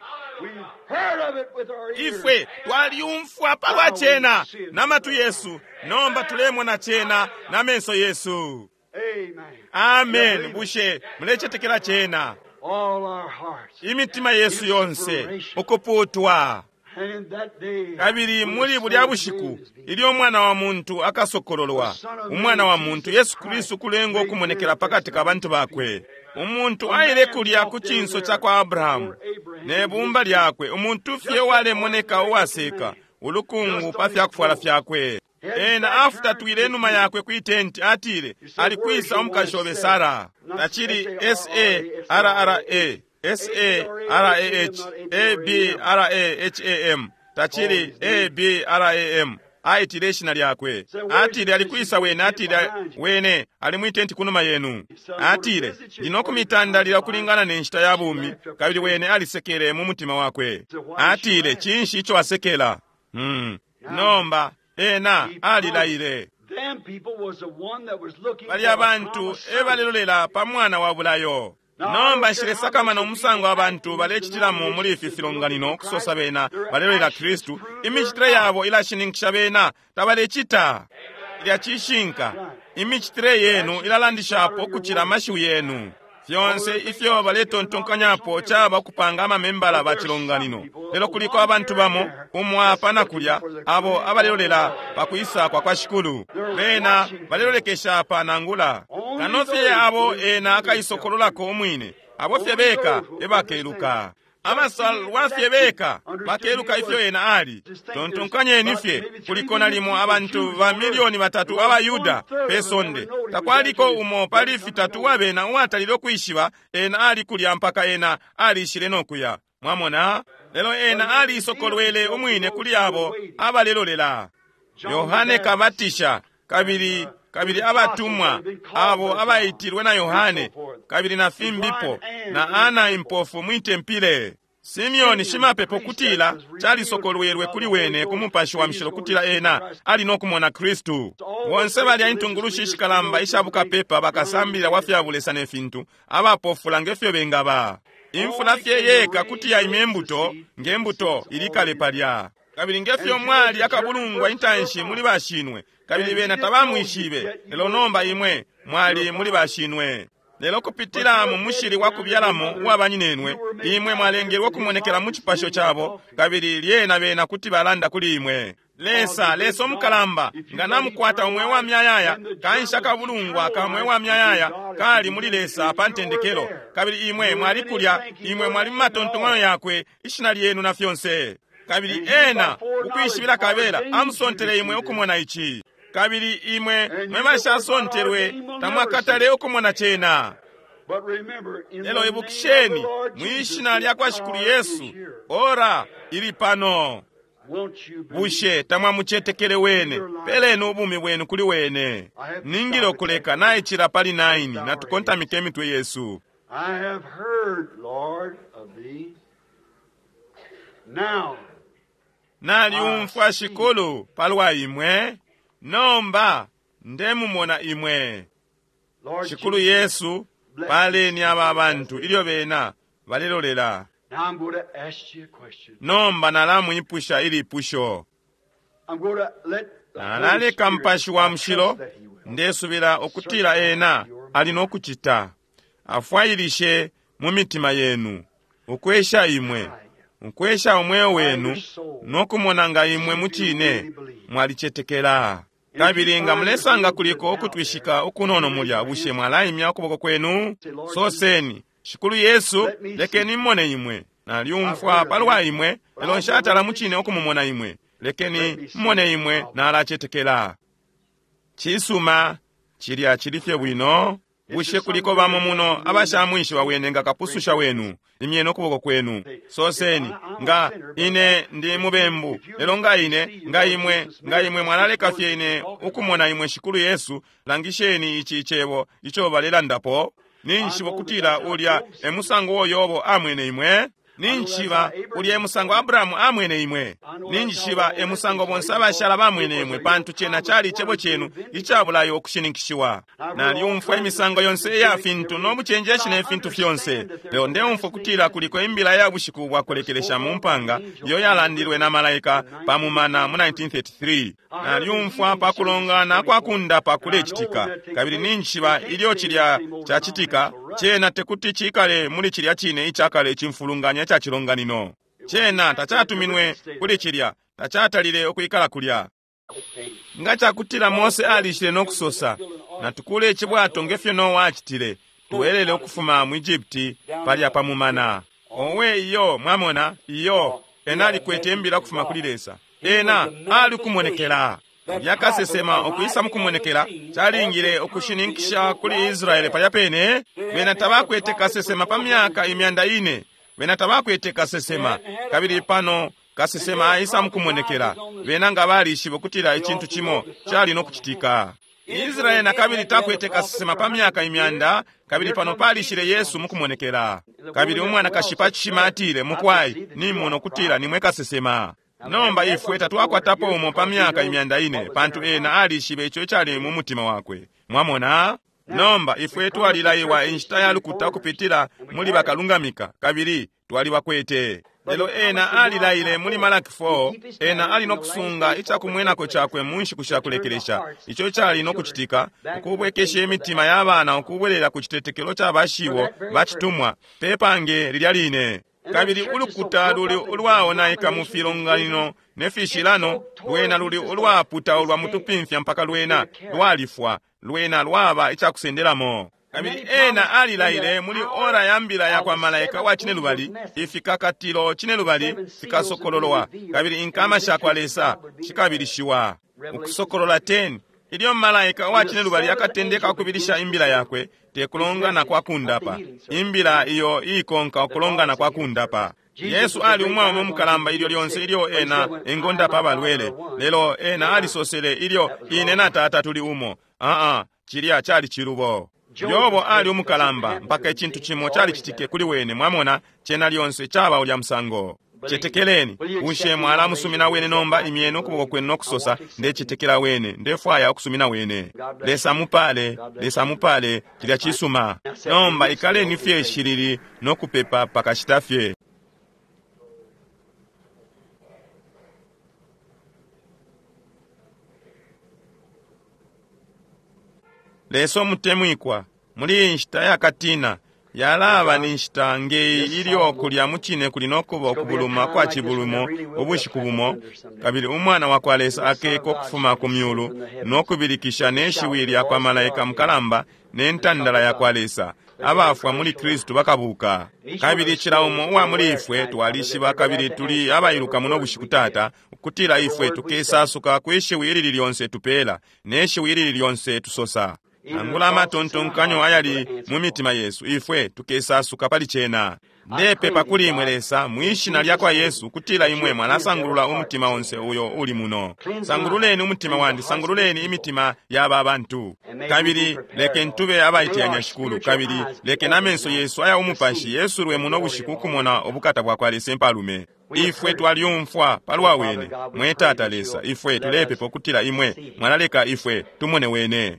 Ifwe twalyumfwa palwa cena na matwi yesu, nomba tulemona cena na menso yesu. Amen. Bushe mulecetekela cena? Imitima yesu yonse ukuputwa. Kabili muli bulya bushiku ilyo umwana wa muntu akasokololwa, umwana wa muntu Yesu Kristu kulenga okumonekela pakati ka bantu bakwe. Umuntu aile kulya ku cinso ca kwa Abrahamu ne bumba lyakwe, umuntu fye uwalemoneka uwaseka ulukungu pa fyakufwala fyakwe. Ena afutatwile inuma yakwe kwi tenti, atile, alikwisa umukashi obe Sara? Tacili S-A-R-R-A, S-A-R-A-H, A-B-R-A-H-A-M, tacili A-B-R-A-M. Aitile ishina lyakwe. Atile, alikwisa wene? Atile, wene ali mwi tenti kunuma yenu. Atile, ndinokumitandalila ukulingana ne nshita ya bumi. Kabili wene alisekele mu mutima wakwe. Atile, cinshi ico asekela? Nomba ena alilaile. Bali abantu ebalelolela pa mwana wa bulayo. Nomba nshilesakamana umusango abantu balecitilamo muli ifi filonganino okusosa bena balelolela Kristu. Imicitile yabo ilashininkisha bena tabalecita. Ilya cishinka. Imicitile yenu ilalandishapo ukucila amashiwi yenu. Fyonse ifyo baletontonkanyapo caba kupanga amamembala ba cilonganino. Lelo kuliko abantu bamo umo apa na kulya abo abalelolela pa kwisa kwa kwa Shikulu. Bena balelolekesha apa nangula kano fye abo ena akaisokololako umwine, abo fye beka ebakeluka. Abasalwa fye beka bakeluka ifyo ena ali. Tontonkanyeni fye, kuliko nalimo abantu ba 3 million abaYuda pe sonde. Takwaliko umo pali fitatu wabena uwatalile ukwishiba ena ali kulya mpaka ena alishile no kuya. Mwamona? Lelo ena alisokolwele umwine kuli abo abalelolela. Yohane Kabatisha kabili kabili abatumwa abo abaitilwe na Yohane kabili na fimbipo na ana impofu mwitempile. Simeoni shimapepo kutila calisokolwelwe kuli wene ku mupashi wa mshilo kutila ena ali no kumona Kristu. Bonse balya intungulushi ishikalamba isha bukapepa bakasambilila wa fya bulesa ne fintu abapofula nge fyo bengaba. Imfula fye yeka kuti yaimya imbuto nge mbuto ilikale palya. Kabili nge fyo mwali akabulungwa intanshi muli bashinwe, kabili bena tabamwishibe, lelo nomba imwe mwali muli bashinwe. Lelo kupitila mu mushili wa kubyalamo uwa banyinenwe, imwe mwalengelwe kumonekela mu cipasho cabo, kabili lyena bena kuti balanda kuli imwe. Lesa, Lesa omukalamba, nga namukwata umwe wa myayaya, kanshi akabulungwa ka mwe wa myayaya kali muli Lesa pa ntendekelo, kabili imwe mwali kulya, imwe mwali mu matontonkanyo yakwe, ishina lyenu na fyonse. Kabili ena ukwishibila kabela amusontele imwe ukumona ici. Kabili imwe mwe bashasontelwe tamwakatale ukumona cena. But remember, in Lelo the name of the ibukisheni, Lord mwi Jesus, shina lya kwa the Shikulu hour Yesu, is here. ora ili pano. Won't you believe? Bushe tamwamucetekele wene, peleni ubumi bwenu kuli wene. Ningile ukuleka naicila pali 9 natukontamike imitwe yesu. I have heard, Lord, of thee. Now, Naliumfwa Shikulu palwa imwe, nomba ndemumona imwe. Lord Shikulu Jesus, Yesu, paleni aba bantu ilyo bena balelolela. now I'm going to ask you a question. Nomba nalamwipusha ilipusho. I'm going to let the Holy Nalaleka Spirit, Mupashi wa I trust Mushilo, that he will. ndesubila ukutila ena ali no kucita. Afwailishe mu mitima yenu, ukwesha imwe, ukwesha umweo wenu, no kumona nga imwe mucine mwalicetekela. Kabili nga mulesanga kuliko ukutwishika ukunono mulya, bushe mwalaimya ukuboko kwenu? Soseni, Shikulu Yesu, lekeni mmone imwe. Naliumfwa palwa imwe, lelo nshatala mucine ukumumona imwe. Lekeni mmone imwe, nalacetekela. Cisuma, cilya cili fye bwino. Bushe kuliko bamo muno abashamwishiba wene nga kapususha wenu? Imyeni ukuboko kwenu. Soseni, nga ine ndi mubembu, lelo nga ine, nga imwe, nga imwe mwalaleka fye ine ukumona imwe Shikulu Yesu, langisheni ici cebo ico balelandapo. Ninjishiba ukutila ulya e musango uo Yobo amwene imwe. Ninjishiba ulya e musango Abrahamu amwene imwe. Ninjishiba e musango bonse abashala bamwene imwe, pantu cena cali icebo cenu icabulayo ukushininkishiwa. Nalyumfwa imisango yonse iya fintu no bucenjeshi ne fintu fyonse, lelo ndeumfwa kutila kuliko imbila ya bushiku bwa kulekelesha mu mpanga iyo yalandilwe na malaika pa mumana mu 1933. Nalyumfwa pa kulongana kwa kundapa kulecitika, kabili ninjishiba ilyo cilya cacitika, cena tekuti cikale muli cilya cine icakale icimfulunganya ca cilonganino. Cena tacatuminwe kuli cilya, tacatalile ukwikala kulya. Nga cakutila Mose alishile no kusosa, natukule icibwato nge fyo Noa acitile, tuwelele ukufuma mu Egypti palya pa mumana. Owe iyo, mwamona, iyo, ena alikwete imbila ukufuma kuli Lesa. Ena alikumonekela. Ulya kasesema ukwisa mukumonekela calingile ukushininkisha kuli Israele palya pene. Bena tabakwete kasesema pa myaka 400. Bena tabakwete kasesema, kabili pano kasesema aisa mukumonekela. Bena nga balishiba ukutila icintu cimo cali no kucitika. Israele na kabili takwete kasesema pa myaka 100, kabili pano palishile Yesu mukumonekela. Kabili umwanakashi pa cishima atile, mukwai, nimona ukutila nimwe kasesema. Nomba ifwe tatwakwatapo umo pa myaka 400, pantu ena alishibe ico icali mu mutima wakwe. Mwamona? Nomba ifwe twalilaiwa inshita ya lukuta ukupitila muli bakalungamika, kabili twalibakwete. Lelo ena alilaile muli Malaki 4, ena ali nokusunga icakumwenako cakwe mu nshiku shakulekelesha, ico cali nokucitika, ukubwekesha imitima ya bana ukubwelela ku citetekelo ca bashibo bacitumwa pe pange lilya line. Kabili ulukuta luli ulwaonaika mu filonganino ne fishilano, lwena luli ulwaputaulwa mutupimfya mpaka lwena lwalifwa, lwena lwaba icakusendelamo. Kabili ena alilaile muli ora ya mbila ya kwa malaika wa cinelubali, ifikakatilo cinelubali fikasokololwa, kabili inkama sha kwa Lesa shikabilishiwa. Ukusokolola 10, ilyo malaika wa cinelubali akatendeka ukubilisha imbila yakwe, te kulongana kwa kundapa, imbila iyo iikonka ukulongana kwa kundapa. Yesu ali umwaume umukalamba ilyo lyonse ilyo ena engondapa abalwele, lelo ena alisosele ilyo ine na Tata tuli umo. Cilya cali cilubo. Yobo ali umukalamba mpaka icintu cimo calicitike kuli wene, mwamona, cena lyonse caba ulya musango. Cetekeleni, bushe mwalamusumina wene nomba? Imyeni ukuboko kwenu nokusosa, ndecetekela wene, ndefwaya ukusumina wene. Lesa mupale, Lesa mupale, cilya cisuma. Nomba ikaleni fye shilili nokupepa pakashita fye. Lesa umutemwikwa, muli iyi nshita yakatina, yalaba ni nshita ngeyi ilyo kulya mucine kuli nokuba ukubuluma kwa cibulumo ubushiku bumo, kabili umwana wa kwa Lesa akeka ukufuma ku myulu nokubilikisha ne shiwi lya kwa malaika mukalamba ne ntandala ya kwa Lesa. Abafwa muli Kristu bakabuka. Kabili cila umo uwa muli ifwe twalishiba kabili tuli abailuka muno bushiku, Tata, ukutila ifwe tukesasuka kwi shiwi ilili lyonse tupela ne shiwi ilili lyonse tusosa. Nangula amatontonkanyo ayali mu mitima yesu, ifwe tukesasuka pali cena. Ndepepa kuli imwe Lesa, mwishina lya kwa Yesu, ukutila imwe mwalasangulula umutima onse uyo uli muno. Sangululeni umutima wandi, sangululeni imitima ya aba bantu. Kabili lekeni tube abaiteyanya Shikulu, kabili lekeni amenso yesu aya umupashi yesulwe muno bushiku ukumona ubukata bwa kwa Lesa impalume. Ifwe twalyumfwa palwa wene, mwe Tata Lesa, ifwe tulepepa ukutila imwe mwalaleka ifwe tumone wene.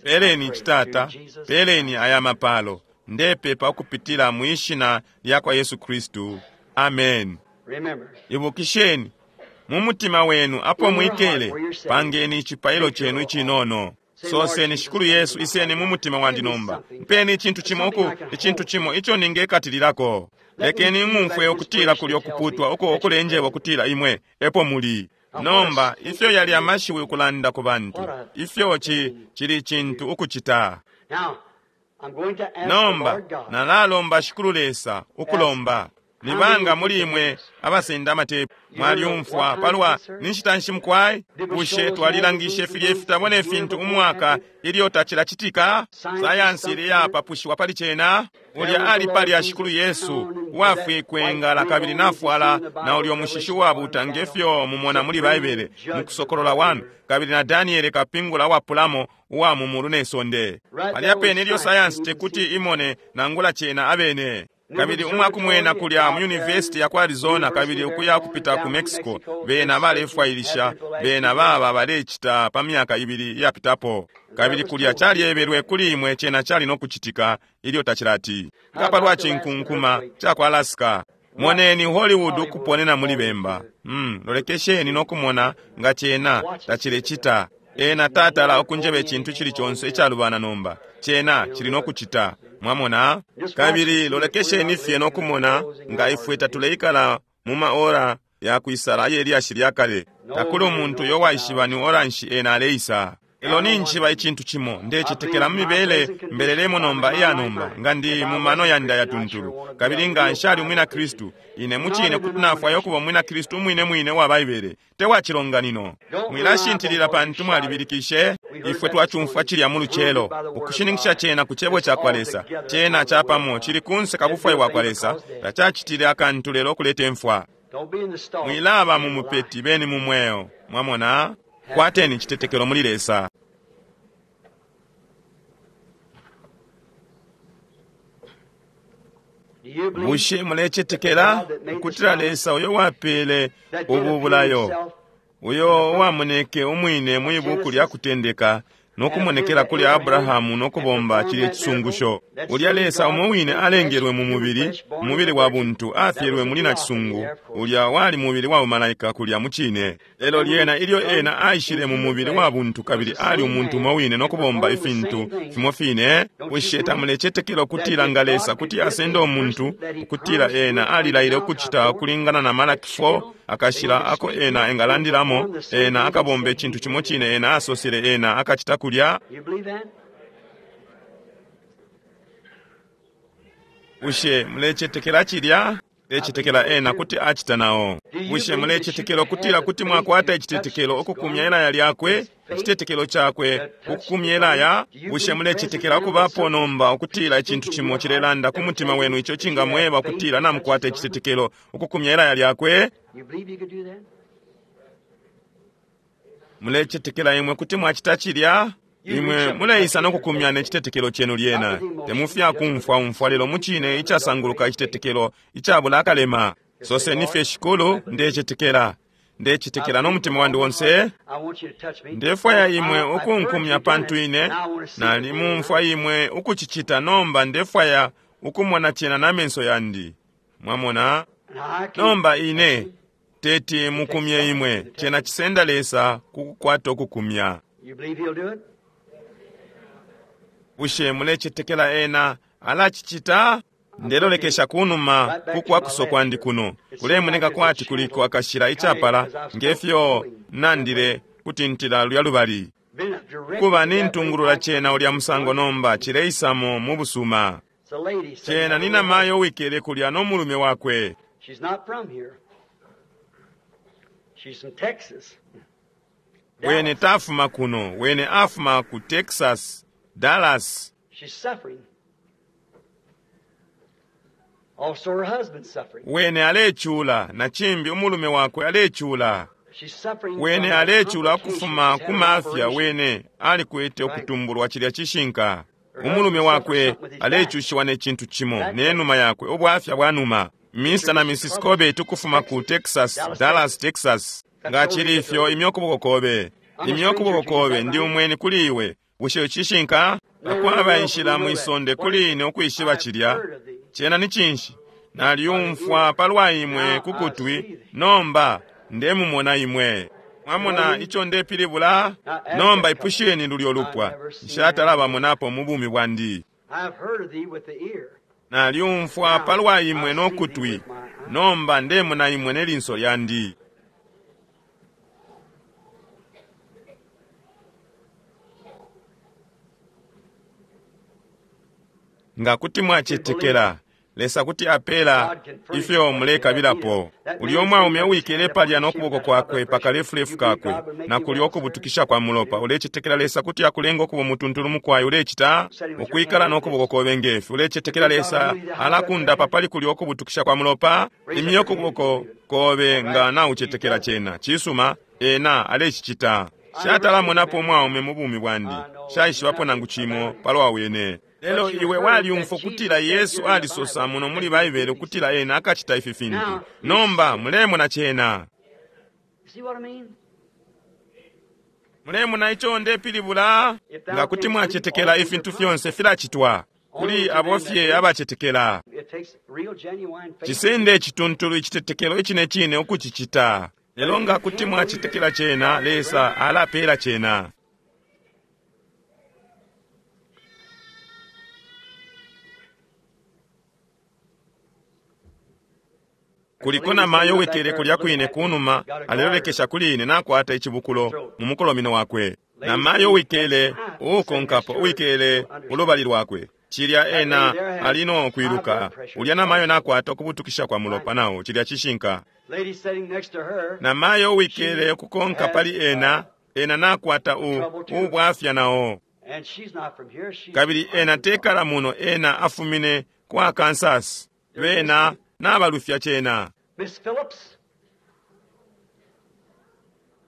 Peleni Tata, peleni aya mapalo. Ndepepa ukupitila mwishina lya kwa Yesu Kristu. Amen. Ibukisheni mu mutima wenu apo mwikele, pangeni icipailo cenu icinono. Soseni, Shikulu Yesu, iseni mu mutima wandi nomba. Mpeni icintu cimo uku, icintu cimo ico ningekatililako. Lekeni ng'umfwe ukutila kulyo kuputwa uko ukulenjeba ukutila imwe epo muli. Nomba ifyo yali amashiwi ukulanda ku bantu, ifyo cili cintu ukucita. Nomba nalalomba Shikulu Lesa ukulomba. Nibanga muli imwe abasenda amatepu mwalyumfwa palwa ninshita nshi mukwai? Bushe twalilangishe filya ifitabo ne fintu umwaka ilyo tacilacitika? Sayansi ili yapapushiwa pali cena. Ulya ali palya Shikulu Yesu uwafwikwe ngala kabili nafwala na ulyo mushishi uwabuta ngefyo mumona muli Baibele mu Kusokolola 1, kabili na Daniele kapingula uwapulamo uwa mu mulu ne sonde. Palya pene ilyo sayansi tekuti imone nangula cena abene. Kabili umwakumwena kulya mu University ya ku Arizona kabili ukuya kupita ku Mexico, bena balefwailisha, bena baba balecita pa myaka ibili iyapitapo. Kabili kulya calyebelwe kuli imwe cena cali nokucitika ilyo tacilati. Nga palwa cinkunkuma ca ku Alaska, moneni Hollywood ukuponena muli bemba. Lolekesheni nokumona nga cena tacilecita. Ena tatala ukunjeba icintu cili conse icalubana nomba. Cena cili nokucita. Mwamona? Kabili lolekesheni fye nokumona nga ifwe tatuleikala mu maora ya kwisala aye lyashi lya kale. Takuli umuntu uyo waishiba ni ora nshi ena aleisa. Lelo ninjiba icintu cimo, ndecetekela mu mibele mbelelemo nomba iya nomba, nga ndi mu mano yandi ayatuntulu. Kabili nga nshali umwina Kristu, ine mucine kuti nafwaya ukuba umwina Kristu umwine mwine wa Baibele, te wa cilonganino. Mwilashintilila pantu mwalibilikishe, ifwe twacumfwa cilya mu lucelo, ukushininkisha cena ku cebo ca kwa Lesa. Cena capamo cili kunse ka bufwayo bwa kwa Lesa, tacacitile akantu lelo okuleta imfwa. Mwilaba mu mupeti, beni mu mweo. Mwamona? Kwateni icitetekelo muli Lesa. Bushe mulecetekela ukutila Lesa uyo wapele ubu bulayo, uyo uwamoneke umwine mwi buku lya kutendeka no kumonekela kuli Abrahamu no kubomba cilye cisungusho. Ulya Lesa umo wine alengelwe mu mubili, umubili wa buntu, afyelwe muli nacisungu, ulya wali mubili wa bumalaika kulya mucine. Lelo lyena ilyo ena aishile mu mubili wa buntu kabili ali umuntu umo wine no kubomba ifintu fimo fine, bushe tamulecetekela ukutila nga Lesa kuti asenda umuntu, ukutila ena alilaile ukucita ukulingana na Malaki 4, akashila ako ena engalandilamo, ena akabomba icintu cimo cine ena asosele ena akacita kulya? Bushe mulecetekela cilya? Lecetekela ena kuti acita nao. Bushe mulecetekela ukutila kuti mwakwata icitetekelo ukukumya ilaya lyakwe, icitetekelo cakwe ukukumya ilaya? Bushe mulecetekela ukubapo nomba ukutila icintu cimo cilelanda ku mutima wenu ico cingamweba ukutila namukwata icitetekelo ukukumya ilaya lyakwe? Mulecetekela imwe kuti mwacita cilya? Imwe muleisa no kukumya ne citetekelo cenu lyena, temufya kumfwa umfwa lelo mucine icasanguluka icitetekelo icabula akalema. Soseni fye, Shikulu, ndecetekela, ndecetekela no mutima wandi onse. Ndefwaya imwe ukunkumya pantu ine nalimumfwa imwe ukucicita, nomba ndefwaya ukumona cena na menso yandi. Mwamona? Nomba ine teti mukumye imwe, cena cisenda Lesa kukukwata ukukumya. Bushe mulecetekela ena alacicita? Ndelolekesha kunuma kukwakuso kwandi kuno, kulemoneka kwati kuliko akashila icapala ngefyo nandile kutintila lulya lubali. Kuba nintungulula cena ulya musango nomba cileisamo mu busuma. Cena ni namayo wikele kulya no mulume wakwe. Wene tafuma kuno, wene afuma ku Texas, Dallas. Wene alecula, na cimbi umulume wakwe alecula. Wene alecula ukufuma ku mafya, wene alikwete ukutumbulwa cilya cishinka. Umulume wakwe alecushiwa ne cintu cimo ne numa yakwe, ubwafya bwa numa. Mr. na Mrs. Corbett ukufuma ku Texas, Dallas, Texas. Nga cili ifyo, imya ukuboko kobe. Imya ukuboko kobe, ndi umweni kuli iwe. Bushe cishinka? Takwaba inshila mwisonde kuli ine ukwishiba cilya. Cena ni cinshi? Nalyumfwa palwa imwe kukutwi, nomba ndemumona imwe. Mwamona ico ndepilibula? Nomba ipusheni lulyo lupwa. Nshatalabamonapo mu bumi bwandi. Nalyumfwa palwa imwe no kutwi, nomba ndemona imwe ne linso lyandi. Nga kuti mwacetekela, Lesa kuti apela ifyo mulekabilapo. Ulyo umwaume uwikele palya no kuboko kwakwe pakalefulefu kakwe, na kulyo ukubutukisha kwa mulopa, ulecetekela Lesa kuti akulenga ukuba umutuntulu mukwayi? Ulecita ukwikala no kuboko kobe ngefi. Ulecetekela Lesa alakundapa pali kulyo ukubutukisha kwa mulopa? Imya ukuboko kobe nga naucetekela cena. Cisuma, ena alecicita. Shatalamonapo umwaume mu bumi bwandi, shaishibapo nangu cimo palwa wene. Lelo iwe walyumfwa ukutila Yesu alisosa muno muli Baibele ukutila ena akacita ifi fintu. Nomba mulemona cena. Mulemona ico ndepilibula? Nga kuti mwacetekela, ifintu fyonse filacitwa kuli abo fye abacetekela. Cisende icituntulu icitetekelo icine cine ukucicita. Lelo nga kuti mwacetekela cena, Lesa alapela cena. Kuliko namayo wikele kulya kwine kunuma, alelolekesha kuli ine nakwata icibukulo mu mukolomino wakwe. Namayo wikele uukonkapo uwikele ulubali lwakwe, cilya ena ali no kwiluka. Ulya namayo nakwata ukubutukisha kwa mulopa nao, cilya cishinka. Namayo wikele ukukonka pali ena, ena nakwata ubwafya nao. Kabili ena tekala muno, ena afumine kwa Kansas. Bena nabalufya cena. Miss Phillips.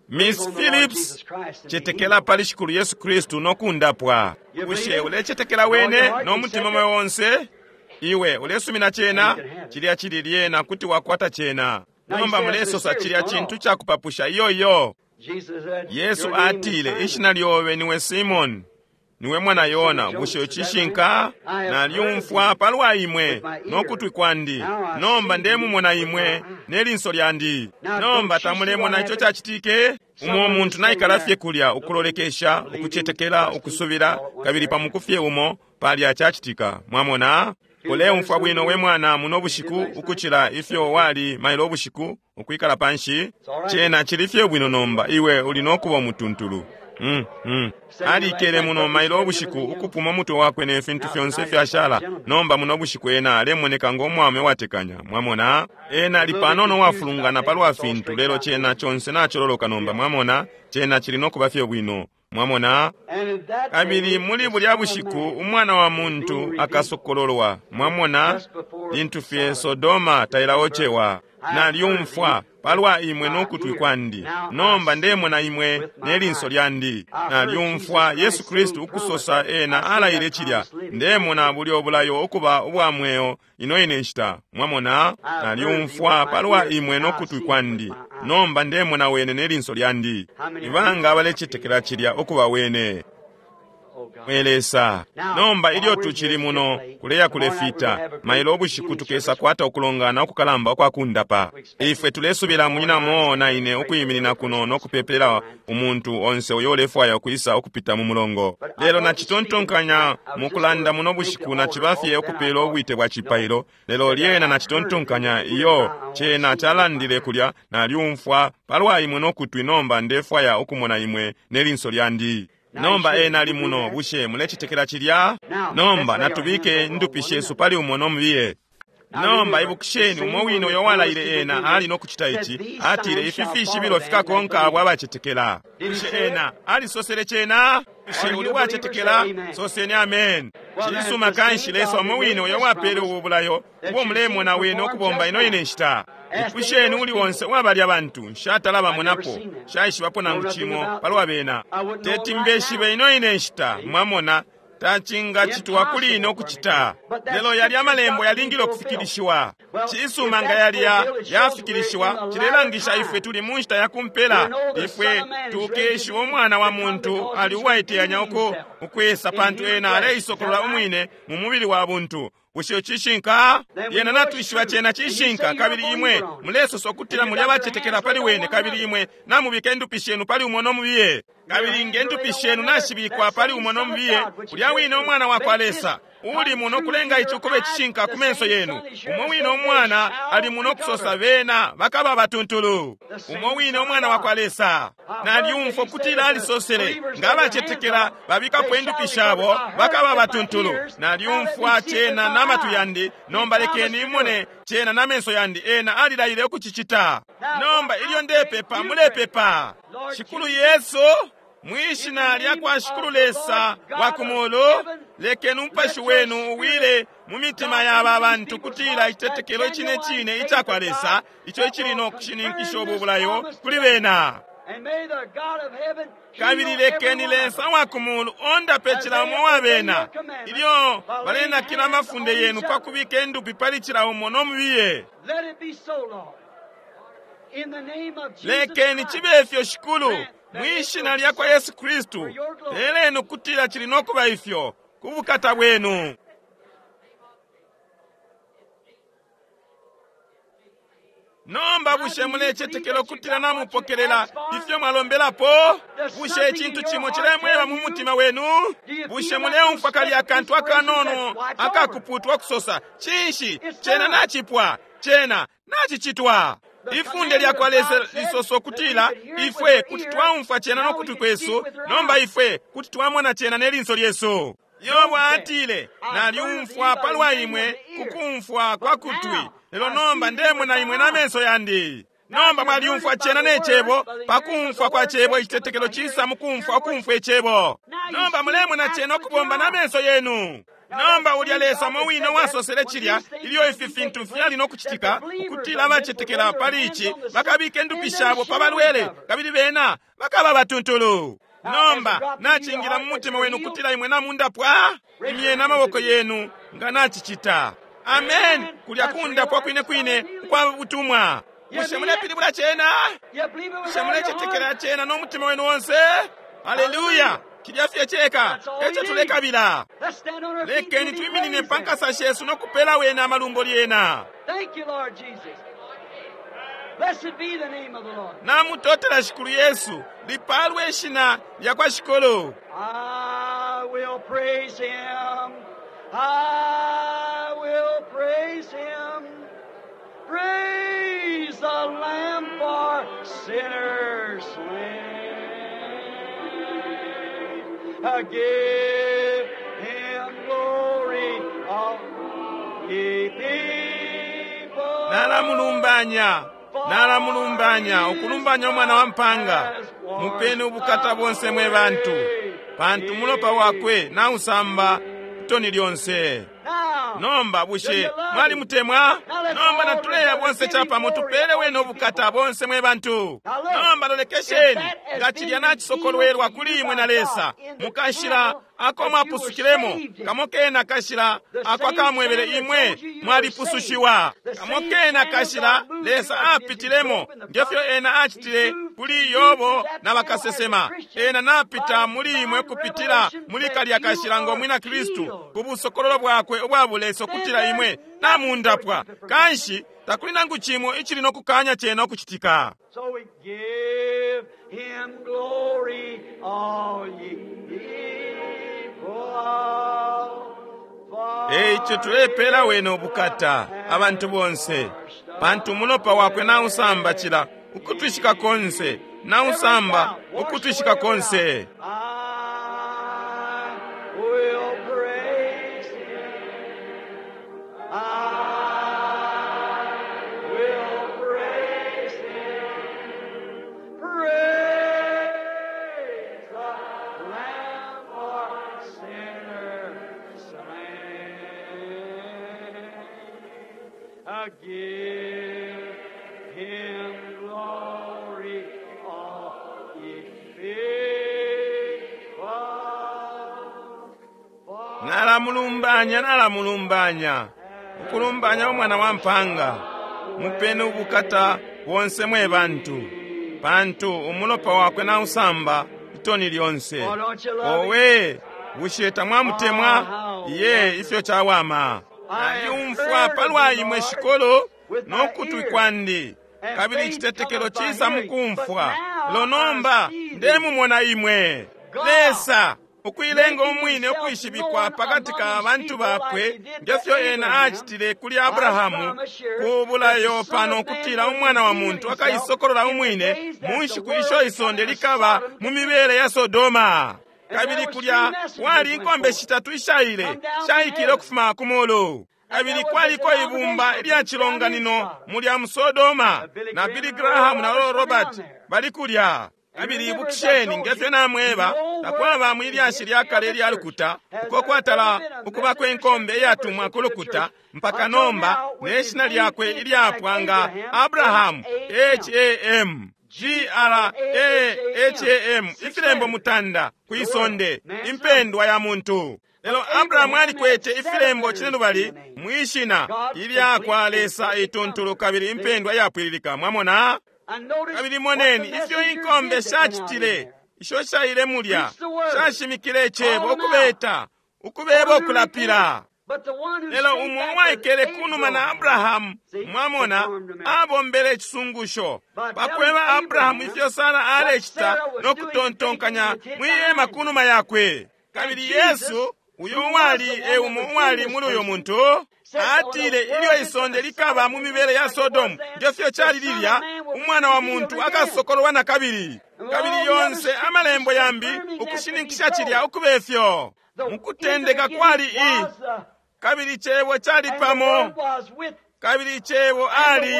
Miss Phillips, cetekela pali Shikulu Yesu Kristu no kundapwa. Bushe ulecetekela wene no mutima moyo onse? Iwe ulesumina cena? Cilya cili lyena kuti wakwata cena. Nomba mulesosa cilya cintu cakupapusha. Iyo iyo. Yesu atile, ishina lyobe niwe Simoni, niwe mwana Yona. Bushe cishinka? Nalyumfwa palwa imwe nokutwi kwandi, nomba ndemumona imwe nelinso lyandi. Nomba tamulemona ico cacitike? Umo muntu naikala fye kulya ukulolekesha, ukucetekela, ukusubila, kabili pamukufye umo palya cacitika. Mwamona? Uleumfwa bwino we mwana muno bushiku ukucila ifyo wali mailo ubushiku ukwikala panshi. Cena cili fye bwino nomba, iwe uli nokuba umutuntulu. Alikele muno mailo ubushiku ukupuma umutwe wakwe ne fintu fyonse fyashala. Nomba muno bushiku ena alemoneka ngo mwaume watekanya. Mwamona? Ena ali panono wafulungana palwa fintu, lelo cena chonse nacololoka nomba. Mwamona? Cena cili nokuba fye bwino. Mwamona? Kabili muli bulya bushiku umwana wa muntu akasokololwa. Mwamona? Lintu fye Sodoma tailaochewa. Nalyumfwa palwa imwe nokutwi kwandi, nomba ndemona imwe nelinso lyandi. Nalyumfwa Yesu Kristu ukusosa ena alaile cilya. Ndemona bulyo bulayo ukuba ubwa mweo ino ine nshita. Mwamona? Nalyumfwa palwa imwe nokutwi kwandi, nomba ndemona wene nelinso lyandi. Ibanga abalecetekela cilya ukuba wene. Mwe Lesa, nomba ilyo tucili muno kuleya kulefita mailo ubushiku tukesa kwata ukulongana ukukalamba ukwakundapa. Ifwe tulesubila munyina mo na ine ukuyiminina kuno nokupepela umuntu onse uyo ulefwaya ukwisa ukupita mu mulongo. Lelo nacitontonkanya mukulanda muno bushiku nacibafye ukupela ubwite bwa cipailo, lelo lyena nacitontonkanya iyo cena calandile kulya. Nalyumfwa palwa imwe nokutwi, nomba ndefwaya ukumona imwe nelinso lyandi. Nomba ena ali muno. Bushe mulecetekela cilya? Nomba natubike ndupi shesu pali umo nomubiye. Nomba ibukisheni, umo wine uyo walaile ena ali nokucita ici. Atile ifi fishibilo fikakonka abo abacetekela. Bushe ena alisosele cena? Bushe uli wacetekela? Soseni amen. Cisuma kanshi Lesa umo wine uyo wapele ubu bulayo ubo mulemona wene ukubomba ino ine nshita. Ipusheni uli onse uwabalya bantu, nshatala bamonapo, nshaishibapo nangu cimo palwa bena. Teti mbeshibe ino ine nshita, mwamona, tacingacitwa kuli ine ukucita. Lelo yalya amalembo yalingile ukufikilishiwa. Cisuma nga yalya yafikilishiwa, cilelangisha ifwe tuli mu nshita ya kumpela. Ifwe tukeshiwa umwana wa muntu ali uwaiteyanya uko ukwisa, pantu ena aleisokolola umwine mu mubili wa buntu. Bushe cishinka? Yena natwishiba cena cishinka. Kabili imwe mulesosa ukutila muli abacetekela pali wene, kabili imwe namubika indupi shenu pali umo nomubiye. Kabili nge ndupi shenu nashibikwa pali umo nomubiye, ulya wine umwana wa kwa Lesa uli muno kulenga ici ukuba icishinka ku menso yenu. Umo wine umwana ali muno kusosa bena bakaba batuntulu. Umo wine umwana wa kwa Lesa. Nalyumfwa ukutila alisosele nga abacetekela babikapo indupi shabo bakaba batuntulu. Nalyumfwa cena n'amatwi yandi, nomba lekeni imone cena n'amenso yandi. Ena alilaile ukucicita. Nomba ilyo ndepepa, mulepepa. Shikulu Yesu, mwishina lya kwa Shikulu Lesa wa kumulu, lekeni umupashi wenu uwile mu mitima ya aba bantu kutila icitetekelo icine cine ica kwa Lesa ico icili no kushininkisha ubu bulayo kuli bena. Kabili lekeni Lesa wa kumulu ondape cila umo wa bena ilyo balenakila amafunde yenu pa kubika indupi pali cila umo nomubiye. Lekeni cibe ifyo, Shikulu, mwishina lya kwa Yesu Kristu. Leleni ukutila cili nokuba ifyo ku bukata bwenu. Nomba bushe mulecetekela ukutila namupokelela ifyo mwalombelapo? Bushe icintu cimo cilemweba mu mutima wenu? Bushe muleumfwa kalya akantu akanono akakuputwa kusosa, cinshi cena nacipwa, cena nacicitwa? Ifunde lya kwa Lesa lisosa ukutila ifwe kuti twaumfwa cena nokutwi kwesu, nomba ifwe kuti twamona cena nelinso lyesu. Yobo atile, nalyumfwa palwa imwe kukumfwa kwa kutwi, lelo nomba ndemona imwe n'amenso yandi. Nomba mwalyumfwa cena ne cebo, pakumfwa kwa cebo icitetekelo cisa mukumfwa ukumfwa icebo. Nomba mulemona cena ukubomba n'amenso yenu. Nomba ulya Lesa umo wine wasosele cilya ilyo ifi fintu fyali nokucitika, ukutila abacetekela pali ici bakabika indupi shabo pa balwele, kabili bena bakaba batuntulu. Nomba nacingila mu mutima wenu ukutila imwe namundapwa, imyena amaboko yenu nga nacicita. Amen. Kulya kundapwa kwine kwine ukwa butumwa. Bushe mulepilibula cena? Bushe mulecetekela cena no mutima wenu onse? Haleluya! Cilya fye ceka eco tulekabila. Lekeni twiminine pa nkasa shesu no kupela wena amalumbo lyena. Namutotela Shikulu Yesu, lipalwe ishina lya kwa Shikulu. I will praise him. I will praise him. Praise the Lamb for sinners slain. Give him glory, all ye people. Nalamulumbanya, nalamulumbanya, ukulumbanya umwana wa mpanga. Mupeni ubukata bonse mwe bantu, pantu mulopa wakwe nausamba itoni lyonse. Nomba bushe mwalimutemwa? Nomba natuleya bonse chapamo tupele wene ubukata bonse mwe bantu. Nomba lolekesheni nga cilya nacisokolwelwa kuli imwe na Lesa mukashila ako mwapusukilemo, kamo kena kashila ako akamwebele imwe mwalipusushiwa, kamo kena kashila Lesa apitilemo ngefyo ena acitile kuli Yobo na bakasesema. Ena napita muli imwe kupitila muli kalya kashila ngo mwina Kristu ku busokololo bwakwe ubwa bulesa ukutila imwe namundapwa. Kanshi takuli nangu chimo ichili nokukanya chena okuchitika. So we give him glory, all ye people. Eicho tulepela wene ubukata abantu bonse, pantu umulopa wakwe nausamba chila ukutwishika konse, nausamba ukutwishika konse. I will praise him. I will praise him. Praise the Lamb for sinners slain. I give him glory, all ye people. Nalamulumbanya, nalamulumbanya, ukulumbanya umwana wa mpanga. Mupeni ubukata bonse mwe bantu, pantu umulopa wakwe nausamba itoni lyonse. Owe, bushe tamwamutemwa? Iye, ifyo chawama. Naliumfwa palwa imwe shikolo no kutwi kwandi, kabili icitetekelo cisa mukumfwa. Lelo nomba ndemumona imwe Lesa ukuilenga umwine ukwishibikwa pakati ka bantu bakwe ngefyo ena acitile kuli Abrahamu ku bulayo pano ukutila umwana wa muntu akaisokolola umwine mu nshiku isho isonde likaba mu mibele ya Sodoma. Kabili kulya wali inkombe shitatu ishaile shaikile ukufuma ku mulu. Kabili kwaliko ibumba ilya chilonganino mulya mu Sodoma, na Billy Graham na Oral Robert bali kulya. Kabili ibukisheni ngefyo namweba, takwaba mwilyashi lya kale lya lukuta uko kwatala ukubako inkombe iyatumwa ku lukuta mpaka nomba ne shina lyakwe ilyapwa nga Abrahamu, H-A-M G-R-A-H-A-M, ifilembo mutanda kwisonde, impendwa ya muntu. Lelo Abrahamu alikwete ifilembo cinelubali mwishina ilya kwa Lesa ituntulu kabili impendwa iyapwililika. Mwamona? Kabili moneni ifyo inkombe shacitile isho shaile mulya, shashimikile icebo ukubeta, ukubeba ukulapila. Lelo umo uwaikele kunuma na Abrahamu, mwamona, abombele icisungusho pakweba Abrahamu ifyo Sara alecita no kutontonkanya mwihema kunuma yakwe. Kabili Yesu uyo uwali e umo uwali muli uyo muntu atile ilyo isonde likaba mu mibele ya Sodomu ngefyo cali lilya, umwana wa muntu akasokololwa na kabili. Kabili yonse amalembo yambi ukushininkisha cilya ukubefyo. Mukutendeka kwali i, kabili cebo cali pamo, kabili cebo ali,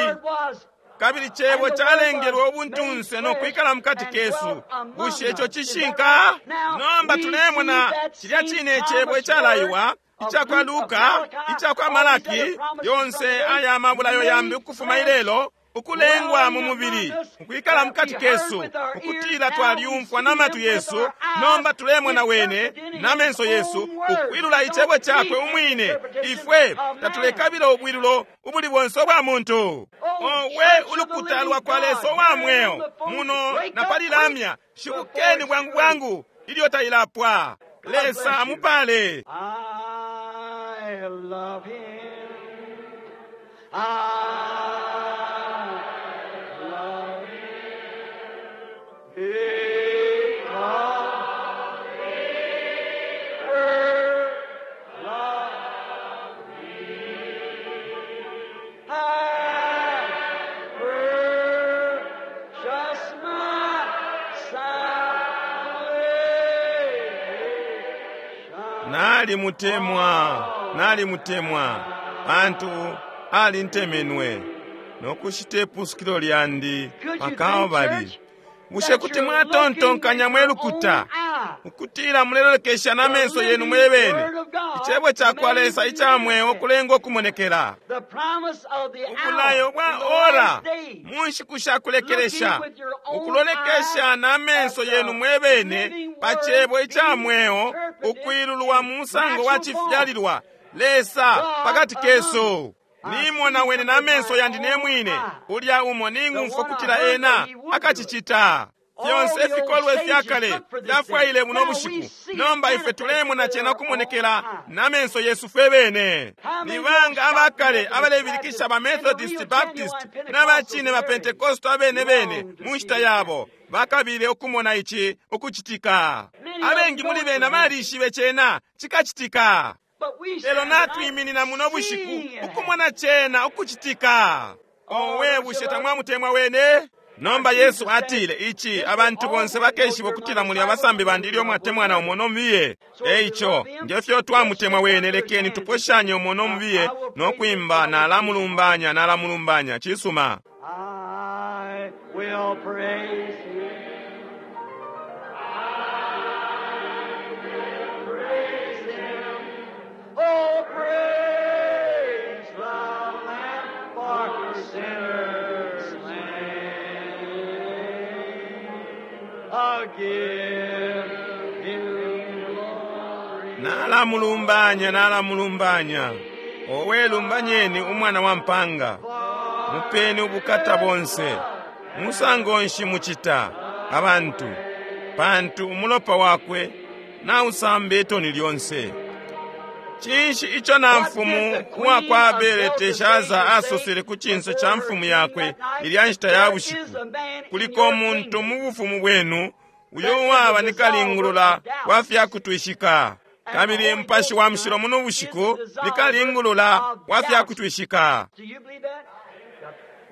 kabili cebo calengelwe ubuntunse no kwikala mukati kesu. Bushe ico cishinka? Nomba tulemona cilya cine cebo icalaiwa icakwa Luka, icakwa Malaki, yonse aya mabulayo yambi ukufuma ilelo. Ukulengwa mu mubili, ukwikala mukati kesu, ukutila twalyumfwa na matwi yesu, nomba tulemona wene na menso yesu, ukwilula icebo cakwe umwine. Ifwe tatulekabila ubwilulo ubuli bonse ubwa muntu. Owe ulukuta lwa kwa Lesa wa mweo muno na pali lamya, shibukeni bwangu bwangu ilyo tailapwa. Lesa amupale. I love him. I love him. Because he first loved me. I purchased my salvation. Nalimutemwa, nalimutemwa, pantu alintemenwe nokushita ipusukilo lyandi Could you pa think, Kalbali. church, Bushe that kuti you're mwatontonkanya looking mwe with your lukuta own eye, ukutila mulelolekesha na the menso yenu living mwe bene Word of God icebo ca kwa made Lesa ica mweo manifest. kulenga ukumonekela The promise of the ubulayo hour bwa in the ora last day. mu nshiku sha kulekelesha Looking with your own ukulolekesha eyes na menso at yenu the mwe bene living pa Word cebo ica being mweo interpreted ukwilulwa in mu musango wa natural form. cifyalilwa Lesa God pakati among kesu us. I nimona see wene na with menso my yandi ne own mwine eye. ulya umo The ningumfwa one I kutila heard ena that he would do it. akacicita All fyonse the old ifikolwe sages fya kale looked for this fyafwaile thing. buno Now we bushiku see it nomba ife manifest tulemona with cena our own kumonekela eyes. na menso yesu fwe bene How many ni old banga shouting abakale Methodists, abalebilikisha Baptists, ba and the real Methodist genuine Baptist Pentecostals n'abacine ba of their age Pentecost abene bene longed to mu see nshita this yabo happen? bakabile ukumona ici ukucitika. Many of them Abengi know muli it would bena happen. balishibe cena cikacitika. But we Lelo stand tonight natwiminina muno bushiku seeing it happen. ukumona cena ukucitika. Oh, Owe don't you bushe love it? tamwamutemwa wene? Nomba Our Yesu Jesus said, atile ici This will abantu all bonse men know bakeshiba you're my ukutila muli disciples abasambi if bandi you ilyo love one mwatemwana another. umo nomubiye. So if E you ico love him, nge fyo let's twamutemwa shake wene others' lekeni hands and say, tuposhanye umo nomubiye I will praise him nokwimba for all the things. nalamulumbanya nalamulumbanya cisuma. I will praise him. I will praise him. Oh, praise the Lamb for sinners slain. I'll give him glory. Nalamulumbanya nalamulumbanya. Owe lumbanyeni umwana wa mpanga. Mupeni ubukata bonse. Musango nshi mucita abantu pantu umulopa wakwe nausamba itoni lyonse. Cinshi ico na What did mfumu the queen uwakwa of Beleteshaza Belteshazzar say asosele ku cinso before ca her mfumu king yakwe that night? ilya nshita ya There is bushiku? a man in Kuliko your umuntu kingdom mu bufumu bwenu uyo that is a uwaba ni dissolver kalingulula of wa doubts. fya kutwishika. And the Kabili Holy Mupashi Ghost wa Mushilo tonight muno is the bushiku ni dissolver kalingulula of wa fya doubts. kutwishika. Do you believe that?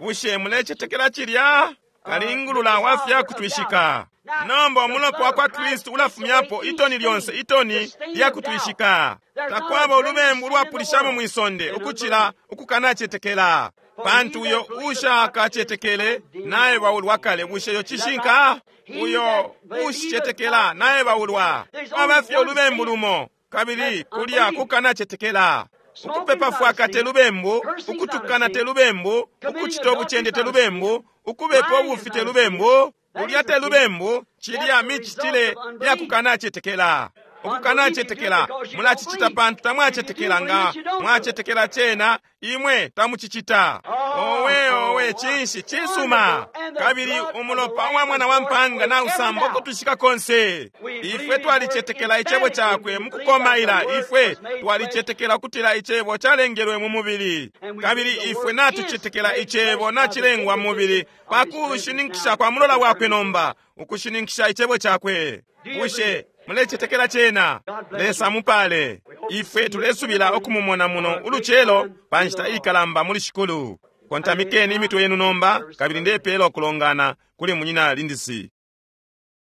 Bushe mulecetekela cilya? The Kalingulula wa fya dissolver of doubts. kutwishika. Now, Nomba the umulopa blood wa of kwa Christ Kristu takes away ulafumyapo each itoni lyonse stain, the itoni stain lya of doubt. kutwishika. There's not a Takwaba greater ulubembu sin in the ulwapulishamo world mwi sonde than ukucila unbelief. ukukanacetekela. For he Pantu uyo that believeth not is ushakacetekele condemned naebaulwa already. kale. Bushe yo Is that right? cishinka? He Uyo that believeth uushicetekela not is naebaulwa. condemned. There's only Kwaba fye one ulubembu sin, lumo kabili that's kulya unbelief. kukanacetekela. Smoking's Ukupepa not a fwaka te sin. lubembu, Cursing's not a ukutukana te sin. lubembu, Committing ukucita adultery's ubucende te not a sin. lubembu, ukubepa Lying is ubufi te not a sin. lubembu, That kulya is te a sin. lubembu, That's cilya the result micitile of ya unbelief. kukanacetekela. Unbelief you do Ukukanacetekela because you don't mulacicita believe. pantu If you do tamwacetekela believe nga it, you don't do it. mwacetekela cena imwe tamucicita. Owe Oh, owe what cinshi cisuma wonderful. And the kabili blood of the umulopa wa Lamb mwana wa destroys mpanga away every nausamba doubt. ukutwishika konse. We believe Ifwe His word twalicetekela icebo emphatically. cakwe We mu believe that the kukomaila. Word Ifwe was made flesh, twalicetekela kutila icebo calengelwe mu mubili and we kabili believe the ifwe Word is natucetekela made icebo flesh by the nacilengwa mu mubili deposition of His presence pakushininkisha now kwa mulola at wakwe eternity. nomba ukushininkisha icebo cakwe. Do you believe Bushe it? mulecetekela cena? God bless Lesa you. mupale. We hope to see Ifwe you in the tulesubila morning ukumumona for muno a great ulucelo time pa in the nshita Lord. ikalamba muli Shikulu. And Kontamikeni now, imitwe yenu nomba service kabili closing. ndepeela ukulongana kuli munyina Lindisi.